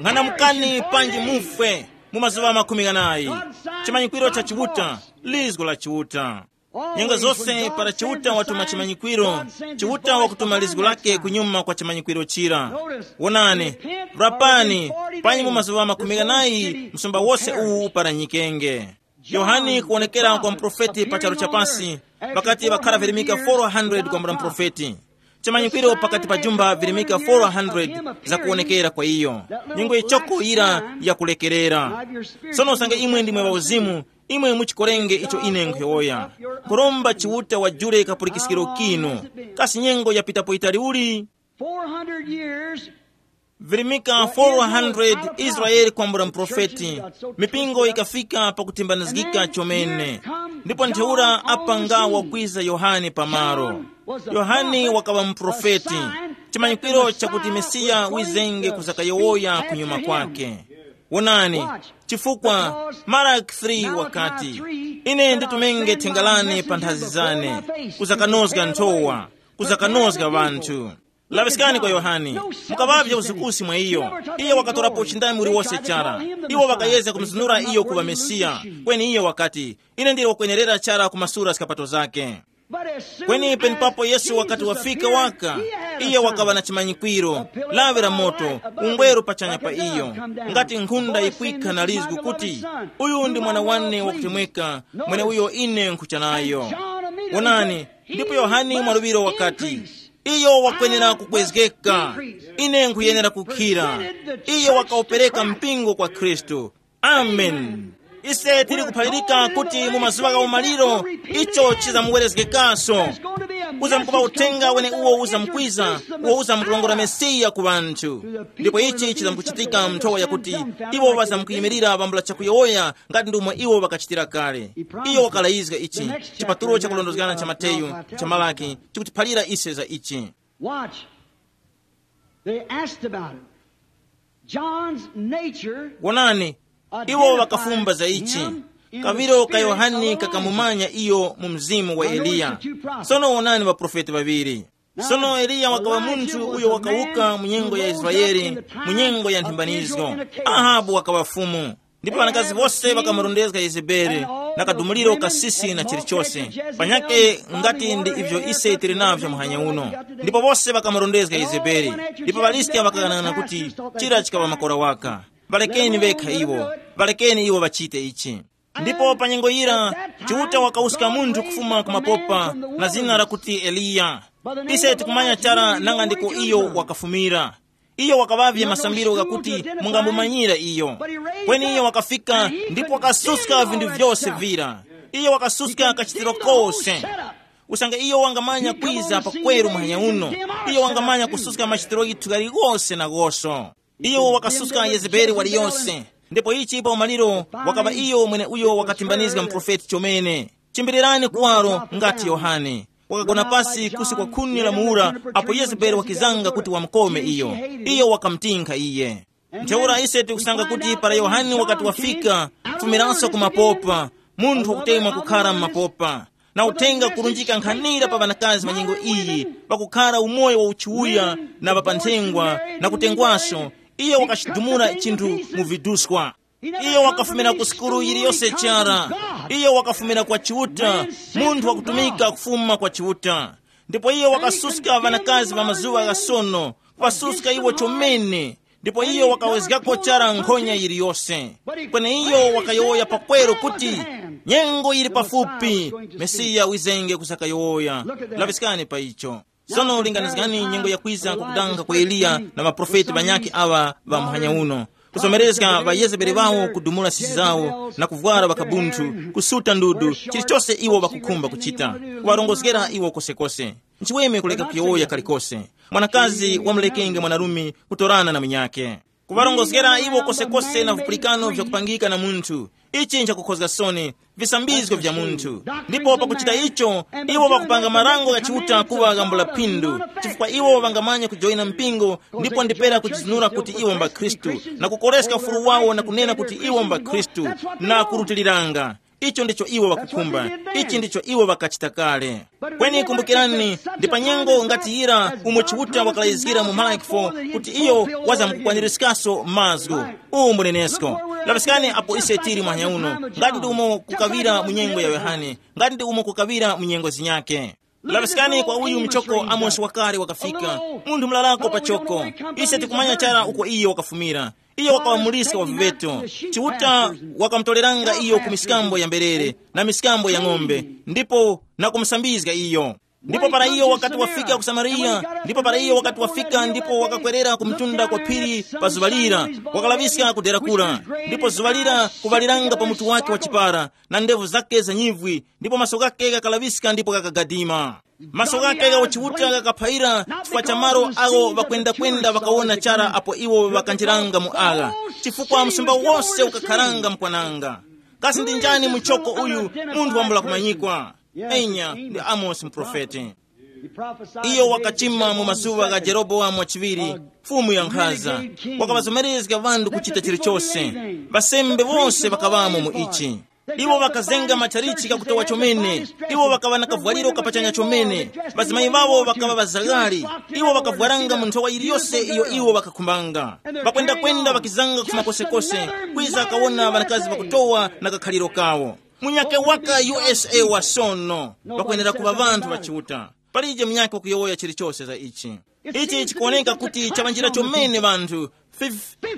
Ng'anamukani panji mufwe mu mazuŵa makumi ghanayi. Chimanyikwiro cha Chiuta, lizgo la Chiuta. Nyengo zose para Chiuta watuma chimanyikwiro, Chiuta wakutuma lizgo lake kunyuma kwa chimanyikwiro chira. Wonani, rapani, panyi mu mazuŵa makumi ghanayi msumba wose uwu uparanyikenge. Yohane kuwonekera kwa muprofeti pa charu chapasi, pakati pakhara virimika four hundred kwambula muprofeti. Chimanyikwiro pakati pa jumba virimika four hundred zakuwonekera kwa iyo. Nyengo yichoko yira yakulekerera. Sono usange imwe ndimwe ŵauzimu, imwe muchikorenge icho ine nkhuyowoya. Kuromba Chiuta wajule kapulikiskiro kinu. Kasi nyengo yapitapo yitali uli? Four hundred years. Virimika four hundred Israeli kwambula muprofeti, mipingo ikafika pakutimbanizgika chomene. Ndipo ntheura apanga wakwiza Yohane pamalo. Yohane wakaŵa muprofeti, chimanyikwiro chakuti Mesiya wizenge kuzakayowoya kunyuma kwake. Wonani, chifukwa Maraki three wakati, ine nditumenge thenga lane pa nthazi zane, kuzakanozga nthowa, kuzakanozga ŵanthu. Laŵiskani kwa Yohane, mukaŵavye usukusi mwa iyo. Iyo wakatorapo uchindami uliwose chara. Iwo ŵakayezga kumuzunura iyo kuŵa Mesiya. Kweni iyo wakati, ine ndili wakwenerera chara kumasura skapato zake. Kweni penepapo Yesu wakati wafika waka, iyo wakaŵa na chimanyikwiro, lawi la moto, ungweru pachanya pa iyo, ngati nkhunda yikwikha na lizgu kuti, uyu ndi mwana wane wakutemweka, mweneuyo ine nkhucha nayo. Wonani, ndipo Yohane mwaluŵiro wakati, iyo wakwenera kukwezgeka, ine nkhuyenera kukhira. Iyo wakawupereka mpingo kwa Khristu. Amen. Ise tili kuphalirika kuti mu mazuŵa gha umaliro icho chizamuwerezgekanso. Uzamkuŵa uthenga wene uwo uzamkwiza, uwo uzamkulongora Mesiya ku ŵanthu. Ndipo ichi chizamkuchitika mu nthowa yakuti iwo ŵazamkuyimirira pambula chakuyowoya ngati ndomwe iwo ŵakachitira kale. Iyo wakalayizga ichi. Chipatulo chakulondozgana cha Mateyu, cha Malaki, chikutiphalira ise za ichi. Watch. They asked about it. John's nature. Wonani, iwo ŵakafumba za ichi. Kaviro ka Yohane kakamumanya iyo mu mzimu wa Eliya. Sono wonani ŵaprofeti ŵaŵiri. Sono Eliya wakaŵa munthu uyo wakawuka mu nyengo ya Israele, mu nyengo ya nthimbanizgo. Ahabu wakaŵa fumu. Ndipo ŵanakazi wose ŵakamurondezga Yezebeli, na kadumuliro kasisi na chilichose. Panyake ngati ndi ivyo ise tili navyo muhanya uno. Ndipo wose ŵakamurondezga Yezebeli. Ndipo ŵaliska ŵakaghanag'ana kuti, chira chikaŵa makora waka. Ŵalekeni ŵekha iwo. Ŵalekeni iwo ŵachite ichi. Ndipo pa nyengo yira, Chiuta wakawuska munthu kufuma ku mapopa, na zina lakuti Eliya. Ise tikumanya chara nanga ndiko iyo wakafumira. Iyo wakaŵavye masambiro ghakuti mungamumanyira iyo. Kweni iyo wakafika ndipo wakasuska vinthu vyose vira. Iyo wakasuska kachitiro kose. Usange iyo wangamanya kwiza pakweru muhanya uno, iyo wangamanya kususka machitiro ghithu ghaliwose na ghoso. Iyo wakasuska Yezebeli waliyose. Ndipo ichi pa umaliro wakaŵa iyo mweneuyo wakatimbanizga muprofeti chomene. Chimbirirani kuwaro ngati Yohane. Wakagona pasi kusi kwa khuni la muwura, apo Yezebeli wakizanga kuti wamukome iyo. Iyo wakamutinkha iye. Ntheura ise tikusanga kuti para Yohane wakati wafika, kufumiranso ku mapopa, munthu wakutemwa kukhara m'mapopa, na uthenga kurunjika nkhanira pa ŵanakazi ŵa nyengo iyi, pakukhara umoyo wa uchiuya na ŵapanthengwa, na kutengwaso, iyo wakachidumula chinthu mu viduswa. Iyo wakafumira ku sukulu yiliyose chara. Iyo wakafumira kwa Chiuta, munthu wakutumika kufuma kwa Chiuta. Ndipo iyo wakasuska ŵanakazi ŵa mazuŵa gha sono, kuŵasuska iwo chomene. Ndipo iyo wakawezgako chara nkhonya yiliyose. Kweneiyo wakayowoya pakweru kuti, nyengo yili pafupi, Mesiya wizenge kusakayowoya. Laŵiskani pa icho. Sono linganizgani nyengo yakwiza kukudanga kwa Eliya na maprofeti ŵanyakhe aŵa ŵa muhanya uno. Kusomerezga ŵayezebeli ŵawo kudumula sisi zawo na kuvwara ŵakabunthu, kusuta ndudu, chilichose iwo ŵakukhumba kuchita, kuŵarongozgera iwo kosekose. Nchiweme kuleka kuyowoya kalikose. Mwanakazi wamulekenge mwanarume kutorana na munyakhe. Kuŵarongozgera iwo kosekose na vipulikano vyakupangika na munthu. Ichi nchakukhozga soni, visambizgo vya munthu. Ndipo pakuchita icho, iwo ŵakupanga marango gha Chiuta kuŵa ghambula phindu, chifukwa iwo ŵangamanya kujoyina mpingo ndipo ndipera kuchizinura kuti iwo mbakhristu, na kukoreska ufulu wawo na kunena kuti iwo mbakhristu, na kurutiliranga. Icho ndicho iwo ŵakukhumba. Ichi ndicho iwo ŵakachita kale. Kweni kumbukirani, ndi pa nyengo ngati yira umo Chiuta wakalayizgira mu Malaki four kuti iyo wazamkukwanirizgaso mazgu. Uwu mbunenesko. Laŵiskani apo ise tili mwanya uno, ngati ndi umo kukaŵira mu nyengo ya Yohane, ngati ndi umo kukaŵira mu nyengo zinyakhe. Laŵiskani kwa uyu mchoko Amosi wakale wakafika, munthu mulalako pachoko. Ise tikumanya chara uko iyo wakafumira. Iyo wakaŵamuliska wa viŵeto. Chiuta wakamutoreranga iyo ku miskambo ya mberere na miskambo ya ng'ombe, ndipo na kumusambizga iyo. Ndipo para iyo wakati wafika ku Samariya, ndipo para iyo wakati wafika ndipo wakakwerera ku mtunda kwa phiri pa zuŵa lira, wakalaŵiska kudera kura. Ndipo zuŵa lira kuŵaliranga pa mutu wake wa chipara, na ndevu zake za nyivwi, ndipo maso ghake ghakalaŵiska ndipo ghakagadima. Maso ghake gha uchiuta ghakaphaira chifukwa cha malo agho ŵakwendakwenda ŵakawona chara apo iwo ŵakanjiranga mu agha, chifukwa msumba wose ukakharanga mkwananga. Kasi ndi njani muchoko uyu, munthu wambula kumanyikwa? Enya, ndi Amosi muprofeti. Iyo wakachima mu mazuŵa gha Jerobowamu wachiŵiri, mfumu ya nkhaza. Wakaŵazomerezga ŵanthu kuchita chilichose. Ŵasembe wose ŵakaŵamo mu ichi. Iwo ŵakazenga matchalichi ghakutowa chomene. Iwo ŵakaŵa na kavwaliro kapachanya chomene. Ŵazimayi ŵawo ŵakaŵa ŵazaghali. Iwo ŵakavwaranga mu nthowa yiliyose iyo iwo ŵakakhumbanga. Ŵakwendakwenda ŵakizanga kufuma kosekose, kwiza kawona ŵanakazi ŵakutowa na kakhaliro kawo. Munyakhe waka U S A wa sono, ŵakwenera kuŵa ŵanthu ŵa Chiuta. Palije munyakhe wakuyowoya chilichose za ichi. Ichi chikuwoneka kuti chaŵanjira chomene ŵanthu.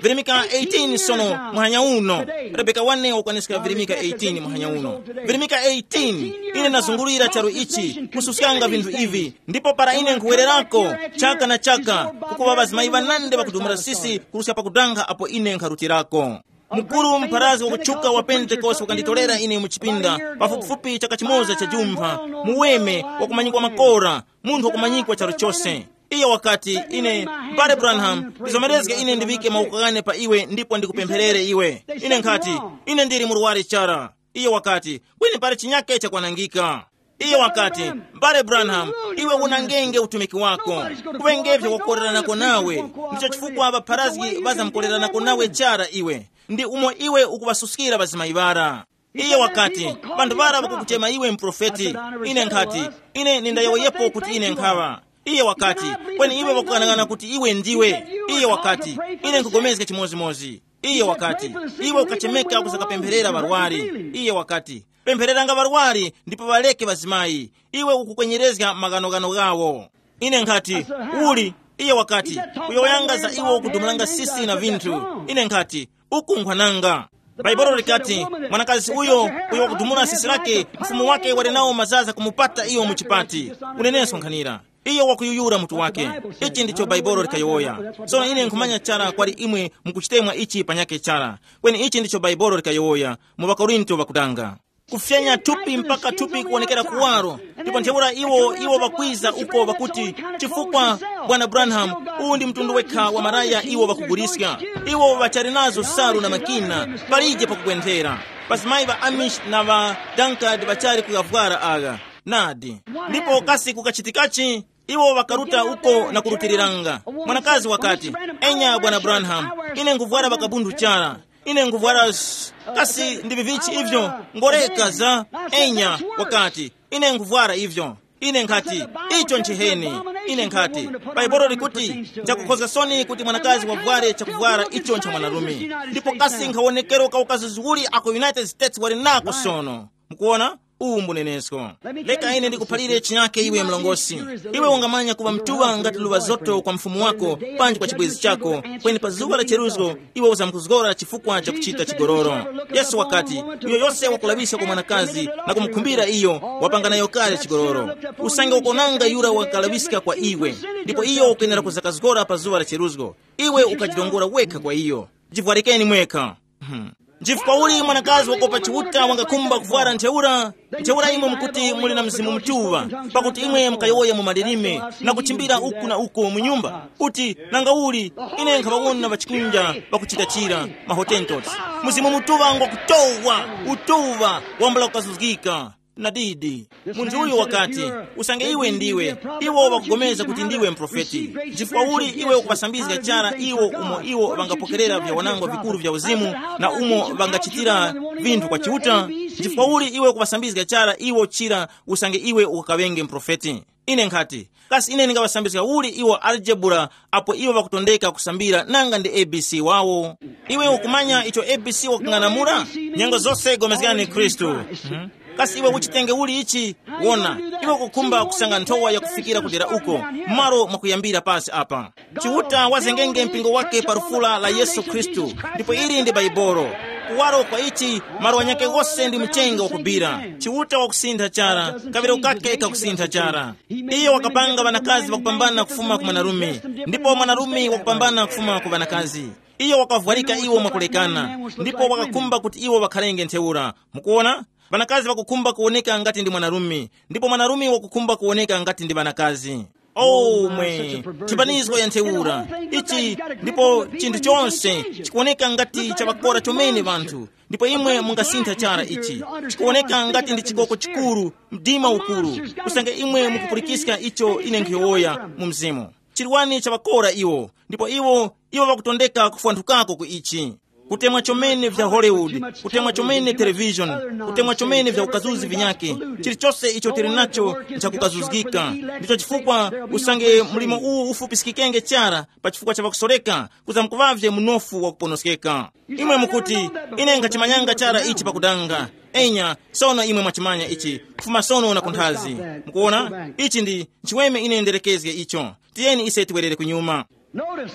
Virimika eighteen sono muhanya uno. Rebeka wane wakwaniska virimika eighteen muhanya uno. Virimika eighteen, ine ndazungulira charu ichi, kususkanga vinthu ivi, ndipo para ine nkhuwererako, chaka na chaka, kukuŵa ŵazimayi ŵanandi ŵakudumula sisi kuruska pakudanga apo ine nkharutirako. Mukuru mpharazi wakutchuka wa Pentekoste wakanditorera ine mu chipinda, pafupifupi chaka chimoza cha jumpha, muweme, wakumanyikwa makora, munthu wakumanyikwa charu chose. Iyo wakati, ine, M'bale Branham, ndizomerezge ine ndiŵike mawoko ghane pa iwe ndipo ndikupempherere iwe. Ine nkhati, ine ndili murwari chara. Iyo wakati, kweni pali chinyake chakwanangika. Iyo wakati, M'bale Branham, iwe unangenge utumiki wako. Kuŵengevyo wakukoreranako nawe. Ndicho chifukwa ŵapharazgi ŵazamkoreranako nawe chara iwe. Ndi umo iwe ukuŵasuskira ŵazimayi ŵara. Iye wakati, "Banthu ŵara ŵakukuchema iwe muprofeti." Ine nkhati, "Ine nindayowoyepo kuti ine nkhaŵa." Iye wakati, "Kweni iwe ŵakukanaghana kuti iwe ndiwe." Iye wakati, "Ine nkugomezga chimodzimodzi." Iye wakati, "Iwe ukachemeka kusakapempherera ŵarwari." Iye wakati, "Pemphereranga ŵarwari ndipo ŵareke ŵazimayi. Iwe ukukwenyerezga maghanoghano ghawo." Ine nkhati, "Uli?" Iye wakati, "Kuyowoyanga za iwo kudumulanga sisi na vinthu." Ine nkhati, "Uku nkhwananga." Bhaibuli likati, "Mwanakazi uyo, uyo wakudumula sisi lake, mfumu wake wali nawo mazaza kumupata iyo mu chipati." Uneneso nkhanira, iyo wakuyuyura mutu wake. Ichi ndicho Bhaibuli likayowoya. Sono ine nkhumanya chara kwali imwe mukuchitemwa ichi panyakhe chara. Kweni ichi ndicho Bhaibuli likayowoya mu ŵakorinto ŵakutanga. Kufyanya thupi mpaka thupi kuwonekera kuwaro. Ndipo ntheura iwo iwo ŵakwiza uko ŵakuti, "Chifukwa, bwana Branham, uwu ndi mtundu wekha wa maraya iwo ŵakuguliska. Iwo ŵachali nazo salu na makina, palije pakugwenthera." Pazimayi ŵa Amish na ŵa Dankard ŵachali kuyavwara agha. Nadi. Ndipo kasi kukachitikachi? Iwo ŵakaruta uko na kurutiriranga. Mwanakazi wakati, "Enya, bwana Branham, ine nkuvwara pakabundu chara. Ine nkuvwara s-, kasi ndi vivichi ivyo? Ngoreka za." "Enya," wakati, "ine nkuvwara ivyo." Ine nkhati, "Icho nchiheni." Ine nkhati, "Bhaibuli likuti, nchakukhozga soni kuti mwanakazi wavware chakuvwara icho ncha mwanarume. Ndipo kasi nkhawonekero ka ukazuzi uli ako United States wali nako sono?" Mukuona? Uwu mbunenesko. Leka ine ndikuphalire chinyake iwe mlongosi. Iwe ungamanya kuŵa mtuŵa ngati luŵa zoto kwa mfumu wako, panji kwa chibwezi chako, kweni pa zuŵa la cheruzgo iwe uzamkuzgora chifukwa cha kuchita chigololo. Yesu wakati, "Uyo yose wakulaŵiska kwa mwanakazi na kumukhumbira iyo, wapanga nayo kale chigololo." Usange wakonanga yura wakalaŵiska kwa iwe, ndipo iyo ukwenera kuzakazgora pa zuŵa la cheruzgo, iwe ukajirongora wekha kwa iyo. Jivwarikeni mwekha. Hmm. Nchifukwa uli mwanakazi wakopa Chiuta wangakhumba kuvwara ntheura? Ntheura imwe mukuti muli na Mzimu Mutuŵa, pakuti imwe mukayowoya mu malilime na kuchimbira uku na uko mu nyumba, kuti, "Nanga uli, ine nkhaŵawona ŵachikunja ŵakuchita chira, mahotentos." Mzimu Mutuŵa ngwakutowa, utuŵa wambula kukazuzgika. Nadidi, munthu uyu wakati, "Usange iwe ndiwe, iwo ŵakugomeza kuti ndiwe mprofeti. Chifukwa uli iwe ukuŵasambizga chara iwo umo iwo ŵangapokerera vyawanangwa vikuru vya uzimu, na umo ŵangachitira vinthu kwa Chiuta? Chifukwa uli iwe ukuŵasambizga chara iwo chira usange iwe ukakaŵenge mprofeti?" Ine nkhati, "Kasi ine ndingaŵasambizga uli iwo aljebura apo iwo ŵakutondeka kusambira nanga ndi A B C wawo? Iwe ukumanya icho A B C wakung'anamula? Nyengo zose gomezgani Khristu. Mhm. Kasi iwe uchitenge uli ichi? Wona, iwe ukukhumba kusanga nthowa yakufikira kudera uko, malo mwakuyambira pasi apa. Chiuta wazengenge mpingo wake pa lufula la Yesu Khristu, ndipo ili ndi Baibolo. Kuwaro kwa ichi, malo anyake ghose ndi mchenga wakubira. Chiuta wakusintha chara, kaŵiro kake kakusintha chara. Iye wakapanga ŵanakazi ŵakupambana kufuma ku mwanarume, ndipo mwanarume wakupambana kufuma ku ŵanakazi. Iyo wakavwarika iwo mwakulekana, ndipo wakakhumba kuti iwo ŵakharenge ntheura. Mukuona? Ŵanakazi ŵakukhumba kuwoneka ngati ndi mwanarume, ndipo mwanarume wakukhumba kuwoneka ngati ndi ŵanakazi. Oh, mwe, chipanizgo ya ntheura ichi, ndipo chinthu chonse chikuwoneka ngati chavakora chomene vanthu. Ndipo imwe mungasintha chara ichi, chikuwoneka ngati ndi chikoko chikuru, mdima ukuru, usange imwe mukupulikiska icho ine nkhuyowoya mu mzimu. Chirwani chavakora iwo, ndipo iwo iwo ŵakutondeka kufwanthukako ku ichi. Kutemwa chomene vya Hollywood, kutemwa chomene television, kutemwa chomene vya ukazuzi vinyake, chilichose icho tili nacho nchakukazuzgika. Ndicho chifukwa usange mlimo uwu ufupiskikenge chara pa chifukwa cha ŵakusoreka, kuzamkuŵavye munofu wakuponoskeka. Imwe mukuti, "Ine nkhachimanyanga chara ichi pakudanga." Enya, sono imwe mwachimanya ichi, kufuma sono na kunthazi. Mukuona? Ichi ndi chiweme ine nderekezge icho. Tiyeni ise tiwerere kunyuma. Notice,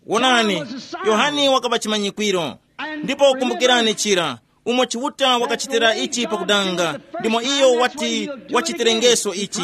Wonani, Yohane wakaŵa chimanyikwiro. Ndipo kumbukirani chira, umo Chiuta wakachitira ichi pakudanga, ndimo iyo wati wachitirengeso ichi.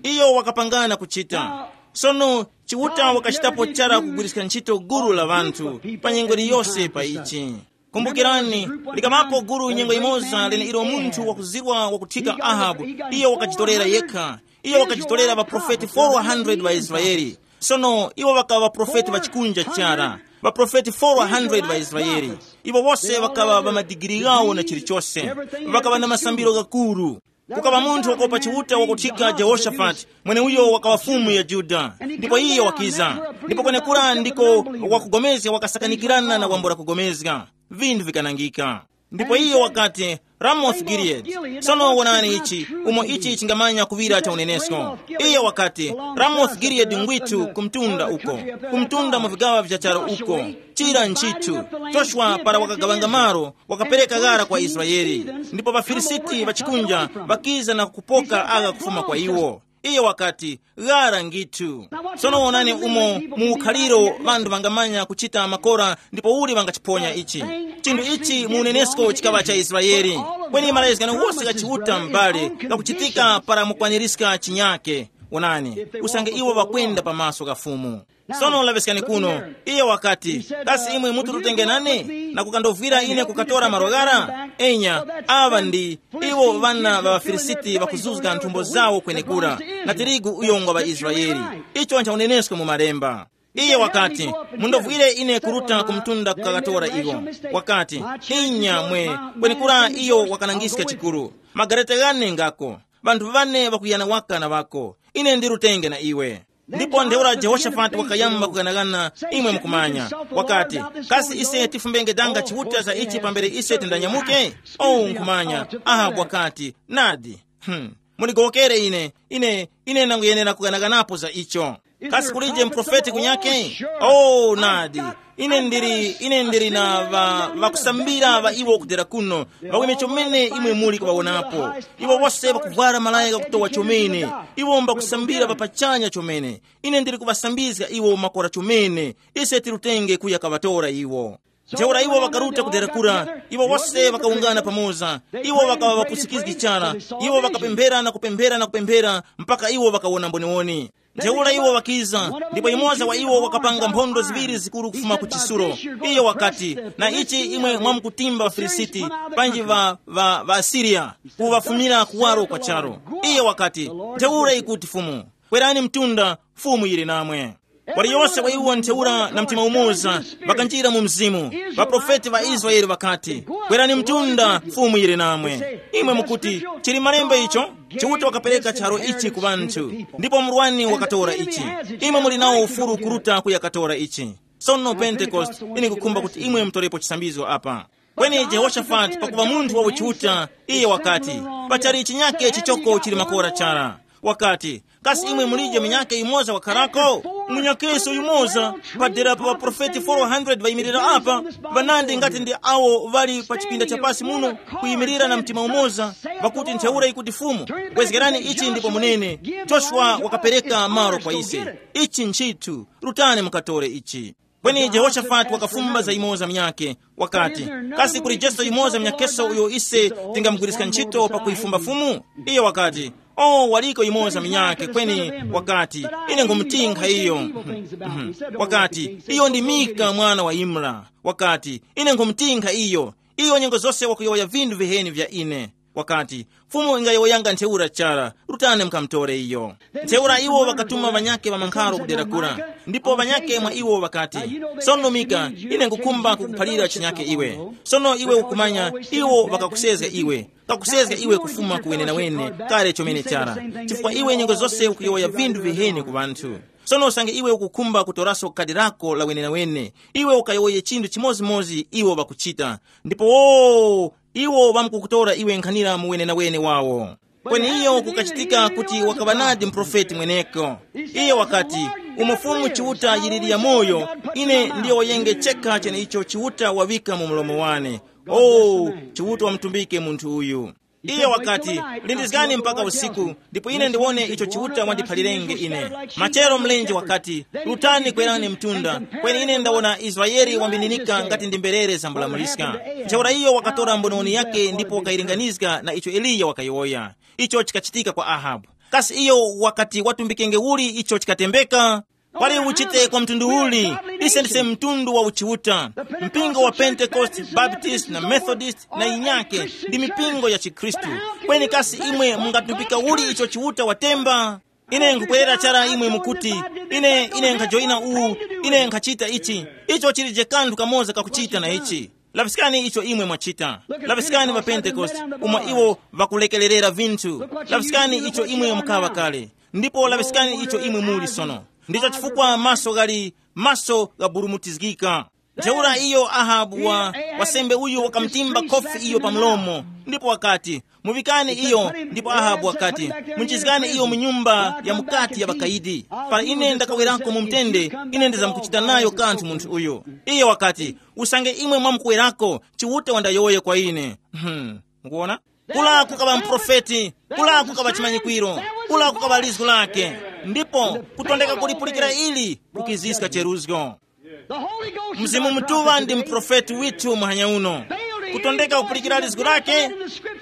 Iyo wakapangana kuchita. Sono Chiuta wakachitapo chara kugwiriska ntchito gulu la ŵanthu pa nyengo iliyose pa ichi. Kumbukirani, likamapo gulu nyengo imoza leneilo munthu wakuzirwa wakuthika Ahabu, iyo wakajitorera yekha. Iyo wakajitorera ŵaprofeti four hundred ŵa Israele. Sono iwo ŵakaŵa ŵaprofeti ŵa chikunja chara, ŵaprofeti four hundred ŵa Israele. Iwo wose ŵakaŵa ŵa madigiri ghawo na chilichose. Ŵakaŵa na masambiro ghakuru. Kukaŵa munthu wakopa Chiuta wakuthika Jehoshafati, mweneuyo wakaŵa fumu ya Yuda. Ndipo iye wakiza. Ndipo kwenekura ndiko wakugomezga wakasakanikirana na wambula kugomezga. Vinthu vikanangika. Ndipo iyo wakati, Ramoth Gilead. Sono wonani ichi, umo ichi chingamanya kuŵira cha unenesko. Iyo wakati, Ramoth Gilead ngwithu kumtunda uko, kumtunda mu vigaŵa vya charo uko. Chira nchithu, Joshua para wakagawanga malo, wakapereka ghara kwa Israeli. Ndipo ŵaFilisiti ŵachikunja ŵakiza na kupoka agha kufuma kwa iwo. Iye wakati, ghara ngithu. Sono wonani umo mu ukhaliro ŵanthu ŵangamanya kuchita makora ndipo uli ŵangachiponya ichi. Chinthu ichi mu unenesko chikaŵa cha Israeli. Kweni malayizgano wose gha Chiuta m'bale ghakuchitika para mukwaniska chinyake. Wonani, usange iwo ŵakwenda pamaso gha Fumu. Sono laŵiskani kuno, iye wakati, kasi imwe muti lutenge nane na kukandovwira ine kukatora malo ghara? Enya, aŵa ndi iwo ŵana ŵa ŵaFilisiti ŵakuzuzga nthumbo zawo kwenekura, na tirigu uyo ngwa ŵaIsraele. Icho ncha unenesko mu malemba. Iye wakati, mundovwire ine kuruta ku mtunda kukakatora iwo. Wakati, inya mwe, kwenekura iyo wakanangiska chikuru. Magareta ghane ngako, ŵanthu ŵane ŵakuyana waka na ŵako. Ine ndi lutenge na iwe. Ndipo ntheura Jehoshafati wakayamba kuganaghana, imwe mukumanya. Wakati, kasi ise tifumbenge danga chiuta za ichi pambere ise tindanyamuke? Oh, nkhumanya. Ahabu wakati, nadi. Hmm. Mundigowokere ine, ine ine ndanguyenera kuganaghanapo za icho. Kasi kulije muprofeti kunyake? Oh, nadi. Ine ndili ine ndili na ŵa- ŵakusambira ŵa iwo kudera kuno, ŵawime chomene imwe muli kuŵawonapo. Iwo wose ŵakuvwara malaya ghakutowa chomene. Iwo mbakusambira ŵapachanya chomene. Ine ndili kuŵasambizga iwo makora chomene. Ise tilutenge kuya kaŵatora iwo. Ntheura iwo ŵakaruta kudera kura. Iwo wose ŵakawungana pamoza. Iwo ŵakaŵa ŵapusikizgi chara. Iwo ŵakapemphera na kupemphera na kupemphera, mpaka iwo ŵakawona mboniwoni. Ntheura iwo ŵakiza, ndipo yumoza wa iwo wakapanga mphondo ziŵiri zikuru kufuma ku chisulo. Iyo wakati, na ichi imwe mwamkutimba ŵaFilisiti, panji ŵa ŵa ŵaAsiriya, kuŵafumira kuwaro kwa charo. Iyo wakati, ntheura ikuti Fumu, kwerani mtunda, Fumu yili namwe. Waliyose wa iwo ntheura na mtima umoza, ŵakanjira mu mzimu. Ŵaprofeti ŵa Israele ŵakati, kwerani mtunda, Fumu yili namwe. Imwe mukuti, chili malemba icho? Chiuta wakapereka charo ichi ku ŵanthu, ndipo murwani wakatora ichi. Imwe muli nawo ufulu kuruta kuyakatora ichi. Sono Pentekoste, ine kukhumba kuti imwe mutorepo chisambizo apa. Kweni Jehoshafati pakuva munthu wa uchiuta, iye wakati, pachali chinyake chichoko chili makora chara. Wakati, kasi imwe mulije munyake yumoza wakharako? Munyakeso yumoza, padera pa ŵaprofeti four hundred ŵayimirira apa, ŵanandi ngati ndi awo ŵali pa chipinda chapasi muno, kuyimirira na mtima umoza, ŵakuti ntheura ikuti Fumu, bwezgerani ichi ndipo munene, Joshua wakapereka malo kwa ise. Ichi nchithu, rutani mukatore ichi. Kweni Jehoshafati wakafumba za yumoza munyakhe, wakati, kasi kuli Jesu yumoza munyakheso uyo ise tingamugwiriska ntchito pakuyifumba Fumu? Iyo wakati, o, waliko yumoza munyakhe kweni, wakati, ine nkhumutinkha iyo. Mhm. Wakati, iyo ndi Mika mwana wa Imla. Wakati, ine nkhumutinkha iyo. Iyo nyengo zose wakuyowoya vinthu viheni vya ine. Wakati, Fumu ingayowoyanga ntheura chara, rutani mukamutore iyo. Ntheura iwo ŵakatuma ŵanyakhe ŵa mankharo kudera kura. Ndipo ŵanyakhe mwa iwo ŵakati, sono Mika, ine nkukhumba kukuphalira chinyakhe iwe. Sono iwe ukumanya, iwo ŵakakusezga iwe, kakusezga iwe kufuma ku wenenawene, kale chomene chara. Chifukwa iwe nyengo zose ukuyowoya vinthu viheni ku ŵanthu. Sono usange iwe ukukhumba kutoraso khadi lako la wenenawene, iwe ukayowoye chinthu chimodzimodzi iwo ŵakuchita. Ndipo wo, iwo ŵamkukutora iwe nkhanira mu wenenawene wawo. Kweni iyo kukachitika kuti wakaŵa nadi muprofeti mweneko. Iye wakati, umo Fumu Chiuta yiliri ya moyo, ine ndiyowoyenge chekha cheneicho Chiuta waŵika mu mlomo wane. O, Chiuta wamutumbike munthu uyu. Iye wakati, lindizgani mpaka usiku, ndipo ine ndiwone icho Chiuta wandiphalirenge ine. Machero mlenje wakati, rutani kwerani mtunda, kweni ine ndawona Israele wambininika ngati ndi mberere zambulamuliska. Ntheura iyo wakatora mbononi yake ndipo wakayilinganizga na icho Eliya wakayowoya. Icho chikachitika kwa Ahabu. Kasi iyo wakati watumbikenge uli icho chikatembeka? Pali uchite kwa mtundu uli, ise ndise mtundu wa uchiuta. Mpingo wa Pentecost, Baptist na Methodist na inyake ndi mipingo ya chikhristu. Kweni kasi imwe mungatumbika uli icho Chiuta watemba? Ine nkukwerera chara imwe mukuti, ine ine nkhajoyina uwu, ine nkhachita ichi. Icho chilije kanthu kamoza kakuchita na ichi. Laŵiskani icho imwe mwachita. Laŵiskani pa Pentekoste, umo iwo ŵakulekererera vinthu. Laŵiskani icho imwe mukaŵa kale. Ndipo laŵiskani icho imwe muli sono. Ndicho chifukwa maso ghali, maso ghaburumutizgika. Ntheura iyo Ahabu wa wasembe uyu wakamutimba khofi iyo pa mlomo, ndipo wakati, "Muŵikani iyo." Ndipo Ahabu wakati, "Munjizgani iyo mu nyumba ya mukati ya ŵakayidi. Para ine ndakawerako mu mtende, ine ndizamkuchita nayo kanthu munthu uyu." Iye wakati, "Usange imwe mwamukuwerako, Chiuta wandayowoye kwa ine." Hmm. Mukuona? Kula kukaŵa mprofeti, kula kukaŵa chimanyikwiro, kula kukaŵa lizgu lake. Ndipo kutondeka kulipulikira ili kukiziska cheruzgo. Mzimu Mutuŵa ndi mprofeti withu muhanya uno. Kutondeka kupulikira lizgu lake,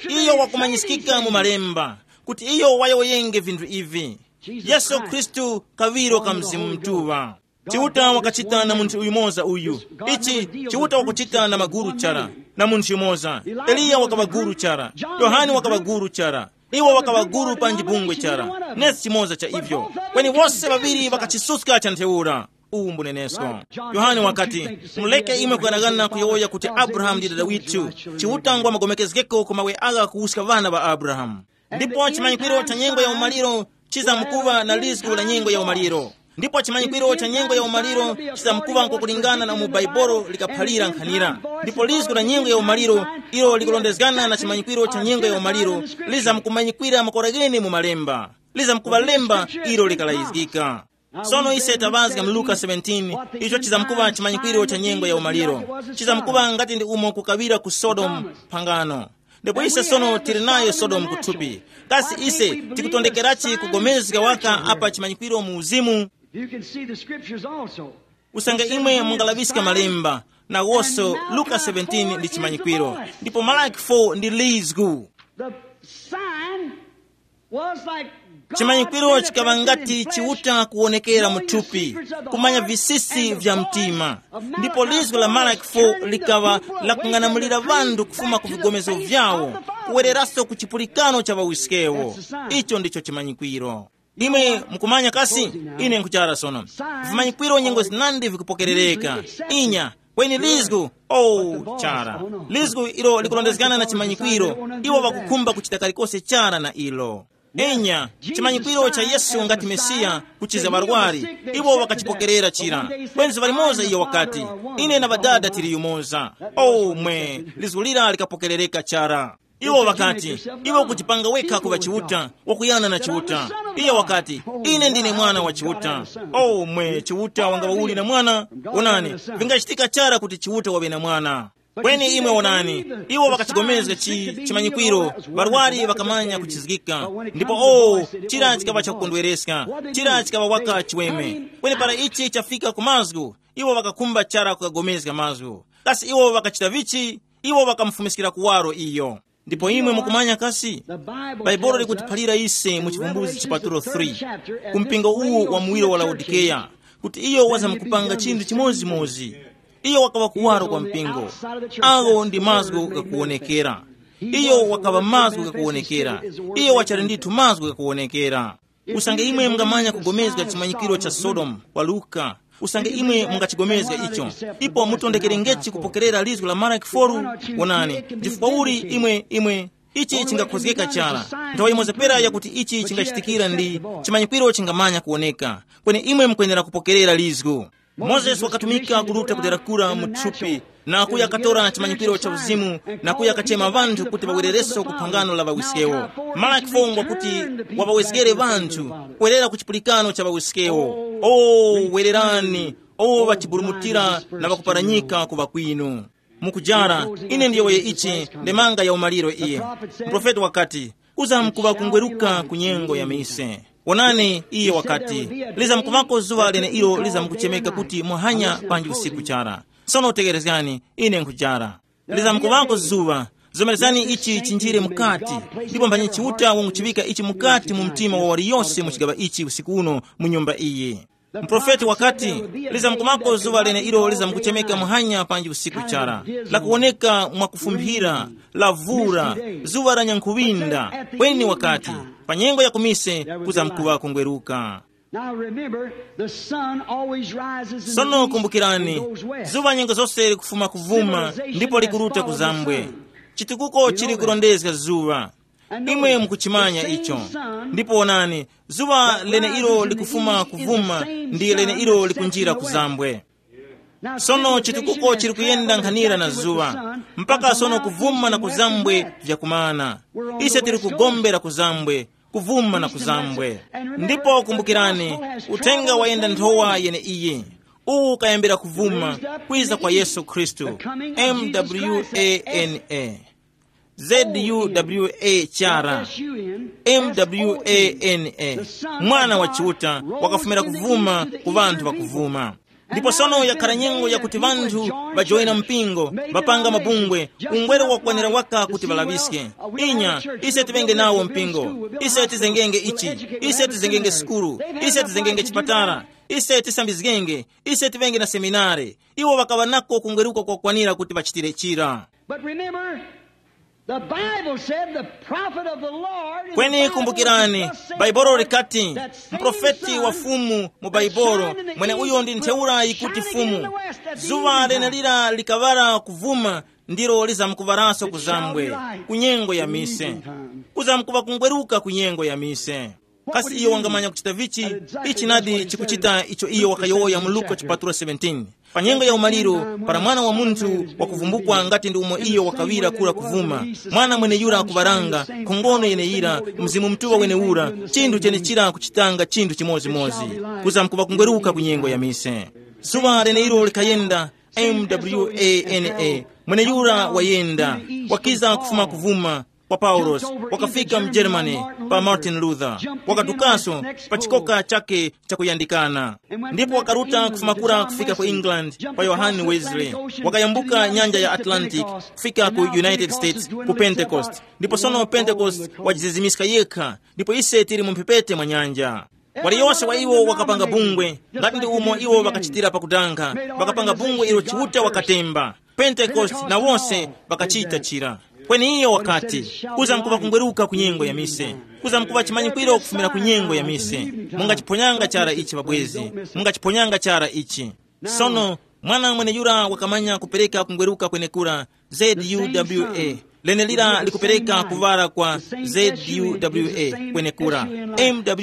iyo wakumanyisikika mu malemba kuti iyo wayowoyenge vinthu ivi. Yesu Khristu, kaŵiro ka Mzimu Mutuŵa. Chiuta wakachita na munthu yumoza uyu. Ichi Chiuta wakuchita na maguru chara, na munthu yumoza. Eliya wakaŵa guru chara. Yohane wakaŵa guru chara. Iwo wakaŵa guru panji bungwe chara. Nesi chimoza cha ivyo. Kweni wose ŵaŵiri ŵakachisuska cha ntheura. Uwu mbunenesko. Yohane wakati, "Muleke imwe kughanaghana kuyowoya kuti Abrahamu ndi dada withu. Chiuta ngwa magomekezgeko ku mawe agha kuwuska ŵana ŵa Abrahamu." Ndipo chimanyikwiro cha nyengo ya umaliro chizamkuŵa na lizgu la nyengo ya umaliro. Ndipo chimanyikwiro cha nyengo ya umaliro chizamkuŵa nkokulingana na umo Baibolo likaphalira nkhanira. Ndipo lizgu la nyengo ya umaliro, ilo likulondezgana na chimanyikwiro cha nyengo ya umaliro, lizamkumanyikwira makora ghene mu malemba. Lizamkuŵa lemba ilo likalayizgika. Sono ise taŵazga mu Luka seventeen, icho chizamkuŵa chimanyikwiro cha nyengo ya umaliro. Chizamkuŵa ngati ndi umo kukaŵira ku Sodomu phangano. Ndipo ise sono tili nayo Sodomu kuthupi. Kasi ise tikutondekerachi kugomezga waka apa chimanyikwiro mu uzimu? You can see the scriptures also. Usange imwe mungalaŵiska malemba, nawonso Luka seventeen ndi chimanyikwiro, ndipo Malaki four ndi lizgu. The sign was like God chimanyikwiro chikaŵa ngati manifested in flesh, Chiuta kuwonekera mu thupi, kumanya visisi vya mtima. Ndipo lizgu la Malaki four likaŵa lakung'anamulira ŵanthu kufuma ku vigomezo vyawo, kuwereranso ku chipulikano cha ŵawiskewo. Icho ndicho chimanyikwiro. Imwe mukumanya kasi? Ine nkuchara sono. Vimanyikwiro nyengo zinandi vikupokerereka. Inya, kweni lizgu, oh, chara. Lizgu ilo likulondezgana na chimanyikwiro, iwo ŵakukhumba kuchita kalikose chara na ilo. Enya, chimanyikwiro cha Yesu ngati Mesiya kuchiza ŵarwari, iwo ŵakachipokerera chira. Kwenzi ŵalimoza iyo wakati, "Ine na Ŵadada tili yumoza." Oh mwe, lizgu lira likapokerereka chara. Iwo ŵakati, "Iwe ukuchipanga wekha kuŵa Chiuta, wakuyana na Chiuta." Iye wakati, "Ine ndine mwana wa Chiuta." Oh mwe, Chiuta wangaŵa uli na mwana? Onani, vingachitika chara kuti Chiuta waŵe na mwana. Kweni imwe wonani, iwo ŵakachigomezga chi-, chimanyikwiro, ŵarwari ŵakamanya kuchizgika. Ndipo o, chira chikaŵa chakukondwereska, chira chikaŵa waka chiweme. Kweni para ichi chafika ku mazgu, iwo ŵakakhumba chara kukagomezga mazgu. Kasi iwo ŵakachita vichi? Iwo ŵakamufumiskira kuwaro iyo. Ndipo imwe mukumanya kasi? Bhaibuli likutiphalira ise mu Chivumbuzi chipatulo three, ku mpingo uwu wa muwiro wa Laodikeya, kuti iyo wazamkupanga chinthu chimodzimodzi. Iyo wakaŵa kuwaro kwa mpingo. Awo ndi mazgu ghakuwonekera. Iyo wakaŵa mazgu ghakuwonekera. Iyo wachali ndithu mazgu ghakuwonekera. Usange imwe mungamanya kugomezga chimanyikiro cha Sodomu kwa Luka, usange imwe mungachigomezga icho, ipo mutondekerengechi kupokerera lizgu la Maraki four? Wonani, chifukwa uli imwe, imwe, ichi chingakhozgeka chara. Nthawi yimoza pera yakuti ichi chingachitikira ndi chimanyikwiro chingamanya kuwoneka, kweni imwe mukwenera kupokerera lizgu. Mozesi wakatumika kuruta kudera kura mu thupi, na kuya katora chimanyikwiro cha uzimu, na kuya kachema ŵanthu kuti ŵawerereso ku phangano la ŵawiskewo. Malaki four ngwakuti waŵawezgere ŵanthu kwerera ku chipulikano cha ŵawiskewo. O, wererani, o ŵachiburumutira na ŵakuparanyika ku ŵakwinu. Mukujara, ine ndiyowoye ichi, ndemanga ya umaliro iye. Muprofeti wakati, uzamkuŵa kungweruka ku nyengo ya mise. Wonani, iye wakati, lizamkuŵako zuŵa leneilo lizamkuchemeka kuti muhanya panji usiku chara. Sono tegerezgani, ine nkhujara. Lizamkuŵako zuŵa, zomerezgani ichi chinjire mukati, ndipo mphanyi Chiuta wanguchiŵika ichi mukati mu mtima wa waliyose mu chigaŵa ichi usiku uno mu nyumba iyi. Muprofeti wakati, lizamkumako zuŵa leneilo lizamkuchemeka muhanya panji usiku chara, lakuwoneka mwakufumphira, lavura, zuŵa la nyankhuŵinda. Kweni wakati, pa nyengo ya kumise kuzamkuŵa kungweruka. Now remember, the sun always rises in the east. Sono kumbukirani, and goes west. Zuŵa nyengo zose likufuma kuvuma ndipo likuruta kuzambwe. Chitukuko chili kurondezga zuŵa. Imwe mukuchimanya icho. Ndipo wonani, zuŵa leneilo likufuma kuvuma ndi leneilo likunjira kuzambwe. Sono chitukuko chili kuyenda nkhanira na zuŵa, mpaka sono kuvuma na kuzambwe vyakumana. Ise tili ku gombe la kuzambwe, kuvuma na kuzambwe. Ndipo kumbukirani, uthenga wayenda nthowa yeneiyi. Uwu ukayambira kuvuma, kwiza kwa Yesu Khristu. Mwana. Zuwa chara. Mwana. Mwana wa Chiuta wakafumira kuvuma ku ŵanthu ŵakuvuma. Ndipo sono yakhara nyengo yakuti ŵanthu ŵajoyina mpingo, ŵapanga mabungwe, ungwero wakwanira waka kuti ŵalaŵiske. Inya, ise tiŵenge nawo mpingo, ise tizengenge ichi, ise tizengenge sukulu, ise tizengenge chipatala, ise tisambizgenge, ise tiŵenge na seminare. Iwo ŵakaŵa nako kungweruka kwakwanira kuti ŵachitire chira. But remember, the Bible said the prophet of the Lord in the Kweni Bible kumbukirani, is the same Baibulo Lord likati, that same mprofeti wa Son Fumu mu that Baibulo, shined in the mwene east uyo ndi will ntheura yikuti shine again Fumu. In the west at the Zuwa evening time. Lenelira likaŵala kuvuma, ndilo lizamkuŵaranso kuzambwe, ku nyengo ya mise. Kuzamkuŵa kungweruka ku nyengo ya mise. Kasi iyo wangamanya kuchita vichi? Ichi nadi chikuchita icho iyo wakayowoya mu Luka chipatulo seventeen. Pa nyengo ya umaliro, para Mwana wa Munthu wakuvumbukwa ngati ndi umo iyo wakaŵira kura kuvuma, mwana mweneyura akuŵaranga, nkhongono yeneyira, Mzimu Mutuŵa wenewura, chinthu chenechira kuchitanga chinthu chimodzimodzi. Kuzamkuŵa kungweruka ku nyengo ya mise. Zuŵa leneyiro likayenda, mwana. Mweneyura wayenda, wakiza kufuma kuvuma, kwa Paulos, wakafika mu Germany, pa Martin Luther, wakadukaso pa chikoka chake chakuyandikana. Ndipo wakaruta kufuma kura kufika ku England, pa Yohane Wesley, wakayambuka nyanja ya Atlantic, kufika ku United States, ku Pentecost. Ndipo sono Pentecost wajizizimiska yekha, ndipo ise tili mu mphepete mwa nyanja. Waliyose wa iwo wakapanga bungwe, ngati ndi umo iwo ŵakachitira pakudanga, ŵakapanga bungwe ilo Chiuta wakatemba. Pentekoste na wose ŵakachita chira. Kweni iyo wakati, kuzamkuŵa kungweruka ku nyengo ya mise, kuzamkuŵa chimanyikwiro kufumira ku nyengo ya mise. Mungachiphonyanga chara ichi, ŵabwezi, mungachiphonyanga chara ichi. Sono, mwana mweneyura wakamanya kupereka kungweruka kwenekura, zuwa, lenelira likupereka kuŵala kwa zuwa kwenekura, mwana.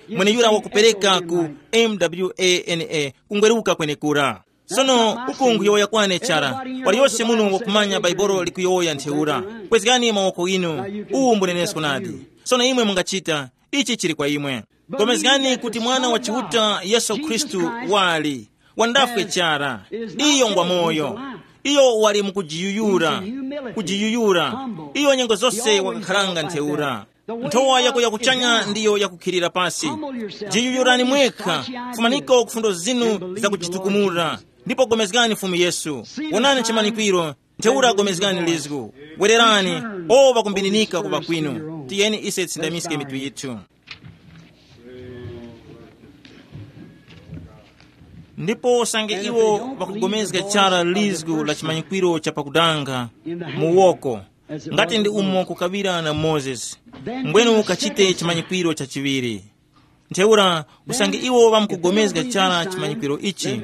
Mweneyura wakupereka ku mwana, kungweruka kwenekura. Sono, uku nkhuyowoya kwane chara, waliyose muno wakumanya Bhaibuli likuyowoya ntheura. Kwezgani mawoko inu, uwu mbunenesko nadi. Sono imwe mungachita, ichi chili kwa imwe. Gomezgani kuti Mwana wa Chiuta Yesu Khristu wali wandafwe chara. Iyo ngwa moyo. Iyo wali mukujiyuyura, kujiyuyura. Iyo nyengo zose wakakharanga ntheura. Nthowa yako yakuchanya ndiyo yakukhilira pasi. Jiyuyurani mwekha, fumaniko ku fundo zinu zakujitukumura, ndipo gomezgani Fumu Yesu. Wonani chimanyikwiro, ntheura gomezgani lizgu. Wererani, o ŵakumbininika kuŵa kwinu. Tiyeni ise tisindamiske mitu yithu. Ndipo usange iwo ŵakugomezga chara lizgu la chimanyikwiro cha pakudanga mu woko, ngati ndi umo kukaŵira na Mozesi, mbwenu ukachite chimanyikwiro chachiŵiri. Ntheura, usange iwo ŵamkugomezga chara chimanyikwiro ichi,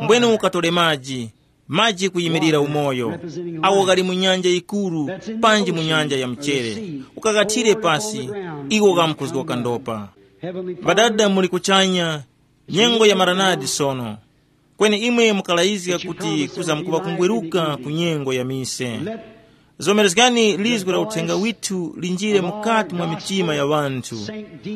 mbwenu ukatore maji, maji kuyimirira umoyo, awo ghali mu nyanja yikuru, panji mu nyanja ya mchere, ukaghathire pasi, iwo ghamkuzgoka ndopa. Ŵadada muli kuchanya, nyengo ya maranadi sono. Kweni imwe mukalayizga kuti kuzamkuŵa kungweruka ku nyengo ya mise. Zomerezgani lizgu la uthenga withu linjire mukati mwa mitima ya ŵanthu,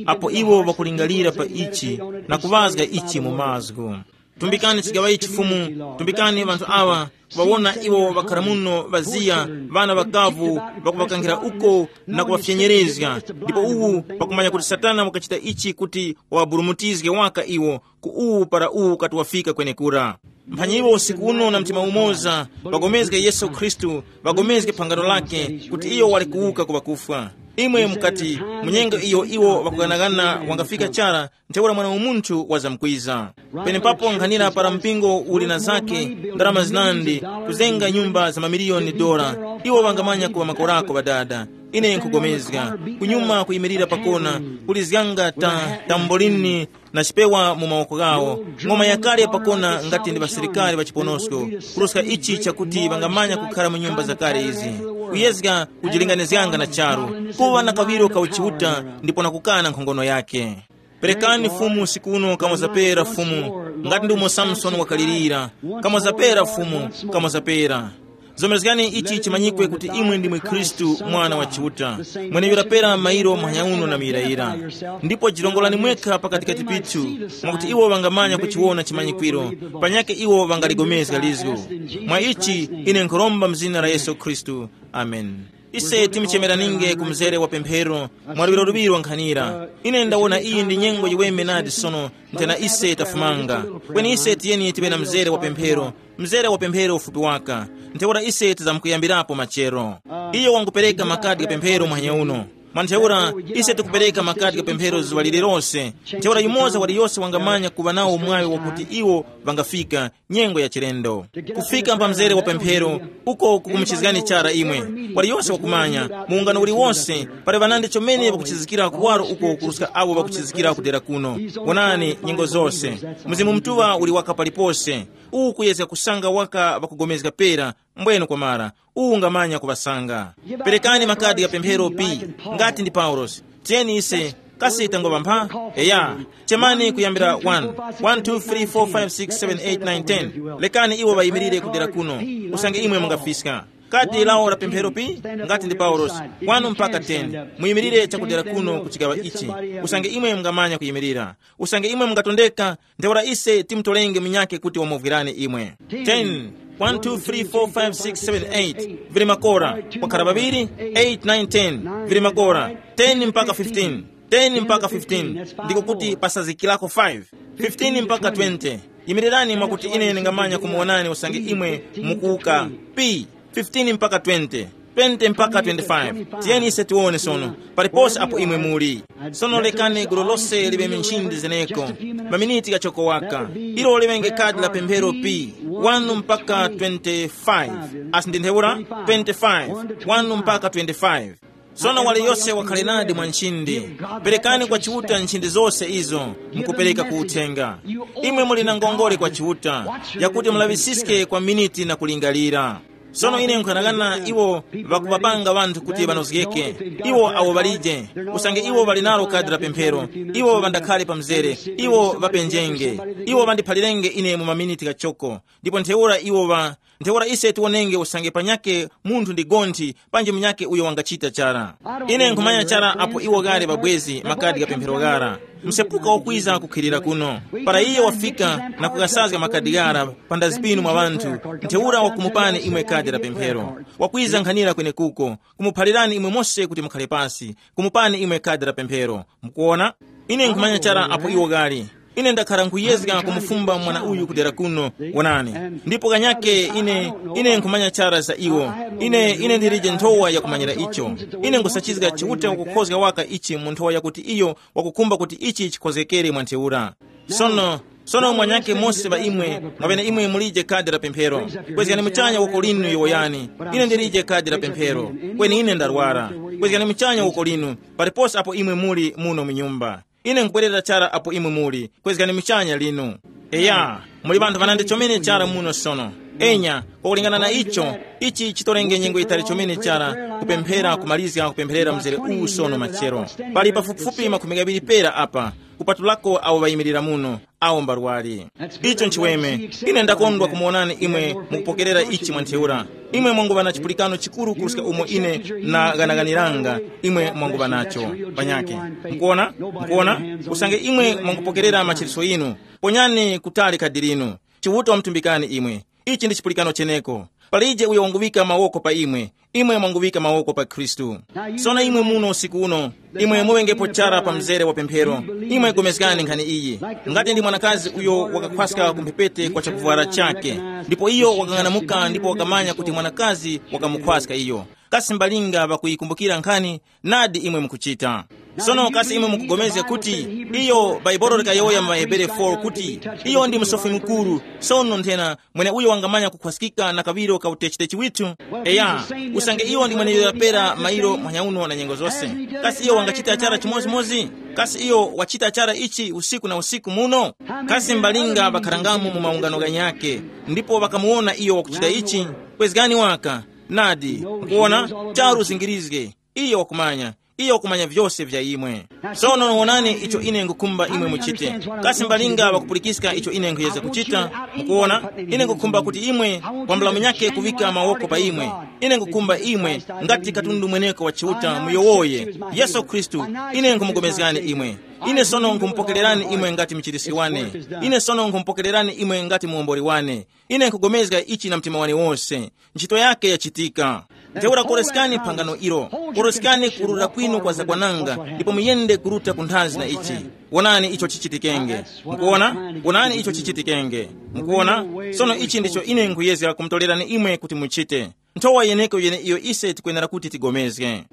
apo iwo ŵakulingalira pa ichi na kuŵazga ichi mu mazgu. Tumbikani chigaŵayi chifumu, tumbikani ŵanthu awa, kuŵawona iwo ŵakhara muno ŵaziya, ŵana ŵakavu, ŵakuŵakankhira uko na kuŵafyenyerezga. Ndipo uwu pakumanya kuti Satana wakachita ichi kuti waŵaburumutizge waka iwo, ku uwu para uwu ukati wafika kwenekura. Mphanyi iwo usiku uno na mtima umoza, ŵagomezge Yesu Khristu, ŵagomezge phangano lake, kuti iyo wali kuwuka ku ŵakufwa. Imwe mukati, mu nyengo iyo iwo ŵakughanaghana wangafika chara, ntheura Mwana wa Munthu wazamkwiza. Penepapo nkhanira para mpingo uli na zake, ndalama zinandi, kuzenga nyumba za mamiliyoni dola, iwo ŵangamanya kuŵa makorako ŵadada. Ine nkhugomezga, kunyuma kuyimirira pakona, kulizganga ta, tambolini, na chipewa mu mawoko ghawo, ng'oma yakale pakona ngati ndi ŵasilikari ŵa chiponosko, kuruska ichi chakuti ŵangamanya kukhara mu nyumba zakale izi, kuyezga kujilinganizganga na charu, kuŵa na kaŵiro ka uchiuta ndipo na kukana nkhongono yake. Perekani Fumu usiku uno kamwazapera Fumu, ngati ndi umo Samsoni wakalirira, kamwazapera Fumu, kamwazapera. Zomerezgani ichi chimanyikwe kuti imwe ndimwe Khristu, Mwana wa Chiuta, mweneuyo lapera mairo muhanya uno na muyirayira. Ndipo jirongolani mwekha pakatikati pithu, mwakuti iwo ŵangamanya kuchiwona chimanyikwiro, panyake iwo ŵangaligomezga lizgu. Mwa ichi ine nkhuromba mu zina la Yesu Khristu. Amen. Ise timuchemeraninge ku mzere wa pemphero mwa luŵiro luŵiro nkhanira. Ine ndawona iyi ndi nyengo yiweme nadi sono, nthena ise tafumanga. Kweni ise tiyeni tiŵe na mzere wa pemphero, mzere wa pemphero ufupi waka. Ntheura ise tizamkuyambirapo machero. Iyo wangupereka makadi gha pemphero muhanya uno. Mwa ntheura, ise tikupereka makadi gha pemphero zuŵa lililonse. Ntheura yumoza waliyose wangamanya kuŵa nawo mwayo wakuti iwo ŵangafika nyengo ya chilendo. Kufika pa mzere wa pemphero, uko kukumuchizgani chara imwe. Waliyose wakumanya, mu ungano uliwonse, pali ŵanandi chomene ŵakuchizikira kuwaro uko kuruska awo ŵakuchizikira kudera kuno. Wonani, nyengo zose. Mzimu Mutuŵa uli waka palipose. Uwu kuyezga kusanga waka ŵakugomezga pera, mbwenu kwamara. Uwu ungamanya kuŵasanga. Perekani makadi gha pemphero pi, ngati ndi Paulosi. Tiyeni ise, kasi tangoŵa mpha? Eya. Chemani kuyambira one, one, two, three, four, five, six, seven, eight, nine, ten. Lekani iwo ŵayimirire kudera kuno. Usange imwe mungafiska. Kadi lawo la pemphero pi, ngati ndi Paulosi, one mpaka ten. Muyimirire chakudera kuno ku chigaŵa ichi. Usange imwe mungamanya kuyimirira. Usange imwe mungatondeka, ntheura ise timutolenge munyakhe kuti wamuvwirani imwe. Ten, one, two, three, four, five, six, seven, eight. Vili makora. Kwakhala ŵaŵiri, eight, nine, ten. Vili makora. Ten mpaka fifteen. Ten mpaka fifteen. Ndiko kuti pasazikirako five. Fifteen mpaka twenty. Yimirirani mwakuti ine ndingamanya kumuwonani usange imwe mukuwuka. P, fifteen mpaka twenty, twenty mpaka twenty-five. Tiyeni ise tiwone sono, paliponse apo imwe muli. Sono lekani gulu lose liŵe minchindi zeneko, maminiti ghachoko waka. Ilo liŵenge kadi la pemphero P, one mpaka twenty-five. Asi ndi ntheura? Twenty-five, one mpaka twenty-five. Sono waliyose wakhale nadi mwa nchindi. Perekani kwa Chiuta nchindi zose izo mukupereka ku uthenga. Imwe muli na ngongole kwa Chiuta, yakuti mulaŵisiske kwa miniti na kulingalira. Sono ine nkhanang'ana iwo ŵakuŵapanga ŵanthu kuti ŵanozgeke. Iwo awo ŵalije, usange iwo ŵali nalo kadi la pemphero, iwo ŵandakhale pa mzere, iwo ŵapenjenge, iwo ŵandiphalirenge ine mu maminiti ghachoko. Ndipo ntheura iwo ŵa, ntheura ise tiwonenge usange panyakhe munthu ndi gonthi panji munyakhe uyo wangachita chara. Ine nkhumanya chara apo iwo ghali ŵabwezi makadi gha pemphero ghara. Msepuka wakwiza kukhilira kuno. Para iye wafika na kukasazga makadi ghara pa ndazi pinu mwa ŵanthu, ntheura wakumupani imwe kadi la pemphero. Wakwiza nkhanira kwenekuko, kumuphalirani imwe mose kuti mukhale pasi, kumupani imwe kadi la pemphero. Mukuona? Ine nkhumanya chara apo iwo ghali. Ine ndakhara nkhuyezga kumufumba mwana uyu kudera kuno, wonani. Ndipo kanyake ine, ine nkhumanya chara za iwo. Ine, ine ndilije nthowa yakumanyira icho. Ine nkhusachizga Chiuta wakukhozga waka ichi mu nthowa yakuti iyo wakukhumba kuti ichi chikhozgekere mwa ntheura. Sono, sono mwanyake mose ŵa imwe, mwapene imwe mulije kadi la pemphero. Kwezgani muchanya woko linu yowoyani, ine ndilije kadi la pemphero. Kweni ine ndarwara. Kwezgani muchanya woko linu, paliponse apo imwe muli muno mu nyumba. Ine nkubwerera chara apo imwe muli, kwezgani muchanya linu. Eya, muli ŵanthu ŵanandi chomene chara muno sono. Enya, kwakulingana na icho, ichi chitolenge nyengo yitali chomene chara kupemphera kumalizga kupempherera mzere uwu sono machero. Pali pafupifupi makhumi ghaŵiri pera apa, kupatulako awo ŵayimirira muno, awo mbarwari. Icho nchiweme. Ine ndakondwa kumuwonani imwe mukupokerera ichi mwa ntheura. Imwe mwanguŵa na chipulikano chikuru kuruska umo ine na ghanaganiranga imwe mwanguŵa nacho. Panyake. Mukuona? Mukuona? Usange imwe mwangupokerera machiritso yinu, ponyani kutali khadi linu. Chiuta wamtumbikani imwe. Ichi ndi chipulikano cheneko. Palije uyo wanguŵika mawoko pa imwe. Imwe mwanguŵika mawoko pa Khristu. Sono imwe muno usiku uno, imwe muŵengepo chara pa mzere wa pemphero. Imwe gomezgani nkhani iyi. Ngati ndi mwanakazi uyo wakakhwaska ku mphepete kwa chakuvwara chake, ndipo iyo wakang'anamuka ndipo wakamanya kuti mwanakazi wakamukhwaska iyo. Kasi mbalinga ŵakuyikumbukira nkhani? Nadi imwe mukuchita. Sono kasi imwe mukugomezga kuti iyo Bhaibuli likayowoya mu Hebere four kuti iyo ndi Musofi Mukuru, sono nthena mweneuyo wangamanya kukhwaskika na kaŵiro ka utechitechi withu? Eya, usange iyo ndi mweneuyo yapera mairo manyauno na nyengo zose, kasi iyo wangachita chara chimodzimodzi? Kasi iyo wachita chara ichi usiku na usiku muno? Kasi mbalinga ŵakharangamo mu maungano ghanyakhe, ndipo ŵakamuwona iyo wakuchita ichi? Kwezgani waka. Nadi, nkuwona, charu uzingirizge. Iyo wakumanya. Iyo wakumanya vyose vya imwe. Sono wonani icho ine ngukhumba imwe muchite. Kasi mbalinga ŵakupulikiska icho ine nkhuyeza kuchita? Mukuona, ine ngukhumba kuti imwe kwambula munyakhe kuŵika mawoko pa imwe. Ine ngukhumba imwe ngati katundu mweneko wa Chiuta muyowoye. Yesu Khristu, ine nkhumupulikani imwe. Ine sono nkhumupokererani imwe ngati mchiriski wane. Ine sono nkhumupokererani imwe ngati muwomboli wane. Ine nkhugomezga ichi na mtima wane wose. Ntchito yake yachitika. Ntheura koroskani phangano ilo. Koroskani kurura kwinu kwa zakwananga, ndipo muyende kuruta ku nthazi na ichi. Wonani icho chichitikenge. Mukuona? Wonani icho chichitikenge. Mukuona? Sono ichi ndicho ine nkhuyezga kumutorerani imwe kuti muchite. Nthowa yeneko yeneiyo ise tikwenera kuti tigomezge.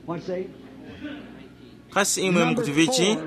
What's that? Kasi imwe mukuti vichi?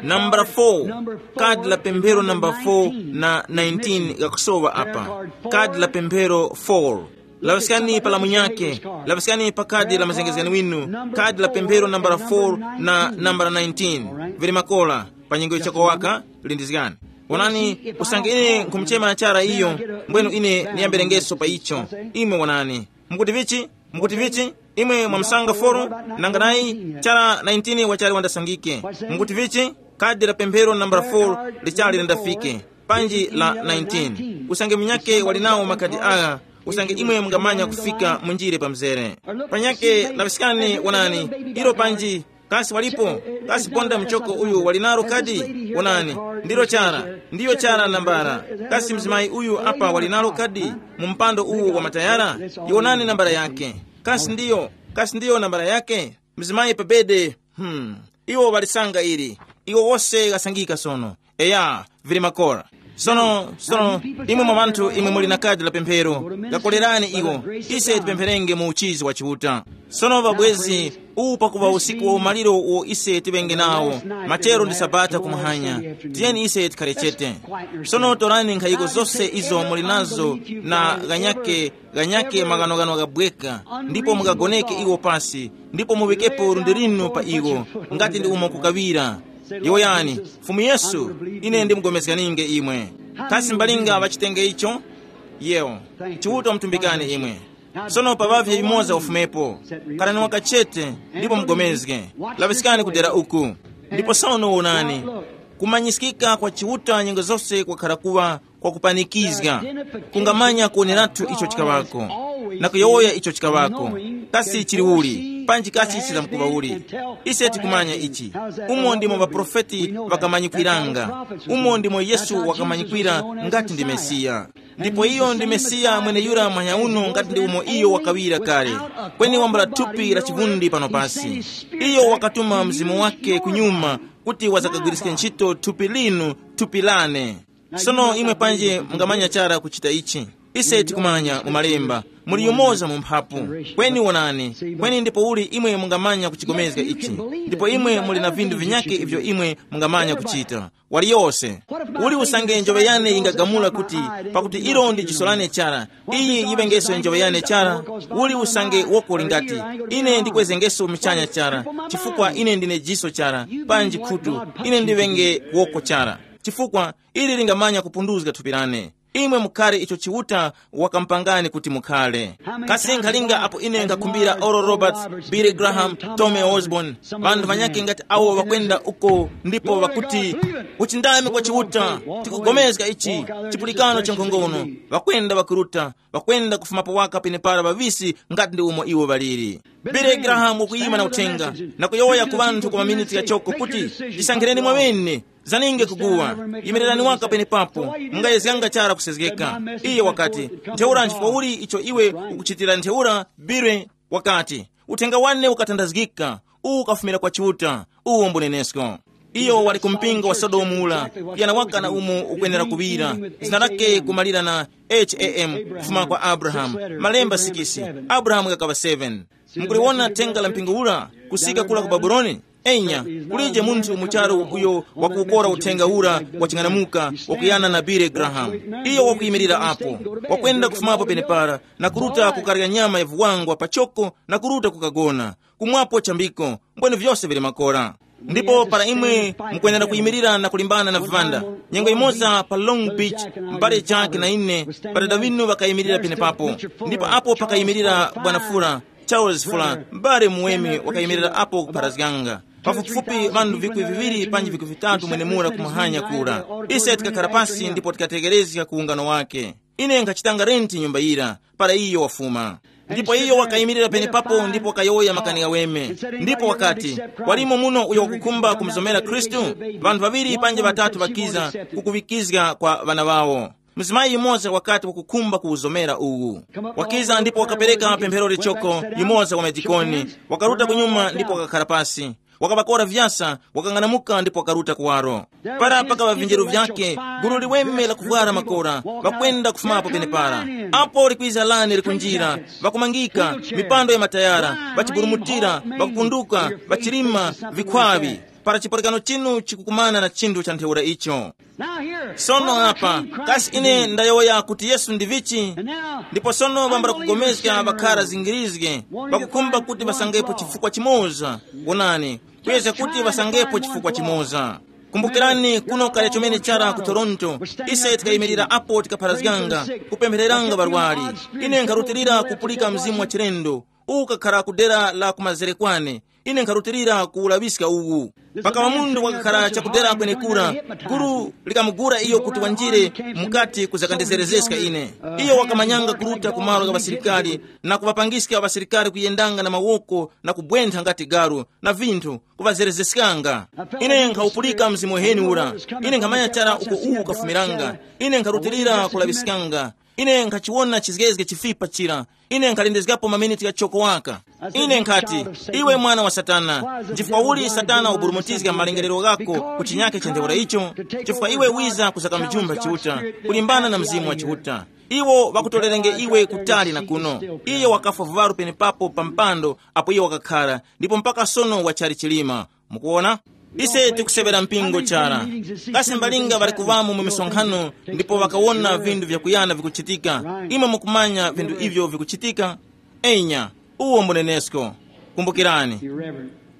Nambala four, kadi la pemphero namba four na nineteen gakusowa apa. Kadi la pemphero four. Laŵiskani pa lamunyake, laŵiskani pa kadi la mazengezgani winu, kadi la pemphero nambala four na nambala nineteen. Vili makola, pa nyengo yichakowaka, lindizgani. Onani, usange ine nkhumuchema chara iyo, mbwenu ine ndiyambirengeso pa icho. Imwe wonani. Mukuti vichi? Mukuti vichi? Imwe mwamusanga four, nanga nayi chara nineteen wachali wandasangike. Mukuti vichi? Kadi la pemphero nambala four lichali lindafike. Panji la nineteen. Usange munyake wali nawo makadi agha, usange imwe mungamanya kufika munjire pa mzere. Panyake laŵiskani wonani, ilo panji, kasi walipo? Kasi ponda mchoko uyu wali nalo kadi? Wonani, ndilo chara, ndiyo chara nambala. Kasi mzimayi uyu apa wali nalo kadi? Mu mpando uwu wa matayara? Yonani nambala yake. Kasi ndiyo, kasi ndiyo nambala yake? Mzimayi pa bede. Hmm. Iwo ŵalisanga ili. Iwo wose ghasangika sono. Eya, vili makora. Sono, sono, imwe mwa ŵanthu imwe muli na kadi la pemphero, gakolerani iwo. Ise tipempherenge mu uchizi wa Chiuta. Sono ŵabwezi, uwu pakuŵa usiku wa umaliro uwo ise tiŵenge nawo, machero ndi sabata kumuhanya. Tiyeni ise tikhare chete. Sono torani nkhayiko zose izo muli nazo na ghanyake, ghanyake maghanoghano ghabweka, ndipo mukagoneke iwo pasi, ndipo muŵikepo lundi linu pa iwo, ngati ndi umo kukaŵira. Yowoyani, Fumu Yesu, ine ndimugomezganinge imwe. Kasi mbalinga ŵachitenge icho? Yewo. Chiuta mutumbikane imwe. Sono pa ŵavye yumoza ufumepo. Karani wakachete, ndipo mugomezge. Laŵiskani kudera uku. Ndipo sono wonani. Kumanyiskika kwa Chiuta nyengo zose kwakhara kuŵa kwa kupanikizga. Kungamanya kuoneratu icho chikaŵako, na kuyowoya icho chikaŵako. Kasi chili uli, panji kasi chizamkuŵa uli. Ise tikumanya ichi. Umo ndimo ŵaprofeti ŵakamanyikwiranga. Umo ndimo Yesu wakamanyikwira ngati ndi Mesiya. Ndipo iyo ndi Mesiya mweneyura manyauno ngati ndi umo iyo wakaŵira kale. Kweni wambula thupi la chivundi pano pasi. Iyo wakatuma mzimu wake kunyuma kuti wazakagwiriske ntchito thupi linu, thupi lane. Sono imwe panji mungamanya chara kuchita ichi. Ise tikumanya mu malemba, muli yumoza mu mphapu. Kweni wonani, kweni ndipo uli imwe mungamanya kuchigomezga ichi. Ndipo imwe muli na vinthu vinyakhe ivyo imwe mungamanya kuchita. Waliyose. Uli usange njoŵe yane yingagamula kuti, pakuti ilo ndi jiso lane chara, iyi yiŵengeso njoŵe yane chara. Uli usange woko lingati, ine ndikwezengeso muchanya chara, chifukwa ine ndine jiso chara, panji khutu, ine ndiŵenge woko chara. Chifukwa ili lingamanya kupunduzga thupi lane. Imwe mukhare icho Chiuta wakamupangani kuti mukhare. Kasi nkhalinga apo ine nkakhumbira Oral Roberts, Billy Graham, Tommy Osborn, ŵanthu ŵanyakhe ngati awo ŵakwenda uko ndipo ŵakuti, uchindami kwa Chiuta, tikugomezga ichi, chipulikano cha nkhongono, ŵakwenda ŵakuruta, ŵakwenda kufumapo waka penepara ŵaŵisi ngati ndi umo iwo ŵaliri. Billy Graham wakuyima na uthenga, na kuyowoya ku ŵanthu kwa maminiti ghachoko kuti, chisankhireni mwaŵene, zaninge kuguwa, yimirirani waka penepapo, mungayezganga chara kusezgeka. Iye wakati, ntheura nchifukwa uli icho iwe ukuchitira ntheura? Billy wakati, uthenga wane ukatandazgika, uwu ukafumira kwa Chiuta, uwu mbunenesko. Iyo wali ku mpingo wa Sodomu ula, kuyana waka na umo ukwenera kuŵira, zina lake kumalira na H A M, kufuma kwa Abrahamu, malemba sikisi, Abrahamu gakaŵa seven. Mukuliwona thenga la mpingo ura kusika kula ku Babuloni? Enya, kulije munthu mu charu uyo wakuwukora uthenga ura waching'anamuka wakuyana na Billy Graham. Iyo wakuyimirira apo, wakwenda kufumapo penepara na kuruta kukarya nyama ya vuwangwa pachoko na kuruta kukagona, kumwapo chambiko, mbwene vyose vili makora. Ndipo para imwe mukwenera kuyimirira na kulimbana na vivanda, nyengo imoza pa Long Beach, m'bale Jack na ine, ŵadada ŵinu ŵakayimirira penepapo. Ndipo apo pakayimirira Bwana Fura, Charles Fuller, m'bale muweme wakayimirira apo kupharazganga. Pafupifupi ŵanthu vikwi viŵiri panji vikwi vitatu mwenemura kumuhanya kura. Ise tikakhala pasi ndipo tikatekerezga ku ungano wake. Ine nkhachitanga renti nyumba yira para iyo wafuma. Ndipo iyo wakayimirira penepapo ndipo wakayowoya makani ghaweme. Ndipo wakati, walimo muno uyo wakukhumba kumuzomera Khristu? Ŵanthu ŵaŵiri panji ŵatatu ŵakiza kukuŵikizga kwa ŵana ŵawo. Mzimayi yumoza wakati wakukhumba kuwuzomera uwu. Wakiza ndipo wakapereka pemphero lichoko, yumoza wa madikoni. Wakaruta kunyuma ndipo wakakhala pasi. Wakaŵakora vyasa, wakang'anamuka ndipo wakaruta kuwaro. Para pakaŵa vinjeru vyake, gulu liweme lakuvwara makora, ŵakwenda kufumapo penepara. Apo likwiza lane likunjira, ŵakumangika, mipando ya matayara, ŵachiburumutira, ŵakupunduka, ŵachilima, vikhwaŵi. Para chipulikano chinu chikukumana na chinthu cha ntheura icho. Sono apa, kasi ine ndayowoya kuti Yesu ndi vichi? Ndipo sono ŵambala kugomezga ŵakhara zingirizge, ŵakukhumba kuti ŵasangepo chifukwa chimoza. Wonani, kuyezga kuti ŵasangepo chifukwa chimoza. Kumbukirani kuno kale chomene chara ku Toronto, ise tikayimirira apo tikapharazganga, kupemphereranga ŵarwari. Ine nkharutilira kupulika mzimu wa chilendo, uwu ukakhara ku dera la kumazere kwane. Ine nkharutilira kuwulaŵiska uwu. Pakaŵa munthu wakakhara chakudera kwenekura, gulu likamugura iyo kuti wanjire mukati kuzakandizerezeska ine. Iyo wakamanyanga kuruta ku malo gha ŵasilikari na kuŵapangiska ŵasilikari kuyendanga na mawoko na kubwentha ngati galu na vinthu, kuŵazerezeskanga. Ine nkhawupulika mzimu uheni ura. Ine nkhamanya chara uko uwu ukafumiranga. Ine nkharutilira kulaŵiskanga. Ine nkhachiwona chizgezge chifipa chira. Ine nkhalindizgapo maminiti ghachoko waka. Ine nkhati, iwe mwana wa Satana, nchifukwa uli Satana waburumutizga malengerero ghako ku chinyake cha ntheura icho? Chifukwa iwe wiza kusaka mjumba Chiuta, kulimbana na Mzimu wa Chiuta. Iwo ŵakutorerenge iwe kutali na kuno. Iye wakafwa vuŵaru penepapo pa mpando apo iye wakakhara, ndipo mpaka sono wachali chilima. Mukuwona? Ise tikuseŵera mpingo chara. Kasi mbalinga ŵali kuŵamo mu misonkhano ndipo ŵakawona vinthu vyakuyana vikuchitika? Imwe mukumanya vinthu ivyo vikuchitika? Enya, uwo mbunenesko. Kumbukirani,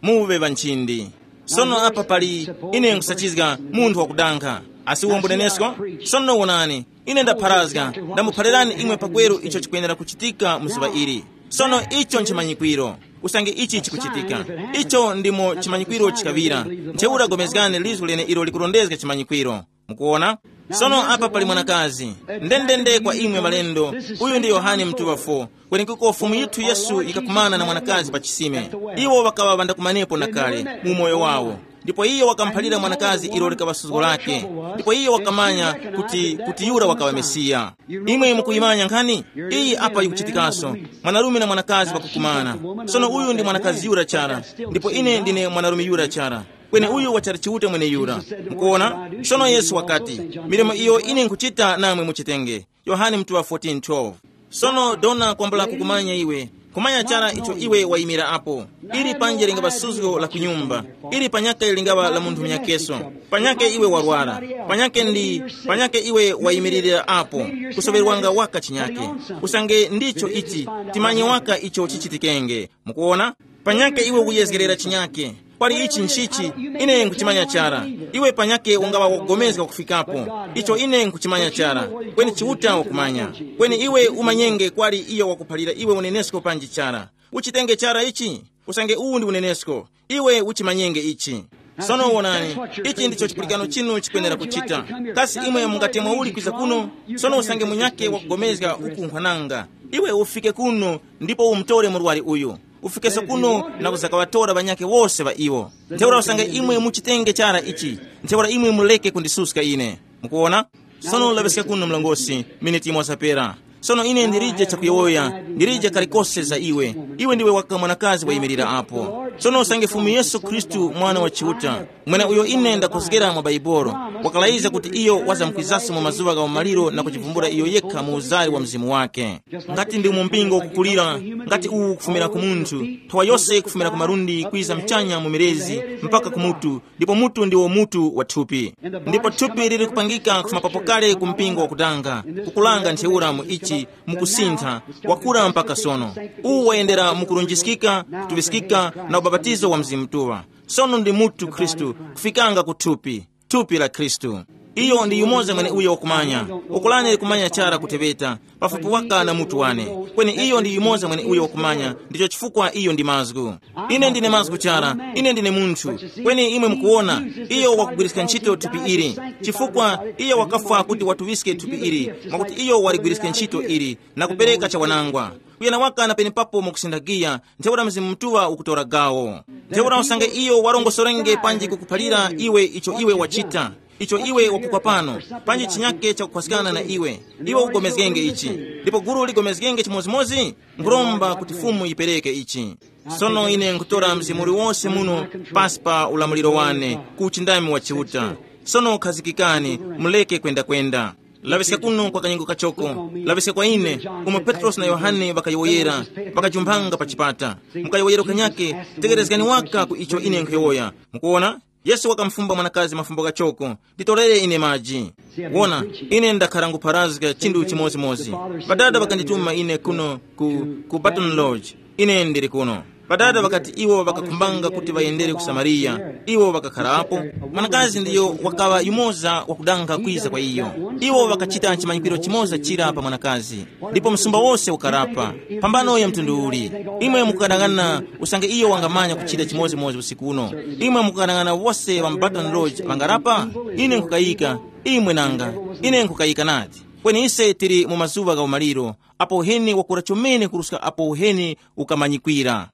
muŵe ŵanchindi. Sono apa pali, ine nkusachizga munthu wakudankha. Asi uwo mbunenesko? Sono wonani, ine ndapharazga, ndamuphalirani imwe pakweru icho chikwenera kuchitika mu zuŵa ili. Sono icho nchimanyikwiro. Usange ichi chikuchitika, icho ndimo chimanyikwiro chikaŵira. Ntheura gomezgani lizgu lene ilo likurondezga chimanyikwiro. Mukuwona? Sono apa pali mwanakazi. Ndendende kwa imwe malendo, uyu ndi Yohane Mtuŵa fo. Kwenekuko Fumu yithu Yesu yikakumana na mwanakazi pa chisime. Iwo ŵakaŵa ŵandakumanepo na kale mu umoyo wawo. Ndipo iyo wakamuphalira mwanakazi ilo likaŵa suzgo lake. Ndipo iyo wakamanya kuti, kuti yura wakaŵa Mesiya. Imwe mukuyimanya nkhani? Iyi apa yikuchitikaso. Mwanarume na mwanakazi ŵakukumana. Sono uyu ndi mwanakazi yura chara, ndipo ine ndine mwanarume yura chara. Kweni uyu wachali Chiuta mweneyura. Mukuwona? Sono Yesu wakati, milimo iyo ine nkuchita namwe muchitenge. Yohane mutuŵa fourteen twelve. Sono dona kwambula kukumanya iwe. Kumanya chara icho iwe wayimira apo. Ili panje lingaŵa suzgo la kunyumba. Ili panyake lingaŵa la munthu munyakeso. Panyake iwe warwara. Panyake ndi, panyake iwe wayimiririra apo. Kusoŵerwanga waka chinyake. Usange ndicho ichi, timanye waka icho chichitikenge. Mukuwona? Panyake iwe ukuyezgerera chinyake. Kwali ichi nchichi, ine nkuchimanya chara. Iwe panyake ungaŵa wogomezga kufikapo. Icho ine nkuchimanya chara. Kweni Chiuta wakumanya. Kweni iwe umanyenge kwali iyo wakuphalira iwe unenesko panji chara. Uchitenge chara ichi. Usange uwu ndi unenesko, iwe uchimanyenge ichi. Sono wonani, ichi ndicho chipulikano chinu chikwenera kuchita. Kasi imwe mungati mwauli kwiza kuno? Sono usange munyake wakugomezga ukunkhwananga, iwe ufike kuno ndipo umutore murwari uyu. Ufikenso kuno na kuzakaŵatora ŵanyakhe wose ŵa iwo. Ntheura usange imwe muchitenge chara ichi, ntheura imwe muleke kundisuska ine. Mukuwona? Sono laŵiska kuno mlongosi, miniti yimoza pera. Sono ine ndilije chakuyowoya, ndilije kalikose za iwe. Iwe ndiwe waka mwanakazi wayimirira apo. Sono usange Fumu Yesu Khristu, Mwana wa Chiuta, mwene uyo ine ndakhozgera mwa Baibolo, wakalayiza kuti iyo wazamkwizaso mu mazuŵa gha umaliro na kuchivumbula iyo yekha mu uzari wa Mzimu wake. Ngati ndi mu mpingo ukukulira, ngati uwu ukufumira ku munthu, nthowa yose ikufumira ku malundi kwiza mchanya mu milezi mpaka ku mutu, ndipo mutu ndiwo mutu wa thupi. Ndipo thupi lili kupangika kufuma papo kale ku mpingo wakutanga, kukulanga ntheura mu ichi, mukusintha, wakura mpaka sono. Uwu wayendera mukulunjiskika, kutuŵiskika na ubapatizo wa Mzimu Mutuŵa. Sono ndi mutu Khristu, kufikanga ku thupi, thupi la Khristu. Iyo ndi yumoza mweneuyo wakumanya. Ukolani likumanya chara kuteŵeta, pafupi waka na mutu wane. Kweni iyo ndi yumoza mweneuyo wakumanya, ndicho chifukwa iyo ndi mazgu. Ine ndine mazgu chara, ine ndine munthu. Kweni imwe mukuwona, iyo wakugwiriska ntchito thupi ili, chifukwa iyo wakafwa kuti watuŵiske thupi ili, mwakuti iyo waligwiriske ntchito ili na kupereka chawanangwa. Kuyana waka na penepapo mukusindagiya, ntheura Mzimu Mutuŵa ukutora gawo. Ntheura usange iyo warongosorenge panji kukuphalira iwe icho iwe wachita, icho iwe wakukwa pano, panji chinyake chakukhwaskana na iwe, iwe ugomezgenge ichi. Ndipo guru ligomezgenge chimodzimodzi, nkhuromba kuti Fumu yipereke ichi. Sono ine nkhutora mzimu uliwose muno pasi pa ulamuliro wane ku uchindami wa Chiuta. Sono khazikikani, muleke kwendakwenda. Laŵiska kuno kwa kanyengo kachoko, laŵiska kwa ine, umo Petrosi na Yohane ŵakayowoyera, ŵakajumphanga pa chipata. Mukayowoyero kanyake, tekerezgani waka ku icho ine nkhuyowoya. Mukuwona? Yesu wakamufumba mwanakazi mafumbo ghachoko, nditorere ine maji. Wona, ine ndakhara ngupharazga chinthu chimodzimodzi. Ŵadada ŵakandituma ine kuno ku, ku Baton Lodge. Ine ndili kuno. Ŵadada ŵakati iwo ŵakakhumbanga kuti ŵayendere ku Samariya, iwo ŵakakharapo. Mwanakazi ndiyo wakaŵa yumoza wakudanga kwiza kwa iyo. Iwo ŵakachita chimanyikiro chimoza chira pa mwanakazi, ndipo msumba wose ukarapa. Phambano ya mtundu uli. Imwe mukukanang'ana usange iyo wangamanya kuchita chimodzimodzi usiku uno. Imwe mukukanang'ana wose ŵa mu Baton Lodge ŵangarapa? Ine nkukayika. Imwe nanga. Ine nkukayika nadi. Kweni ise tili mu mazuŵa gha umaliro, apo uheni wakura chomene kuruska apo uheni ukamanyikwira.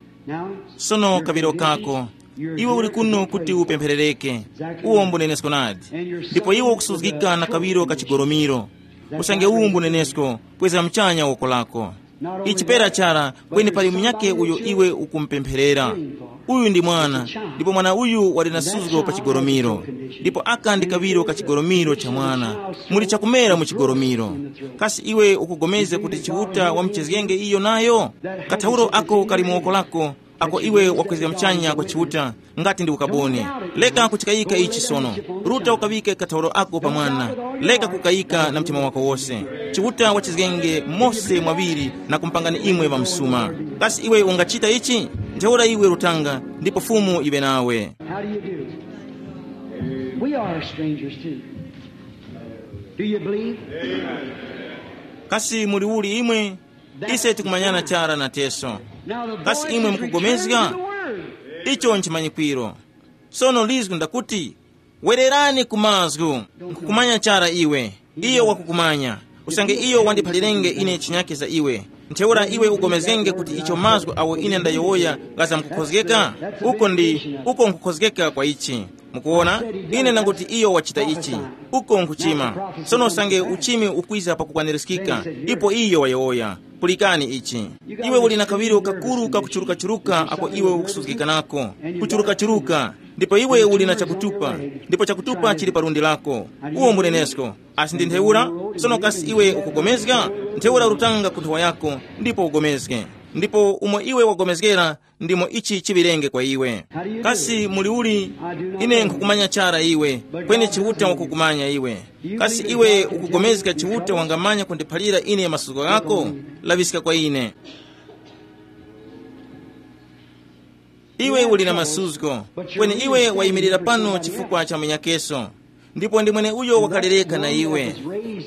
Sono kaŵiro kako, iwe uli kuno kuti upempherereke. Uwo mbunenesko nadi. Ndipo iwe ukusuzgika na kaŵiro ka chigoromiro. Usange uwu mbunenesko, kweza mchanya woko lako. Ichi pera chara, kweni pali munyakhe uyo iwe ukumupempherera. Uyu ndi mwana, ndipo mwana uyu wali na suzgo pa chigoromiro. Ndipo aka ndi kaŵiro ka chigoromiro cha mwana. Muli chakumera mu chigoromiro. Kasi iwe ukugomezga kuti Chiuta wamuchezgenge iyo nayo? Kathauro ako kali mu woko lako, ako iwe wakwezga mchanya kwa Chiuta, ngati ndi ukaboni. Leka kuchikayika ichi sono. Ruta ukaŵike kathauro ako pa mwana. Leka kukayika na mtima wako wose. Chiuta wachizgenge mose mwaŵiri na kumpangani imwe ŵamsuma. Kasi iwe ungachita ichi? Ntheura iwe rutanga, ndipo Fumu iŵe nawe. How do you do? We are strangers too. Do you believe? Kasi muli uli imwe? Ise tikumanyana chara na teso. Now the Kasi voice imwe is mukugomezga? Returning to the word. Icho nchimanyikwiro. Sono lizgu ndakuti, wererani ku mazgu. Nkukumanya chara iwe. Iyo wakukumanya. Usange iyo wandiphalirenge ine chinyake za iwe, ntheura iwe ugomezgenge kuti icho mazgu awo ine ndayowoya ghazamkukhozgeka. Uko ndi uko nkukhozgeka kwa ichi. Mukuwona? Ine ndanguti iyo wachita ichi. Uko nkuchima. Sono usange uchimi ukwiza pakukwanirizgika, ipo iyo wayowoya. Pulikani ichi. Iwe uli na kaŵiro kakuru kakuchurukachuruka ako iwe ukusuzgikanako. Kuchurukachuruka. Ndipo iwe uli na chakutupa. Ndipo chakutupa chili pa lundi lako. Uwo mbunenesko. Asi ndi ntheura? Sono kasi iwe ukugomezga? Ntheura rutanga ku nthowa yako, ndipo ugomezge. Ndipo umo iwe wagomezgera, ndimo ichi chiŵirenge kwa iwe. Kasi muli uli? Ine nkhukumanya chara iwe, kweni Chiuta wakukumanya iwe. Kasi iwe ukugomezga Chiuta wangamanya kundiphalira ine masuko ghako? Laŵiska kwa ine. Iwe uli na masuzgo, kweni iwe wayimirira pano chifukwa cha munyakeso, ndipo ndi mweneuyo wakalereka na iwe.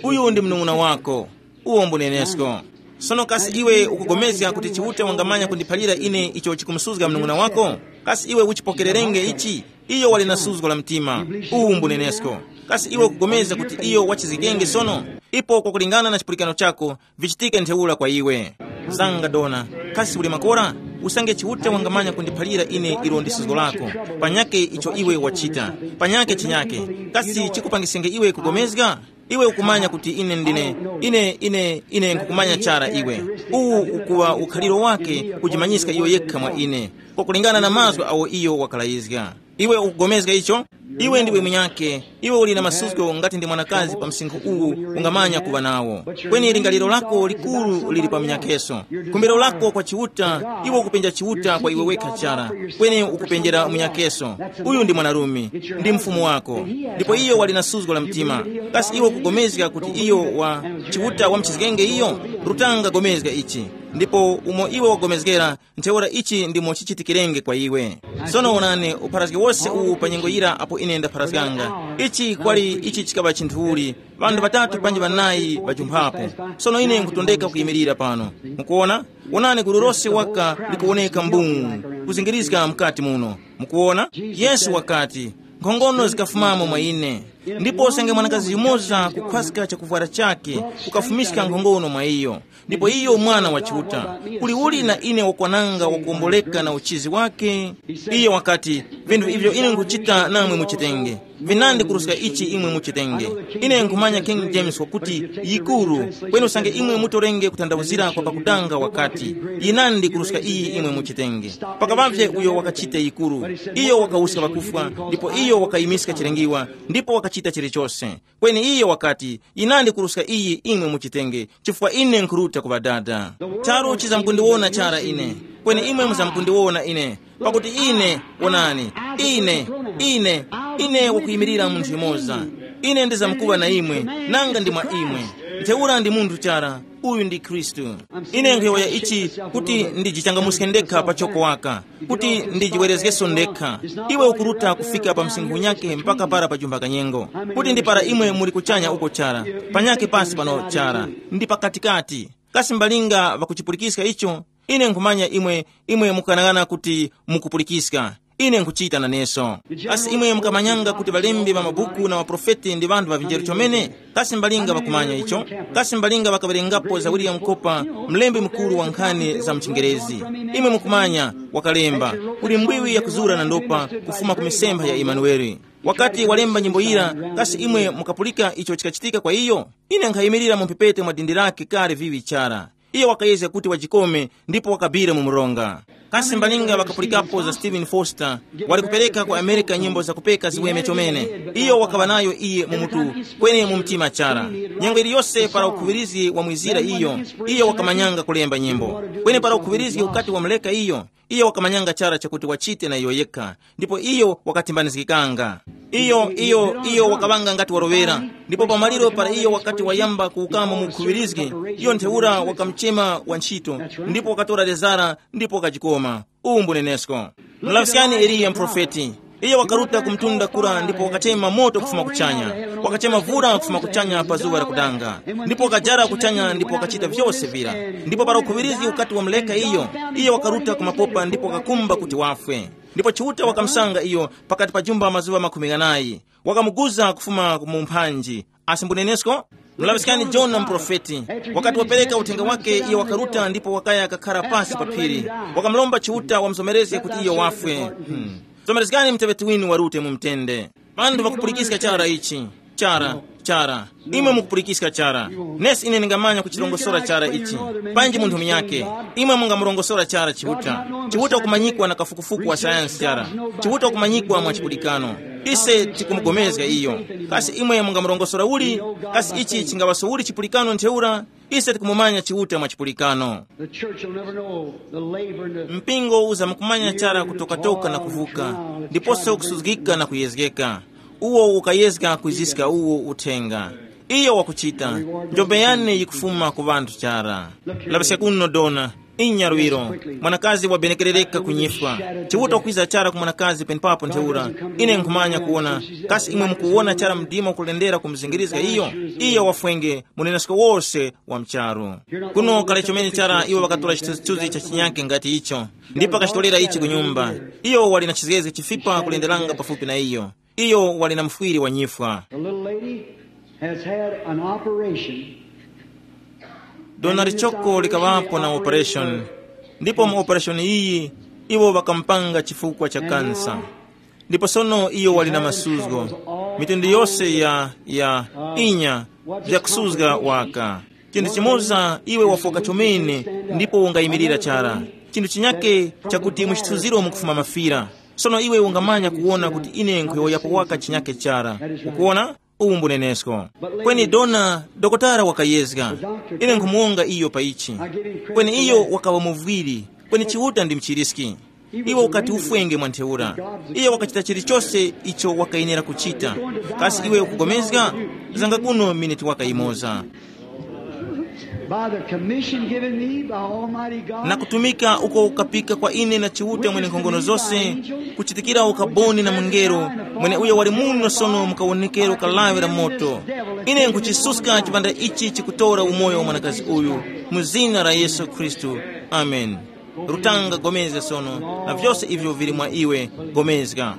Uyu ndi mnung'una wako. Uwo mbunenesko. Sono kasi iwe ukugomezga kuti Chiuta wangamanya kundiphalira ine icho chikumusuzga mnung'una wako? Kasi iwe uchipokererenge ichi? Iyo wali na suzgo la mtima. Uwu mbunenesko. Kasi iwe ukugomeza kuti iyo wachizgikenge sono? Ipo kwakulingana na chipulikano chako, vichitike ntheura kwa iwe. Zanga dona, kasi uli makora? Usange Chiuta wangamanya kundiphalira ine ilo ndi suzgo lako, panyake icho iwe wachita, panyake chinyake, kasi chikupangisenge iwe kugomezga? Iwe ukumanya kuti ine ndine, ine, ine, ine nkukumanya chara iwe. Uwu ukuwa ukhaliro wake kujimanyiska iyo yekha mwa ine, kwakulingana na mazgu awo iyo wakalayizga. Iwe ukugomezga icho? Iwe ndiwe munyake, iwe uli na masuzgo ngati ndi mwanakazi pa msinkhu uwu ungamanya kuŵa nawo. Kweni lingaliro lako likuru lili pa munyakeso. Khumbiro lako kwa Chiuta, iwe ukupenja Chiuta kwa iwe wekha chara, kweni ukupenjera munyakeso. Uyu ndi mwanarume, ndi mfumu wako, ndipo iyo wali na suzgo la mtima. Kasi iwe ukugomezga kuti iyo wa Chiuta wamuchizgenge iyo? Rutanga gomezga ichi, ndipo umo iwe wagomezgera, ntheura ichi ndimo chichitikirenge kwa iwe. Sono wonani, upharazgi wose uwu pa nyengo yira apo ine ndapharazganga, ichi kwali ichi chikaŵa chinthu uli, ŵanthu ŵatatu panji ŵanayi ŵajumphapo. Sono ine nkutondeka kuyimirira pano. Mukuona? Wonani, gulu lose waka likuwoneka mbuu, kuzingirizga mukati muno. Mukuona? Yesu wakati, nkhongono zikafumamo mwa ine. Ndipo usange mwanakazi yumoza kukhwaska chakuvwara chake, ukafumiska nkhongono mwa iyo. Ndipo iyo mwana wa Chiuta, kuli uli na ine wakwananga wakuwomboleka na uchizi wake? Iye wakati, vinthu ivyo ine nkuchita namwe muchitenge. Vinandi kuruska ichi imwe muchitenge. Ine nkhumanya King James wakuti, yikuru, kweni usange imwe mutorenge kuthandauzira kwa pakutanga wakati, yinandi kuruska iyi imwe muchitenge. Pakavavye uyo wakachita yikuru, iyo wakawuska pakufwa, ndipo iyo wakayimiska chilengiwa, ndipo wakachita chilichose. Kweni iyo wakati, yinandi kuruska iyi imwe muchitenge, chifukwa ine nkhuruta ku Ŵadada. Charu chizamkundiwona chara ine, kweni imwe muzamkundiwona ine. Pakuti ine, wonani, ine, ine, ine wakuyimirira munthu yumoza. Ine ndizamkuŵa na imwe, nanga ndi mwa imwe. Ntheura ndi munthu chara, uyu ndi Khristu. Ine nkhuyowoya ichi kuti ndijichangamuske ndekha pachoko waka, kuti ndijiwerezgeso ndekha. Iwe ukuruta kufika pa msinkhu unyakhe mpaka para pa jumba kanyengo, kuti ndi para imwe muli kuchanya uko chara, panyakhe pasi pano chara, ndi pakatikati. Kasi mbalinga ŵakuchipulikiska icho? Ine nkhumanya imwe, imwe mukughanaghana kuti mukupulikiska. Ine nkhuchita naneso. Kasi imwe mukamanyanga kuti ŵalembi ŵa mabuku na ŵaprofeti ndi ŵanthu ŵa vinjeru chomene? Kasi mbalinga ŵakumanya icho? Kasi mbalinga ŵakawerengapo za William Cooper, mlembi mukuru wa nkhani za mchingerezi? Imwe mukumanya, wakalemba, kuli mbwiwi yakuzura na ndopa kufuma ku misempha ya Emanueli. Wakati walemba nyimbo yira, kasi imwe mukapulika icho chikachitika kwa iyo? Ine nkhayimirira mu mphepete mwa dindi lake kale viŵi chara. Iyo wakayezga kuti wajikome ndipo wakabira mu mronga. Kasi mbalinga ŵakapulikapo za Stephen Foster, wali kupereka ku Amerika nyimbo zakupeka ziweme chomene. Iyo wakaŵa nayo iye mu mutu, kweni mu mtima chara. Nyengo iliyose para ukhuŵirizgi wamwizira iyo, iyo wakamanyanga kulemba nyimbo. Kweni para ukhuŵirizgi ukati wamuleka iyo, iyo wakamanyanga chara chakuti wachite na iyo yekha, ndipo iyo wakatimbanizgikanga. Iyo, iyo, iyo wakaŵanga ngati waroŵera, ndipo pamaliro para iyo wakati wayamba kuwukamo mu khuŵirizgi, iyo ntheura wakamuchema wantchito, ndipo wakatora lezara, ndipo wakajikoma. Uwu mbunenesko. Mulaŵiskani Eliya muprofeti. Iyo wakaruta ku mtunda kura ndipo wakachema moto kufuma kuchanya. Wakachema vura kufuma kuchanya pa zuŵa lakudanga. Ndipo wakajara kuchanya ndipo wakachita vyose vira. Ndipo para ukhuŵirizgi ukati wamuleka iyo, iyo wakaruta ku mapopa ndipo wakakumba kuti wafwe. Ndipo Chiuta wakamusanga iyo pakati pa jumba mazuŵa makumi ghanayi. Wakamuguza kufuma mu mphanji. Asi mbunenesko? Mulaŵiskani Jona muprofeti. Wakati wapereka uthenga wake, iyo wakaruta ndipo wakaya kakhara pasi pa phiri. Wakamulomba Chiuta wamuzomerezge kuti iyo wafwe. Hmm. Zomerezgani muteŵeti winu warute mu mtende. Ŵanthu ŵakupulikiska chara ichi. Chara, chara. Imwe mukupulikiska chara. Nesi ine ndingamanya kuchirongosora chara ichi. Panji munthu munyakhe. Imwe mungamurongosora chara Chiuta. Chiuta kumanyikwa na kafukufuku wa sayansi chara. Chiuta kumanyikwa mwa chipulikano. Ise tikumugomezga iyo. Kasi imwe mungamurongosora uli? Kasi ichi chingaŵaso uli chipulikano ntheura? Ise tikumumanya Chiuta mwa chipulikano. The church will never know the labor and the Mpingo uzamukumanya chara kutokatoka na kuvuka, ndiponso kusuzgika na kuyezgeka. Uwo ukayezga kwiziska uwo uthenga. Iyo wakuchita, njombe yane yikufuma ku ŵanthu chara. Laŵiska kuno dona, inya luwiro, mwanakazi wabenekerereka kunyifwa. Chiuta kwiza chara ku mwanakazi penepapo ntheura. Ine nkhumanya kuwona, kasi imwe mukuwona chara mdima ukulendera kumuzingirizga iyo? Iyo wafwenge, munenesko wose wa mcharu. Kuno kale chomene chara iwo ŵakatora chithunzithunzi cha chinyake ngati icho, ndipo akachitolera ichi ku nyumba. Iyo wali na chizgezge chifipa kulenderanga pafupi na iyo. Iyo wali na mufwiri wa nyifwa. The little lady has had an operation. Dona lichoko likaŵapo na operation, ndipo mu operation iyi iwo ŵakamupanga chifukwa cha kansa. Ndipo sono iyo wali na masuzgo, mitundu yose ya, ya inya vyakusuzga waka. Chinthu chimoza iwe wafoka chomene, ndipo ungayimirira chara. Chinthu chinyake chakuti mu chithunziro mukufuma mafira. Sono iwe ungamanya kuwona kuti ine nkhuyowoyapo waka chinyake chara. Ukuwona? Uwu mbunenesko. Kweni dona, dokotala wakayezga. Ine nkhumuwonga iyo pa ichi. Kweni iyo wakaŵa muvwiri. Kweni Chiuta ndi mchiriski. Iwe ukati ufwenge mwa ntheura. Iye wakachita chilichose icho wakayenera kuchita. Kasi iwe ukugomezga? Zanga kuno miniti waka yimoza. By the commission given me by Almighty God. Na kutumika uko ukapika kwa ine na Chiuta Mwenenkhongono zose, kuchitikira ukaboni na mungelo, mweneuyo wali muno sono mu kawonekero ka lawi la moto. Ine nkuchisuska chipanda ichi chikutora umoyo wa mwanakazi uyu, mu zina la Yesu Khristu. Amen. Rutanga, gomezga sono, na vyose ivyo vili mwa iwe, gomezga.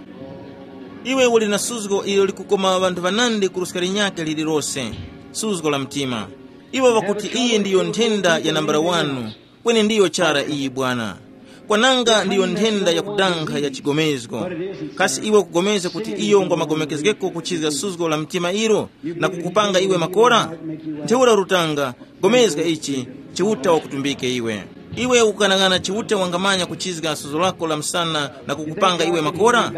Iwe uli na suzgo ilo likukoma ŵanthu ŵanandi kuruska linyakhe lililose, suzgo la mtima. Iwo ŵakuti iyi ndiyo nthenda ya nambala wanu, kweni ndiyo chara iyi bwana. Kwananga ndiyo nthenda yakudankha ya chigomezgo. Kasi iwe ukugomezga kuti iyo ngwa magomekezgeko kuchizga suzgo la mtima ilo, na kukupanga iwe makora? Ntheura rutanga, gomezga ichi, Chiuta wakutumbike iwe. Iwe ukughanaghana Chiuta wangamanya kuchizga suzgo lako la msana na kukupanga iwe makora?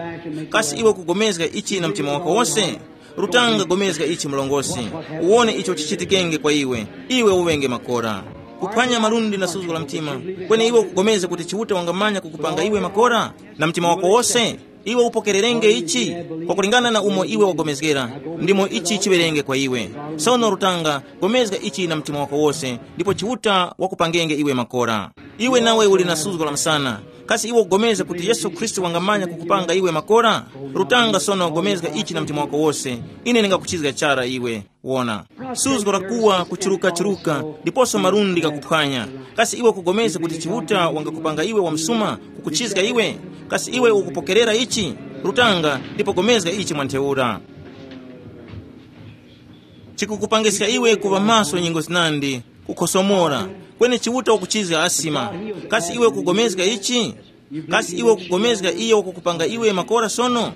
Kasi iwe ukugomezga ichi na mtima wako wose? Rutanga, gomezga ichi mlongosi, uwone icho chichitikenge kwa iwe, iwe uŵenge makora. Kuphwanya malundi na suzgo la mtima. Kweni iwe ukugomezga kuti Chiuta wangamanya kukupanga iwe makora na mtima wako wose? Iwe upokererenge ichi, kwakulingana na umo iwe wagomezgera, ndimo ichi chiŵerenge kwa iwe. Sono rutanga, gomezga ichi na mtima wako wose, ndipo Chiuta wakupangenge iwe makora. Iwe nawe uli na suzgo la msana. Kasi iwe ugomezga kuti Yesu Khristu wangamanya kukupanga iwe makora? Rutanga sono, gomezga ichi na mtima wako wose. Ine ndingakuchizga chara iwe. Wona, suzgo lakuwa kuchirukachiruka, ndiposo malundi ghakuphwanya. Kasi iwe ukugomezga kuti Chiuta wangakupanga iwe wamsuma, kukuchizga iwe? Kasi iwe ukupokerera ichi? Rutanga, ndipo gomezga ichi mwa ntheura. Chikukupangiska iwe kuŵa maso nyengo zinandi, kukhosomora, kweni Chiuta ukuchizga asima. Kasi iwe ukugomezga ichi? Kasi iwe ukugomezga iyo wakukupanga iwe makora sono?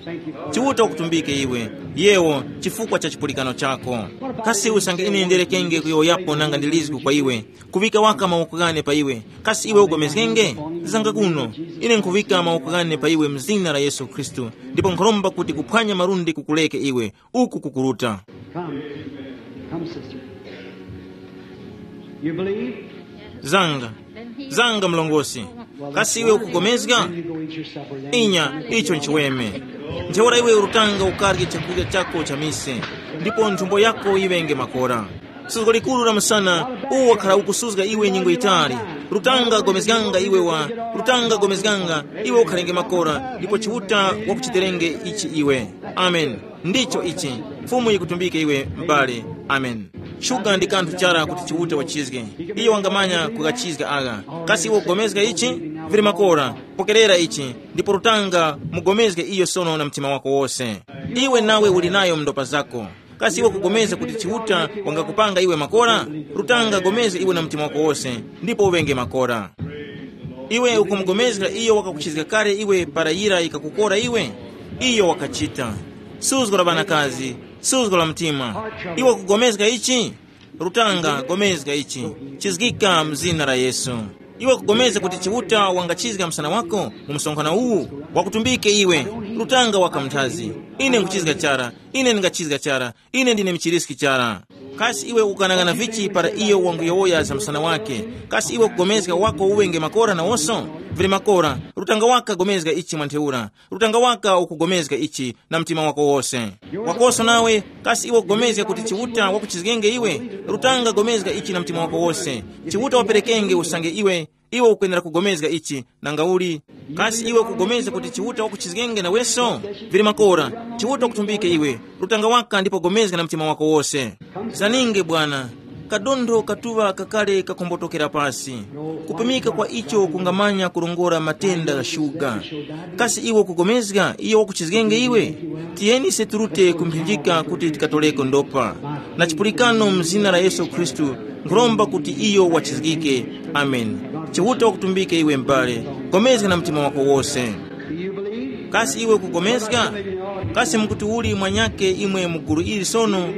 Chiuta ukutumbike iwe, yewo, chifukwa cha chipulikano chako. Kasi usange ine nderekenge kuyowoyapo nanga ndilizgu kwa iwe, kuŵika waka mawoko ghane pa iwe, kasi iwe ugomezgenge? Zanga kuno, ine nkhuŵika mawoko ghane pa iwe mzina la Yesu Khristu, ndipo nkhuromba kuti kuphwanya malundi kukuleke iwe, uku kukuruta. Come. Come, sister. You believe? Zanga, zanga mlongosi. Kasi iwe ukugomezga? Then you go eat your supper then. Inya, icho nchiweme. Ntheura iwe urutanga ukarye chakurya chako cha mise, ndipo nthumbo yako yiŵenge makora. Suzgo likuru la msana, uwo wakhala ukusuzga iwe nyengo yitali. Rutanga gomezganga iwe wa, rutanga gomezganga, iwe ukhalenge makora, ndipo Chiuta wakuchiterenge ichi iwe. Amen. Ndicho ichi. Fumu yikutumbike iwe, m'bale. Amen. Shuga ndi kanthu chara kuti Chiuta wachizge. Iyo wangamanya kukachizga agha. Kasi iwe ugomezga ichi? Vili makora. Pokerera ichi, ndipo rutanga mugomezge iyo sono na mtima wako wose. Iwe nawe uli nayo mndopa zako. Kasi iwe kugomezga kuti Chiuta wangakupanga iwe makora? Rutanga gomezga iwe na mtima wako wose, ndipo uŵenge makora. Iwe ukumugomezga iyo wakakuchizga kale iwe para yira yikakukora iwe? Iyo wakachita. Suzgo la ŵanakazi, suzgo la mtima. Iwe kugomezga ichi? Rutanga, gomezga ichi. Chizgika mzina la Yesu. Iwe kugomezga kuti Chiuta wangachizga msana wako mu msonkhano uwu? Wakutumbike iwe. Rutanga waka mnthazi. Ine nkuchizga chara. Ine ndingachizga chara. Ine ndine mchiriski chara. Kasi iwe ukanang'ana vichi para iyo wanguyowoya za msana wake? Kasi iwe kugomezga wako uwenge makora nawoso? Vili makora, rutanga waka gomezga ichi mwa ntheura. Rutanga waka ukugomezga ichi na mtima wako wose. Wakoso nawe, kasi iwe ukugomezga kuti Chiuta wakuchizgenge iwe? Rutanga gomezga ichi na mtima wako wose. Chiuta waperekenge usange iwe, iwe ukwenera kugomezga ichi. Nanga uli, kasi iwe ukugomezga kuti Chiuta wakuchizgenge naweso? Vili makora, Chiuta wakutumbike iwe. Rutanga waka ndipo gomezga na mtima wako wose. Zaninge bwana. Kadontho katuŵa kakale kakombotokera pasi. Kupimika kwa icho kungamanya kurongora matenda gha shuga. Kasi iwe ukugomezga iyo wakuchizgenge iwe? Tiyeni ise turute kumphinjika kuti tikatoreko ndopa. Na chipulikano mu zina la Yesu Khristu, nkhuromba kuti iyo wachizgike. Amen. Chiuta wakutumbike iwe m'bale. Gomezga na mtima wako wose. Kasi iwe ukugomezga? Kasi mukuti uli mwanyake imwe mu gulu ili sono?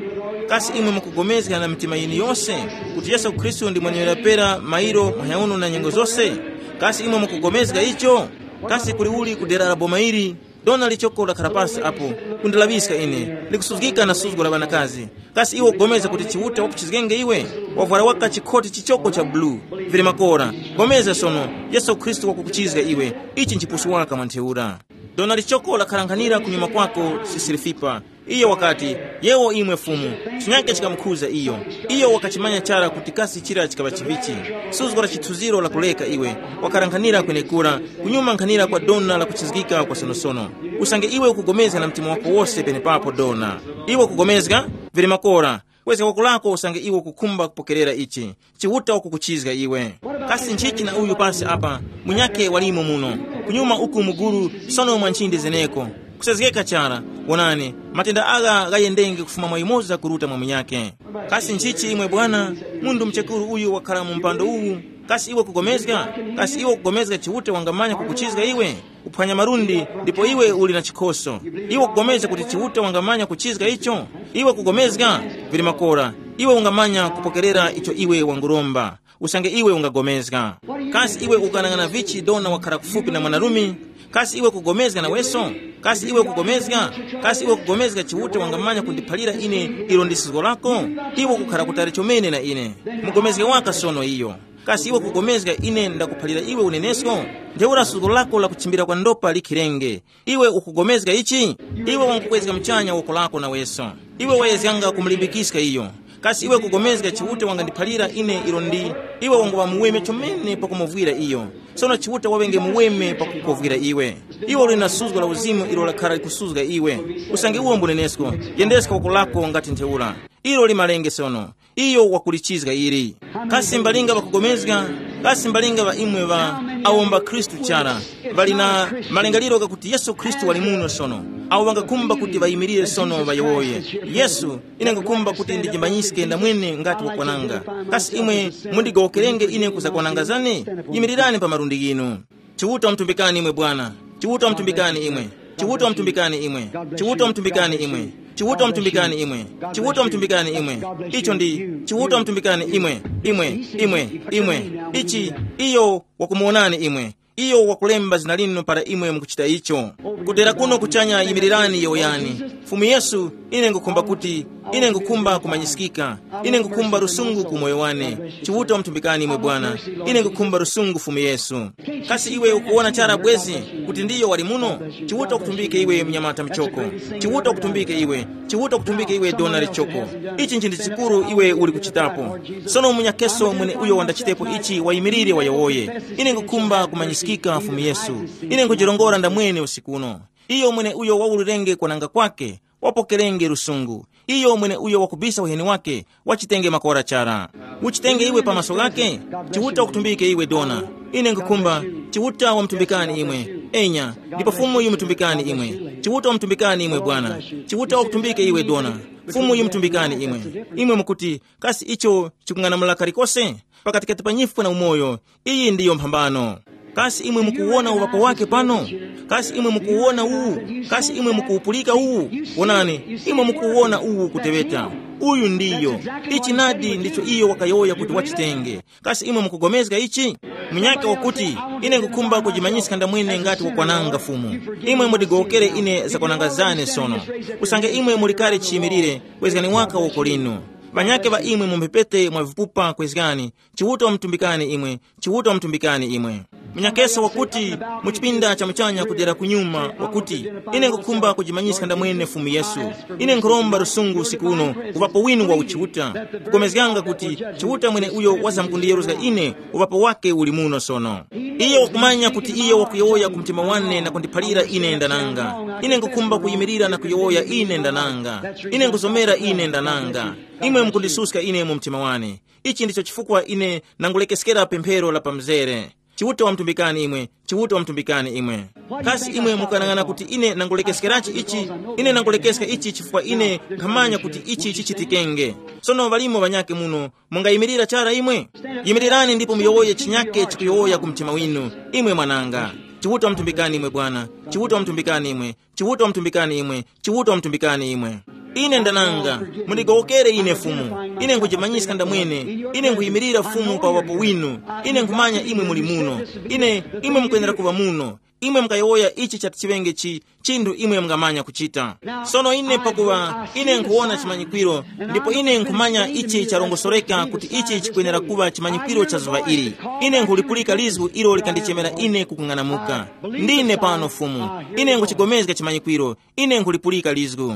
Kasi imwe mukugomezga na mitima yinu yose kuti Yesu Khristu ndi mweneuyo pera mairo, mwaha uno na nyengo zose? Kasi imwe mukugomezga icho? Kasi kuli uli ku dera la boma ili? Dona lichoko lakhala pasi apo, kundilaŵiska ine, likusuzgika na suzgo la ŵanakazi. Kasi iwe ukugomeza kuti Chiuta wakuchizgenge iwe? Wavwara waka chikhoti chichoko cha bulu. Vili makora. Gomeza sono, Yesu Khristu wakukuchizga iwe. Ichi nchipusu waka mwa ntheura. Dona lichoko lakharankhanira kunyuma kwako, sisilifipa. Iyo wakati, yewo imwe Fumu, chinyake chikamukhuza iyo. Iyo wakachimanya chara kuti kasi chira chikaŵa chivichi. Suzgo la chithunziro lakuleka iwe, wakarankhanira kwenekura, kunyuma nkhanira kwa dona lakuchizgika kwa sonosono. Usange iwe ukugomezga na mtima wako wose penepapo dona. Iwe ukugomezga? Vili makora. Kwezga woko lako usange iwe ukukhumba kupokerera ichi. Chiuta ukukuchizga iwe. Kasi nchichi na uyu pasi apa? Munyakhe walimo muno. Kunyuma uku muguru, sono mwa nchinde zeneko. Kusezgeka chara. Wonani, matenda agha ghayendenge kufuma mwa yumoza kuruta mwa munyakhe. Kasi nchichi imwe bwana? Mundu mchekuru uyu wakhala mu mpando uwu. Kasi iwe kugomezga? Kasi iwe kugomezga Chiuta wangamanya kukuchizga iwe? Kuphwanya malundi, ndipo iwe uli na chikhoso. Iwe kugomezga kuti Chiuta wangamanya kuchizga icho? Iwe kugomezga? Vili makora. Iwe ungamanya kupokerera icho iwe wanguromba. Usange iwe ungagomezga. Kasi iwe ukanang'ana vichi dona wakhala kufupi na mwanarume? Kasi iwe kugomezga naweso? Kasi iwe kugomezga? Kasi iwe kugomezga Chiuta wangamanya kundiphalira ine ilo ndi sizgo lako? Iwe kukhala kutali chomene na ine. Mugomezge waka sono iyo. Kasi iwe kugomezga ine ndakuphalira iwe unenesko? Ntheura suzgo lako lakuchimbira kwa ndopa likhirenge. Iwe ukugomezga ichi? Iwe wangukwezga muchanya woko lako naweso. Iwe wayezganga kumulimbikiska iyo. Kasi iwe kugomezga Chiuta wangandiphalira ine ilo ndi? Iwe wanguŵa muweme chomene pakumuvwira iyo. Sono Chiuta waŵenge muweme pakukovwira iwe. Iwe uli na suzgo la uzimu ilo lakhala likusuzga iwe. Usange uwo mbunenesko, yendeska woko lako ngati ntheura. Ilo limalenge sono. Iyo wakulichizga ili. Kasi mbalinga ŵakugomezga? Kasi mbalinga ŵa imwe ŵa awo mba Khristu chara, ŵali na malingaliro ghakuti Yesu Khristu wali muno sono, awo ŵangakhumba kuti ŵayimirire sono ŵayowoye, Yesu, ine nkhukhumba kuti ndijimbanyiske ndamwene ngati wakwananga. Kasi imwe mundigowokerenge ine kuzakwananga zane? Yimirirani pa malundi ghinu. Chiuta wamutumbikani imwe Bwana. Chiuta wamutumbikani imwe. Chiuta wamutumbikani imwe. Chiuta wamutumbikani imwe. Chiuta wamutumbikani imwe. Chiuta wamutumbikani imwe. Icho ndi Chiuta wamutumbikani imwe. Imwe, imwe, imwe. Ichi, iyo wakumuwonani imwe. Iyo wakulemba zina linu para imwe mukuchita icho. Kudera kuno kuchanya yimirirani yowoyani. Fumu Yesu, ine ngukhumba kuti, ine ngukhumba kumanyisikika. Ine ngukhumba lusungu ku moyo wane. Chiuta wamutumbikani imwe Bwana. Ine ngukhumba lusungu Fumu Yesu. Kasi iwe ukuwona chara bwezi kuti ndiyo wali muno? Chiuta kutumbike iwe mnyamata mchoko. Chiuta kutumbike iwe. Chiuta kutumbike iwe dona lichoko. Ichi nchinthu chikuru iwe uli kuchitapo. Sono munyakeso mwene uyo wandachitepo ichi wayimirire wayowoye. Ine ngukhumba kumanyisikika Fumu Yesu. Ine nkujirongora ndamwene usiku uno. Iyo mwene uyo waulirenge kwananga kwake, wapokerenge lusungu. Iyo mwene uyo wakubisa uheni wake, wachitenge makora chara. Uchitenge iwe pa maso ghake. Chiuta wakutumbike iwe dona. Ine nkukhumba. Chiuta wamutumbikani imwe. Enya. Ndipo Fumu yimutumbikani imwe. Chiuta wamutumbikani imwe Bwana. Chiuta wakutumbike iwe dona. Fumu yimutumbikani imwe. Imwe mukuti, kasi icho chikung'anamula kalikose? Pakatikati pa nyifwa na umoyo, iyi ndiyo mphambano. Kasi imwe mukuwona uŵapo wake pano? Kasi imwe mukuwona uwu? Kasi imwe mukuwupulika uwu? Wonani, imwe mukuwona uwu kuteŵeta. Uyu ndiyo. Ichi nadi ndicho iyo wakayowoya kuti wachitenge. Kasi imwe mukugomezga ichi? Munyaka wakuti, ine nkukhumba kujimanyiska ndamwene ngati wakwananga Fumu. Imwe mudigowokere ine zakwananga zane sono. Usange imwe muli kale chiyimilire, kwezgani waka woko linu. Ŵanyakhe ŵa imwe mu mphepete mwa vipupa kwezgani, Chiuta wamutumbikani imwe, Chiuta wamutumbikani imwe. Munyakeso wakuti, mu chipinda cha muchanya kudera kunyuma, wakuti, ine nkukhumba kujimanyiska ndamwene Fumu Yesu. Ine nkhuromba lusungu usiku uno, uŵapo winu wa uchiuta. Kukomezganga kuti Chiuta mwene uyo wazamkundiyeruzga ine, uŵapo wake uli muno sono. Iyo wakumanya kuti iyo wakuyowoya ku mtima wane na kundiphalira ine ndananga. Ine nkukhumba kuyimirira na kuyowoya ine ndananga. Ine nkuzomera ine ndananga. Imwe mukundisuska ine mu mtima wane. Ichi ndicho chifukwa ine nangulekeskera pemphero la pamzere. Chiuta wamutumbikani imwe, Chiuta wamutumbikani imwe. Kasi imwe mukanang'ana kuti ine nangulekeskerachi ichi? Ine nangulekeska ichi chifukwa ine nkhamanya kuti ichi chichitikenge. Sono ŵalimo ŵanyakhe muno, mungayimirira chara imwe? Yimirirani ndipo muyowoye chinyakhe chikuyowoya ku mtima winu. Imwe mwananga, Chiuta wamutumbikani imwe Bwana, Chiuta wamutumbikani imwe, Chiuta wamutumbikani imwe, Chiuta wamutumbikani imwe. Ine ndananga, mundigowokere ine Fumu. Ine nkujimanyiska ndamwene. Ine nkuyimirira Fumu pa uŵapo winu. Ine nkhumanya imwe muli muno. Ine, imwe mukwenera kuŵa muno. Imwe mukayowoya ichi chati chiŵenge chi chinthu imwe mungamanya kuchita. Sono ine pakuŵa ine nkhuwona chimanyikwiro, ndipo ine nkhumanya ichi charongosoreka kuti ichi chikwenera kuŵa chimanyikwiro cha zuŵa ili. Ine nkhulipulika lizgu ilo likandichemera ine kukung'anamuka. Ndine pano Fumu. Ine nkhuchigomezga chimanyikwiro. Ine nkhulipulika lizgu.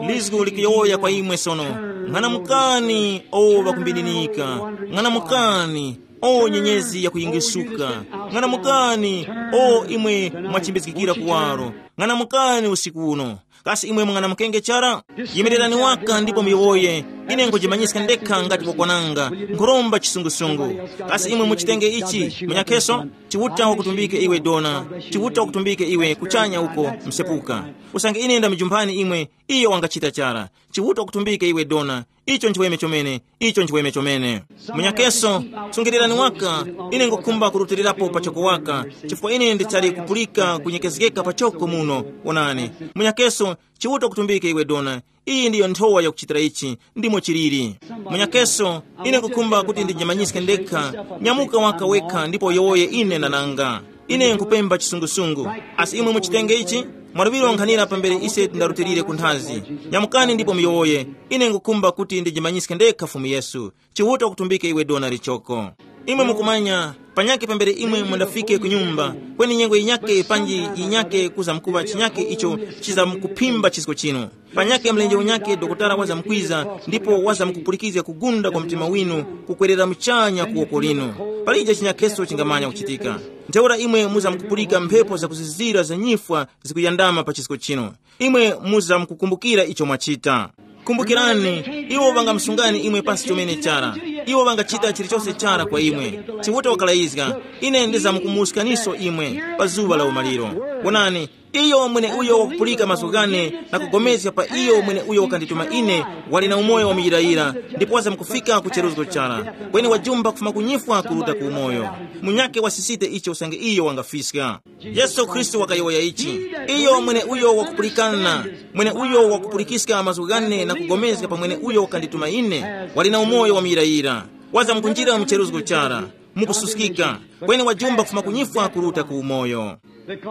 Lizgu likuyowoya kwa imwe sono. Ng'anamukani, o ŵakumbininika. Ng'anamukani, o nyenyezi yakuyingisuka. Ng'anamukani, o imwe mwachimbizgikira kuwaro. Ng'anamukani usiku uno. Kasi imwe mung'anamukenge chara? Yimirerani waka ndipo muyowoye. Ine nkhujimanyiska ndekha ngati wakwananga. Nkhuromba chisungusungu. Kasi imwe muchitenge ichi, munyakheso? Chiuta wakutumbike iwe dona. Chiuta wakutumbike iwe kuchanya uko, msepuka. Usange ine ndamujumpani imwe, iyo wangachita chara. Chiuta wakutumbike iwe dona. Icho nchiweme chomene. Icho nchiweme chomene. Munyakeso, sungilirani waka. Ine ngukhumba kurutilirapo pachoko waka, chifukwa ine ndichali kupulika kunyekezgeka pachoko muno. Wonani. Munyakeso, Chiuta wakutumbike iwe dona. Iyi ndiyo nthowa yakuchitira ichi. Ndimo chiliri. Munyakeso, ine ngukhumba kuti ndijimanyiske ndekha. Nyamuka waka wekha ndipo yowoye ine ndananga. Ine nkupemba chisungusungu. Asi imwe muchitenge ichi? Mwaluŵiro nkhanira pambere ise tindarutilire ku nthazi. Nyamukani ndipo muyowoye. Ine ngukhumba kuti ndijimanyiske ndekha Fumu Yesu. Chiuta wakutumbike iwe dona lichoko. Imwe mukumanya, panyakhe pambere imwe mundafike ku nyumba, kweni nyengo yinyakhe panji yinyakhe kuzamkuŵa chinyakhe icho chizamkuphimba chisko chinu. Panyakhe mlenje unyakhe dokotala wazamkwiza, ndipo wazamkupulikizga kugunda kwa mtima winu kukwerera muchanya ku woko linu. Palije chinyakheso chingamanya kuchitika. Ntheura imwe muzamkupulika mphepo zakuzizira za nyifwa zikuyandama pa chisko chinu. Imwe muzamkukumbukira icho mwachita. Kumbukirani, iwo ŵangamsungani imwe pansi chomene chara. Iwo ŵangachita chilichose chara kwa imwe. Chiuta wakalayizga, ine ndizamkumuwuskaniso imwe pa zuŵa la umaliro. Wonani, iyo mweneuyo wakupulika mazgu ghane na kugomezga pa iyo mweneuyo wakandituma ine, wali na umoyo wamuyirayira, ndipo wazamkufika ku cheruzgo chara. Kweni wajumba kufuma ku nyifwa kuruta ku umoyo. Munyakhe wasisite icho usange iyo wangafiska. Yesu Khristu wakayowoya ichi. Iyo mweneuyo wakupulikana, mweneuyo wakupulikiska mazgu ghane na kugomezga pa mweneuyo wakandituma ine, wali na umoyo wamuyirayira. Wazamkunjira mu cheruzgo chara, mukususkika, kweni wajumba kufuma ku nyifwa kuruta ku umoyo.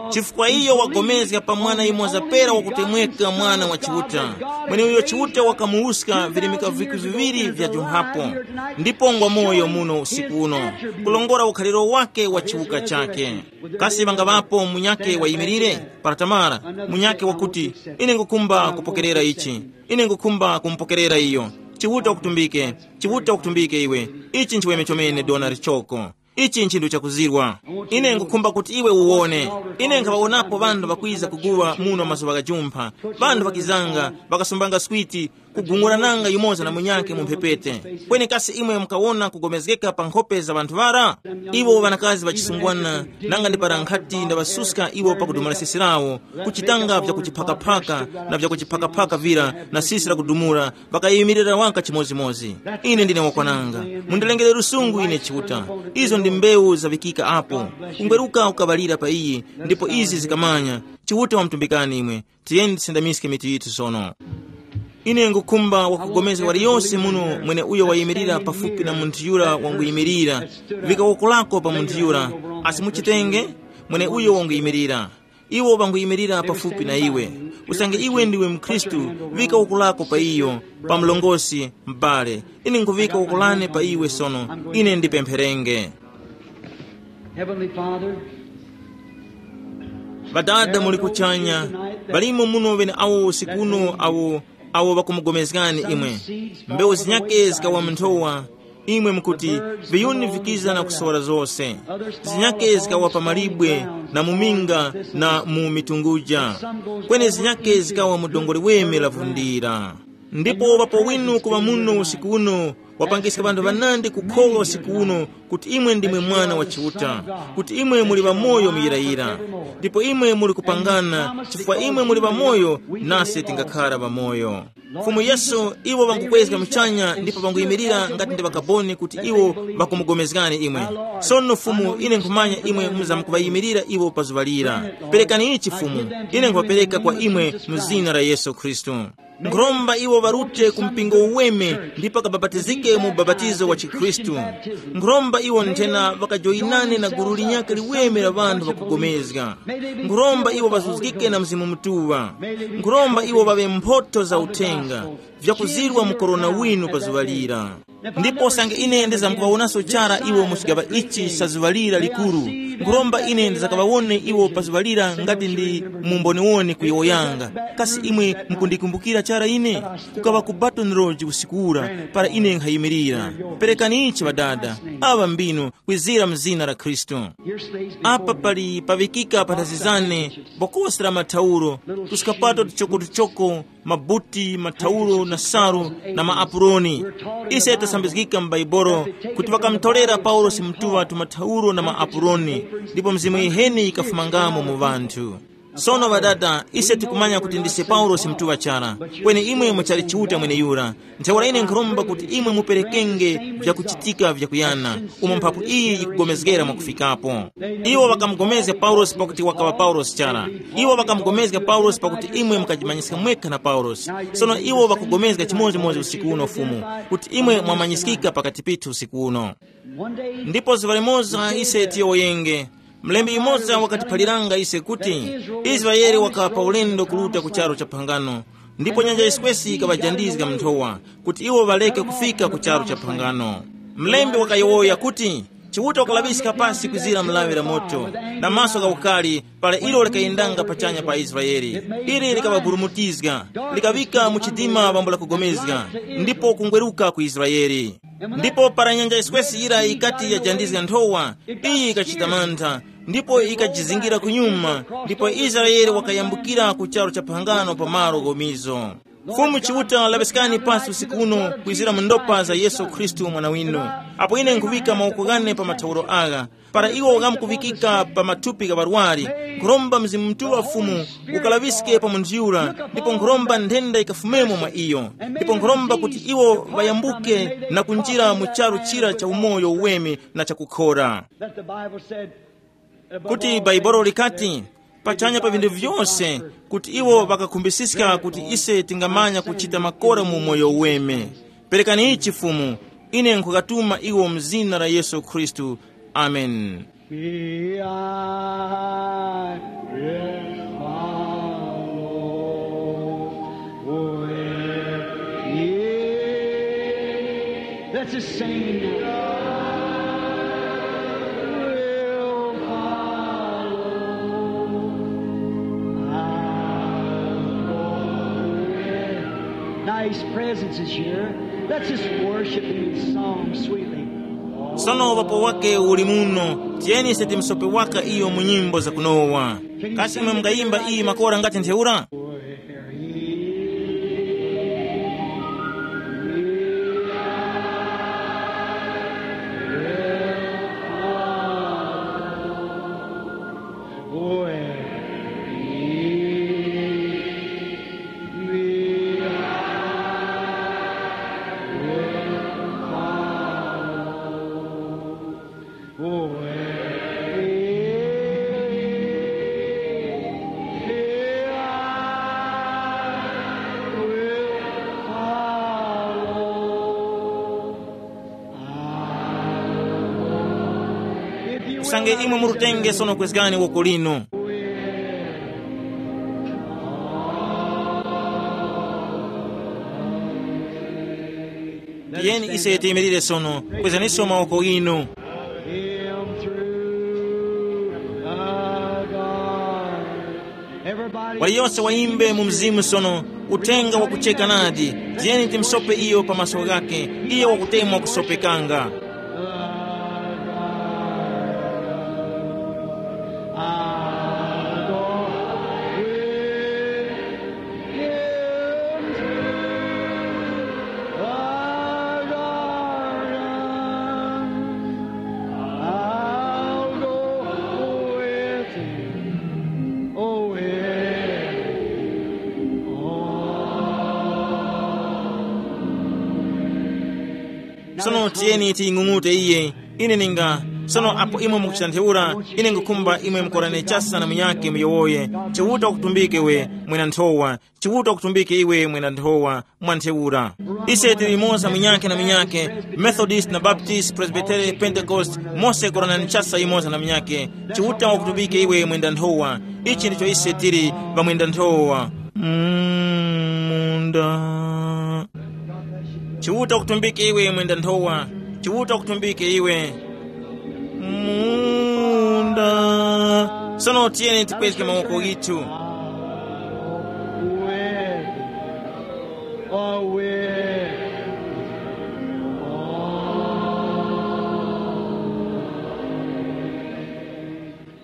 Chifukwa iyo wagomezga pa mwana yumoza pera wakutemweka Mwana wa Chiuta, mweneuyo Chiuta wakamuwuska virimika viku viŵiri vya jumphapo, ndipo ngwa moyo muno usiku uno, kulongora ukhaliro wake wa chiwuka chake. Kasi ŵangaŵapo munyakhe wayimirire? Para tamara, munyakhe wakuti, ine ngukhumba kupokerera ichi. Ine ngukhumba kumupokerera iyo. Chiuta wakutumbike. Chiuta wakutumbike iwe. Ichi nchiweme chomene dona lichoko. Ichi nchinthu chakuzirwa. Ine ngukhumba kuti iwe uwone. Ine nkhaŵawonapo ŵanthu ŵakwiza kuguwa muno mazuŵa ghajumpha. Ŵanthu ŵakizanga, ŵakasumbanga switi, kugung'urananga yumoza na munyakhe mu mphepete. Kweni kasi imwe mukawona kugomezgeka pa nkhope za ŵanthu ŵara? Iwo ŵanakazi ŵachisungwana, nanga ndi para nkhati ndaŵasuska iwo pakudumula sesi lawo, kuchitanga vyakuchiphakaphaka na vyakuchiphakaphaka vira na sisi lakudumula, ŵakayimirira waka chimozimozi. Ine ndine wakwananga. Mundilengere lusungu ine Chiuta. Izo ndi mbewu zaŵikika apo. Kungweruka kukaŵalira pa iyi, ndipo izi zikamanya. Chiuta wamutumbikani imwe. Tiyeni tisindamiske mitu yithu sono. Ine ngukhumba wakugomezga waliyose muno mwene uyo wayimirira pafupi na munthu yura wanguyimirira. Vika woko lako pa munthu yura. Asi muchitenge, mwene uyo wanguyimirira. Iwo ŵanguyimirira pafupi na iwe. Usange iwe ndiwe mkhristu, vika woko lako pa iyo, pa mlongosi, m'bale. Ine nkuvika woko lane pa iwe sono. Ine ndipempherenge. Heavenly Father, Ŵadada muli kuchanya, ŵalimo muno ŵene awo usiku uno awo, awo ŵakumugomezgani imwe. Mbewu zinyakhe zikawa mu nthowa, imwe mukuti, viyuni vikiza na kusowora zose. Zinyakhe zikawa pa malibwe, na mu minga, na mu mitunguja. Kweni zinyakhe zikawa mu dongwe liweme lavundira. Ndipo ŵapo winu kuŵa muno usiku uno, wapangiska ŵanthu ŵanandi kukholwa usiku uno kuti imwe ndimwe Mwana wa Chiuta, kuti imwe muli ŵamoyo muyirayira. Ndipo imwe muli kupangana, chifukwa imwe muli ŵamoyo, nase tingakhara ŵamoyo. Fumu Yesu, iwo ŵangukwezga muchanya ndipo ŵanguyimirira ngati ndi ŵakaboni kuti iwo ŵakumugomezgani imwe. Sono Fumu, ine nkhumanya imwe muzamkuŵayimirira iwo pa zuŵa lira. Perekani ichi Fumu, ine nkhuŵapereka kwa imwe mu zina la Yesu Khristu. Nkhuromba iwo ŵarute ku mpingo uweme ndipo kabapatizike mu ubapatizo wa chikhristu. Nkhuromba Iwo nthena ŵakajoyinane na gulu linyakhe liweme la ŵanthu ŵakugomezga. Nkhuromba iwo ŵazuzgike na Mzimu Mutuŵa. Nkhuromba iwo ŵaŵe mphotho za uthenga, vyakuzirwa mu korona winu pa zuŵa lira. Ndipo sange ine ndizamkuŵawonanso chara iwo mu chigaŵa ichi cha zuŵa lira likuru, nkhuromba ine ndizakaŵawone iwo pa zuŵa lira ngati ndi mumboniwoni ku yowo yanga. Kasi imwe mukundikumbukira chara ine? Kukaŵa ku Baton Rouge usiku ura, para ine nkhayimirira. Perekani ichi, Ŵadada, aŵa mbinu, kwizira mu zina la Khristu. Apa pali paŵikika panthazi zane bokosi la mathauro, tuskapato tuchokotuchoko, mabuti, mathauro na salu, na maapuroni. Ise tasambizgika mu Baibolo kuti ŵakamutolera Paulosi mutuŵa tumathauro na maapuroni, ndipo Mzimu yiheni yikafumangamo mu ŵanthu. Sono Ŵadada, ise tikumanya kuti ndise Paulosi mutuŵa chara, kweni imwe muchali Chiuta mweneyura. Ntheura ine nkhuromba kuti imwe muperekenge vyakuchitika vyakuyana, umo mphapu iyi yikugomezgera mwakufikapo. Iwo ŵakamugomezga Paulosi pakuti wakaŵa Paulosi chara. Iwo ŵakamugomezga Paulosi pakuti imwe mukajimanyiska mwekha na Paulosi. Sono iwo ŵakugomezga chimodzimodzi usiku uno Fumu, kuti imwe mwamanyiskika pakati pithu usiku uno. Ndipo zuŵa limoza ise tiyowoyenge. Mlembi yumoza wakatiphaliranga ise kuti Israele wakaŵa pa ulendo kuruta ku charu cha phangano, ndipo nyanja yiswesi yikaŵajandizga mu nthowa kuti iwo ŵareke kufika ku charu cha phangano. Mlembi wakayowoya kuti, Chiuta wakalaŵiska pasi kwizira mlaŵi la moto, na maso gha ukali, para ilo likayendanga pachanya pa Israele. Ili likaŵaburumutizga, likaŵika mu chidima pambo la kugomezga, ndipo kungweruka ku Israele. Ndipo para nyanja yiswesi yira yikati yajandizga nthowa, iyi yikachita mantha, ndipo yikajizingira kunyuma, ndipo Israele wakayambukira ku charu cha phangano pa malo gomizo. Fumu Chiuta, laŵiskani pasi usiku uno kwizira mu ndopa za Yesu Khristu Mwana winu. Apo ine nkhuŵika mawoko ghane pa mathauro agha, para iwo ghamkuŵikika pa mathupi gha ŵarwari, nkhuromba Mzimu Mutuŵa Fumu ukalaŵiske pa munthu yura, ndipo nkhuromba nthenda yikafumemo mwa iyo, ndipo nkhuromba kuti iwo ŵayambuke na kunjira mu charu chira cha umoyo uweme na chakukhora. That the Bible said, kuti Bhaibuli likati, pachanya pa vinthu vyose, kuti iwo ŵakakhumbisiska kuti ise tingamanya kuchita makora mu umoyo uweme. Perekani ichi Fumu, ine nkhukatuma iwo mu zina la Yesu Khristu. Amen. We I will follow where he. Let's just sing now. Will follow. I'll go where. Now his presence is here. Let's just worship him in song sweetly. Sono uŵapo wake uli muno, tiyeni ise timsope waka iyo mu nyimbo zakunowa. Kasi imwe mungayimba iyi makora ngati ntheura? Usange imwe murutenge sono kwezgani woko linu. Tiyeni ise tiyimirire sono, kwezaniso mawoko inu. Him through the God. Everybody. Waliyonse wayimbe mu mzimu sono, uthenga wakucheka nadi. Tiyeni timsope iyo pa maso ghakhe, iyo wakutemwa kusopekanga. I'll go with him. Oh, with him. Oh. Sono tiyeni tiying'ung'ute iye. Ine ninga Sono apo imwe mukuchita ntheura, ine ngukhumba imwe mukorane chasa na munyakhe muyowoye, Chiuta wakutumbike iwe, mwina nthowa. Chiuta wakutumbike iwe, mwina nthowa, mwa ntheura. Ise tili imoza munyakhe na munyakhe, Methodist na Baptist, Presbytery, Pentecost, mose koranani chasa imoza na munyakhe. Chiuta wakutumbike iwe, mwenda nthowa. Ichi ndicho ise tili, pamwenda nthowa. Munda. Chiuta kutumbike iwe, mwenda nthowa. Chiuta kutumbike iwe. Munda. Sono tiyeni tipweteke mawoko githu.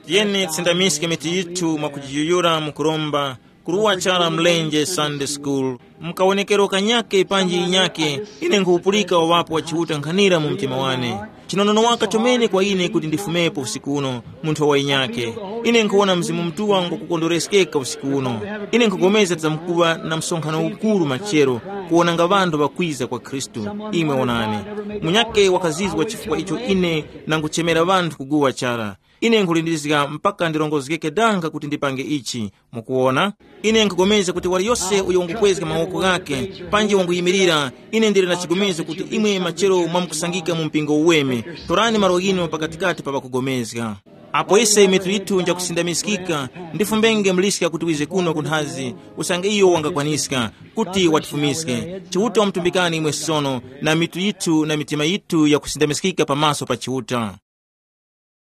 Tiyeni tisindamiske mitu yithu mwakujiyuyura mu kuromba. Kuruwa chara mlenje Sunday School. Mkawonekero kanyake panji inyake, ine nkhupulika wawapo wa Chiuta nkhanira mu mtima wane. Chinonono waka chomene kwa ine kuti ndifumepo usiku uno, munthu wa inyake. Ine nkhuwona Mzimu Mutuŵa ngokukondwereskeka usiku uno. Ine nkhugomeza tizamkuŵa na msonkhano ukuru machero, kuwonanga ŵanthu ŵakwiza kwa Khristu. Imwe wonani, munyake wakazizwa chifukwa icho ine nanguchemera ŵanthu kuguwa chara. Ine nkhulindizga mpaka ndirongozgeke danga kuti ndipange ichi. Mukuwona, ine nkhugomeza kuti waliyose uyo wangukwezga mawoko ghakhe, panji wanguyimirira, ine ndili na chigomezgo kuti imwe machero mwamkusangika mu mpingo uweme. Torani malo ghinu pakatikati pa ŵakugomezga. Apo ise mitu yithu njakusindamiskika, ndifumbenge muliska kuti wize kuno kunthazi, usange iyo wangakwaniska, kuti watifumiske. Chiuta wamutumbikani imwe sono, na mitu yithu na mitima yithu yakusindamiskika pamaso pa Chiuta.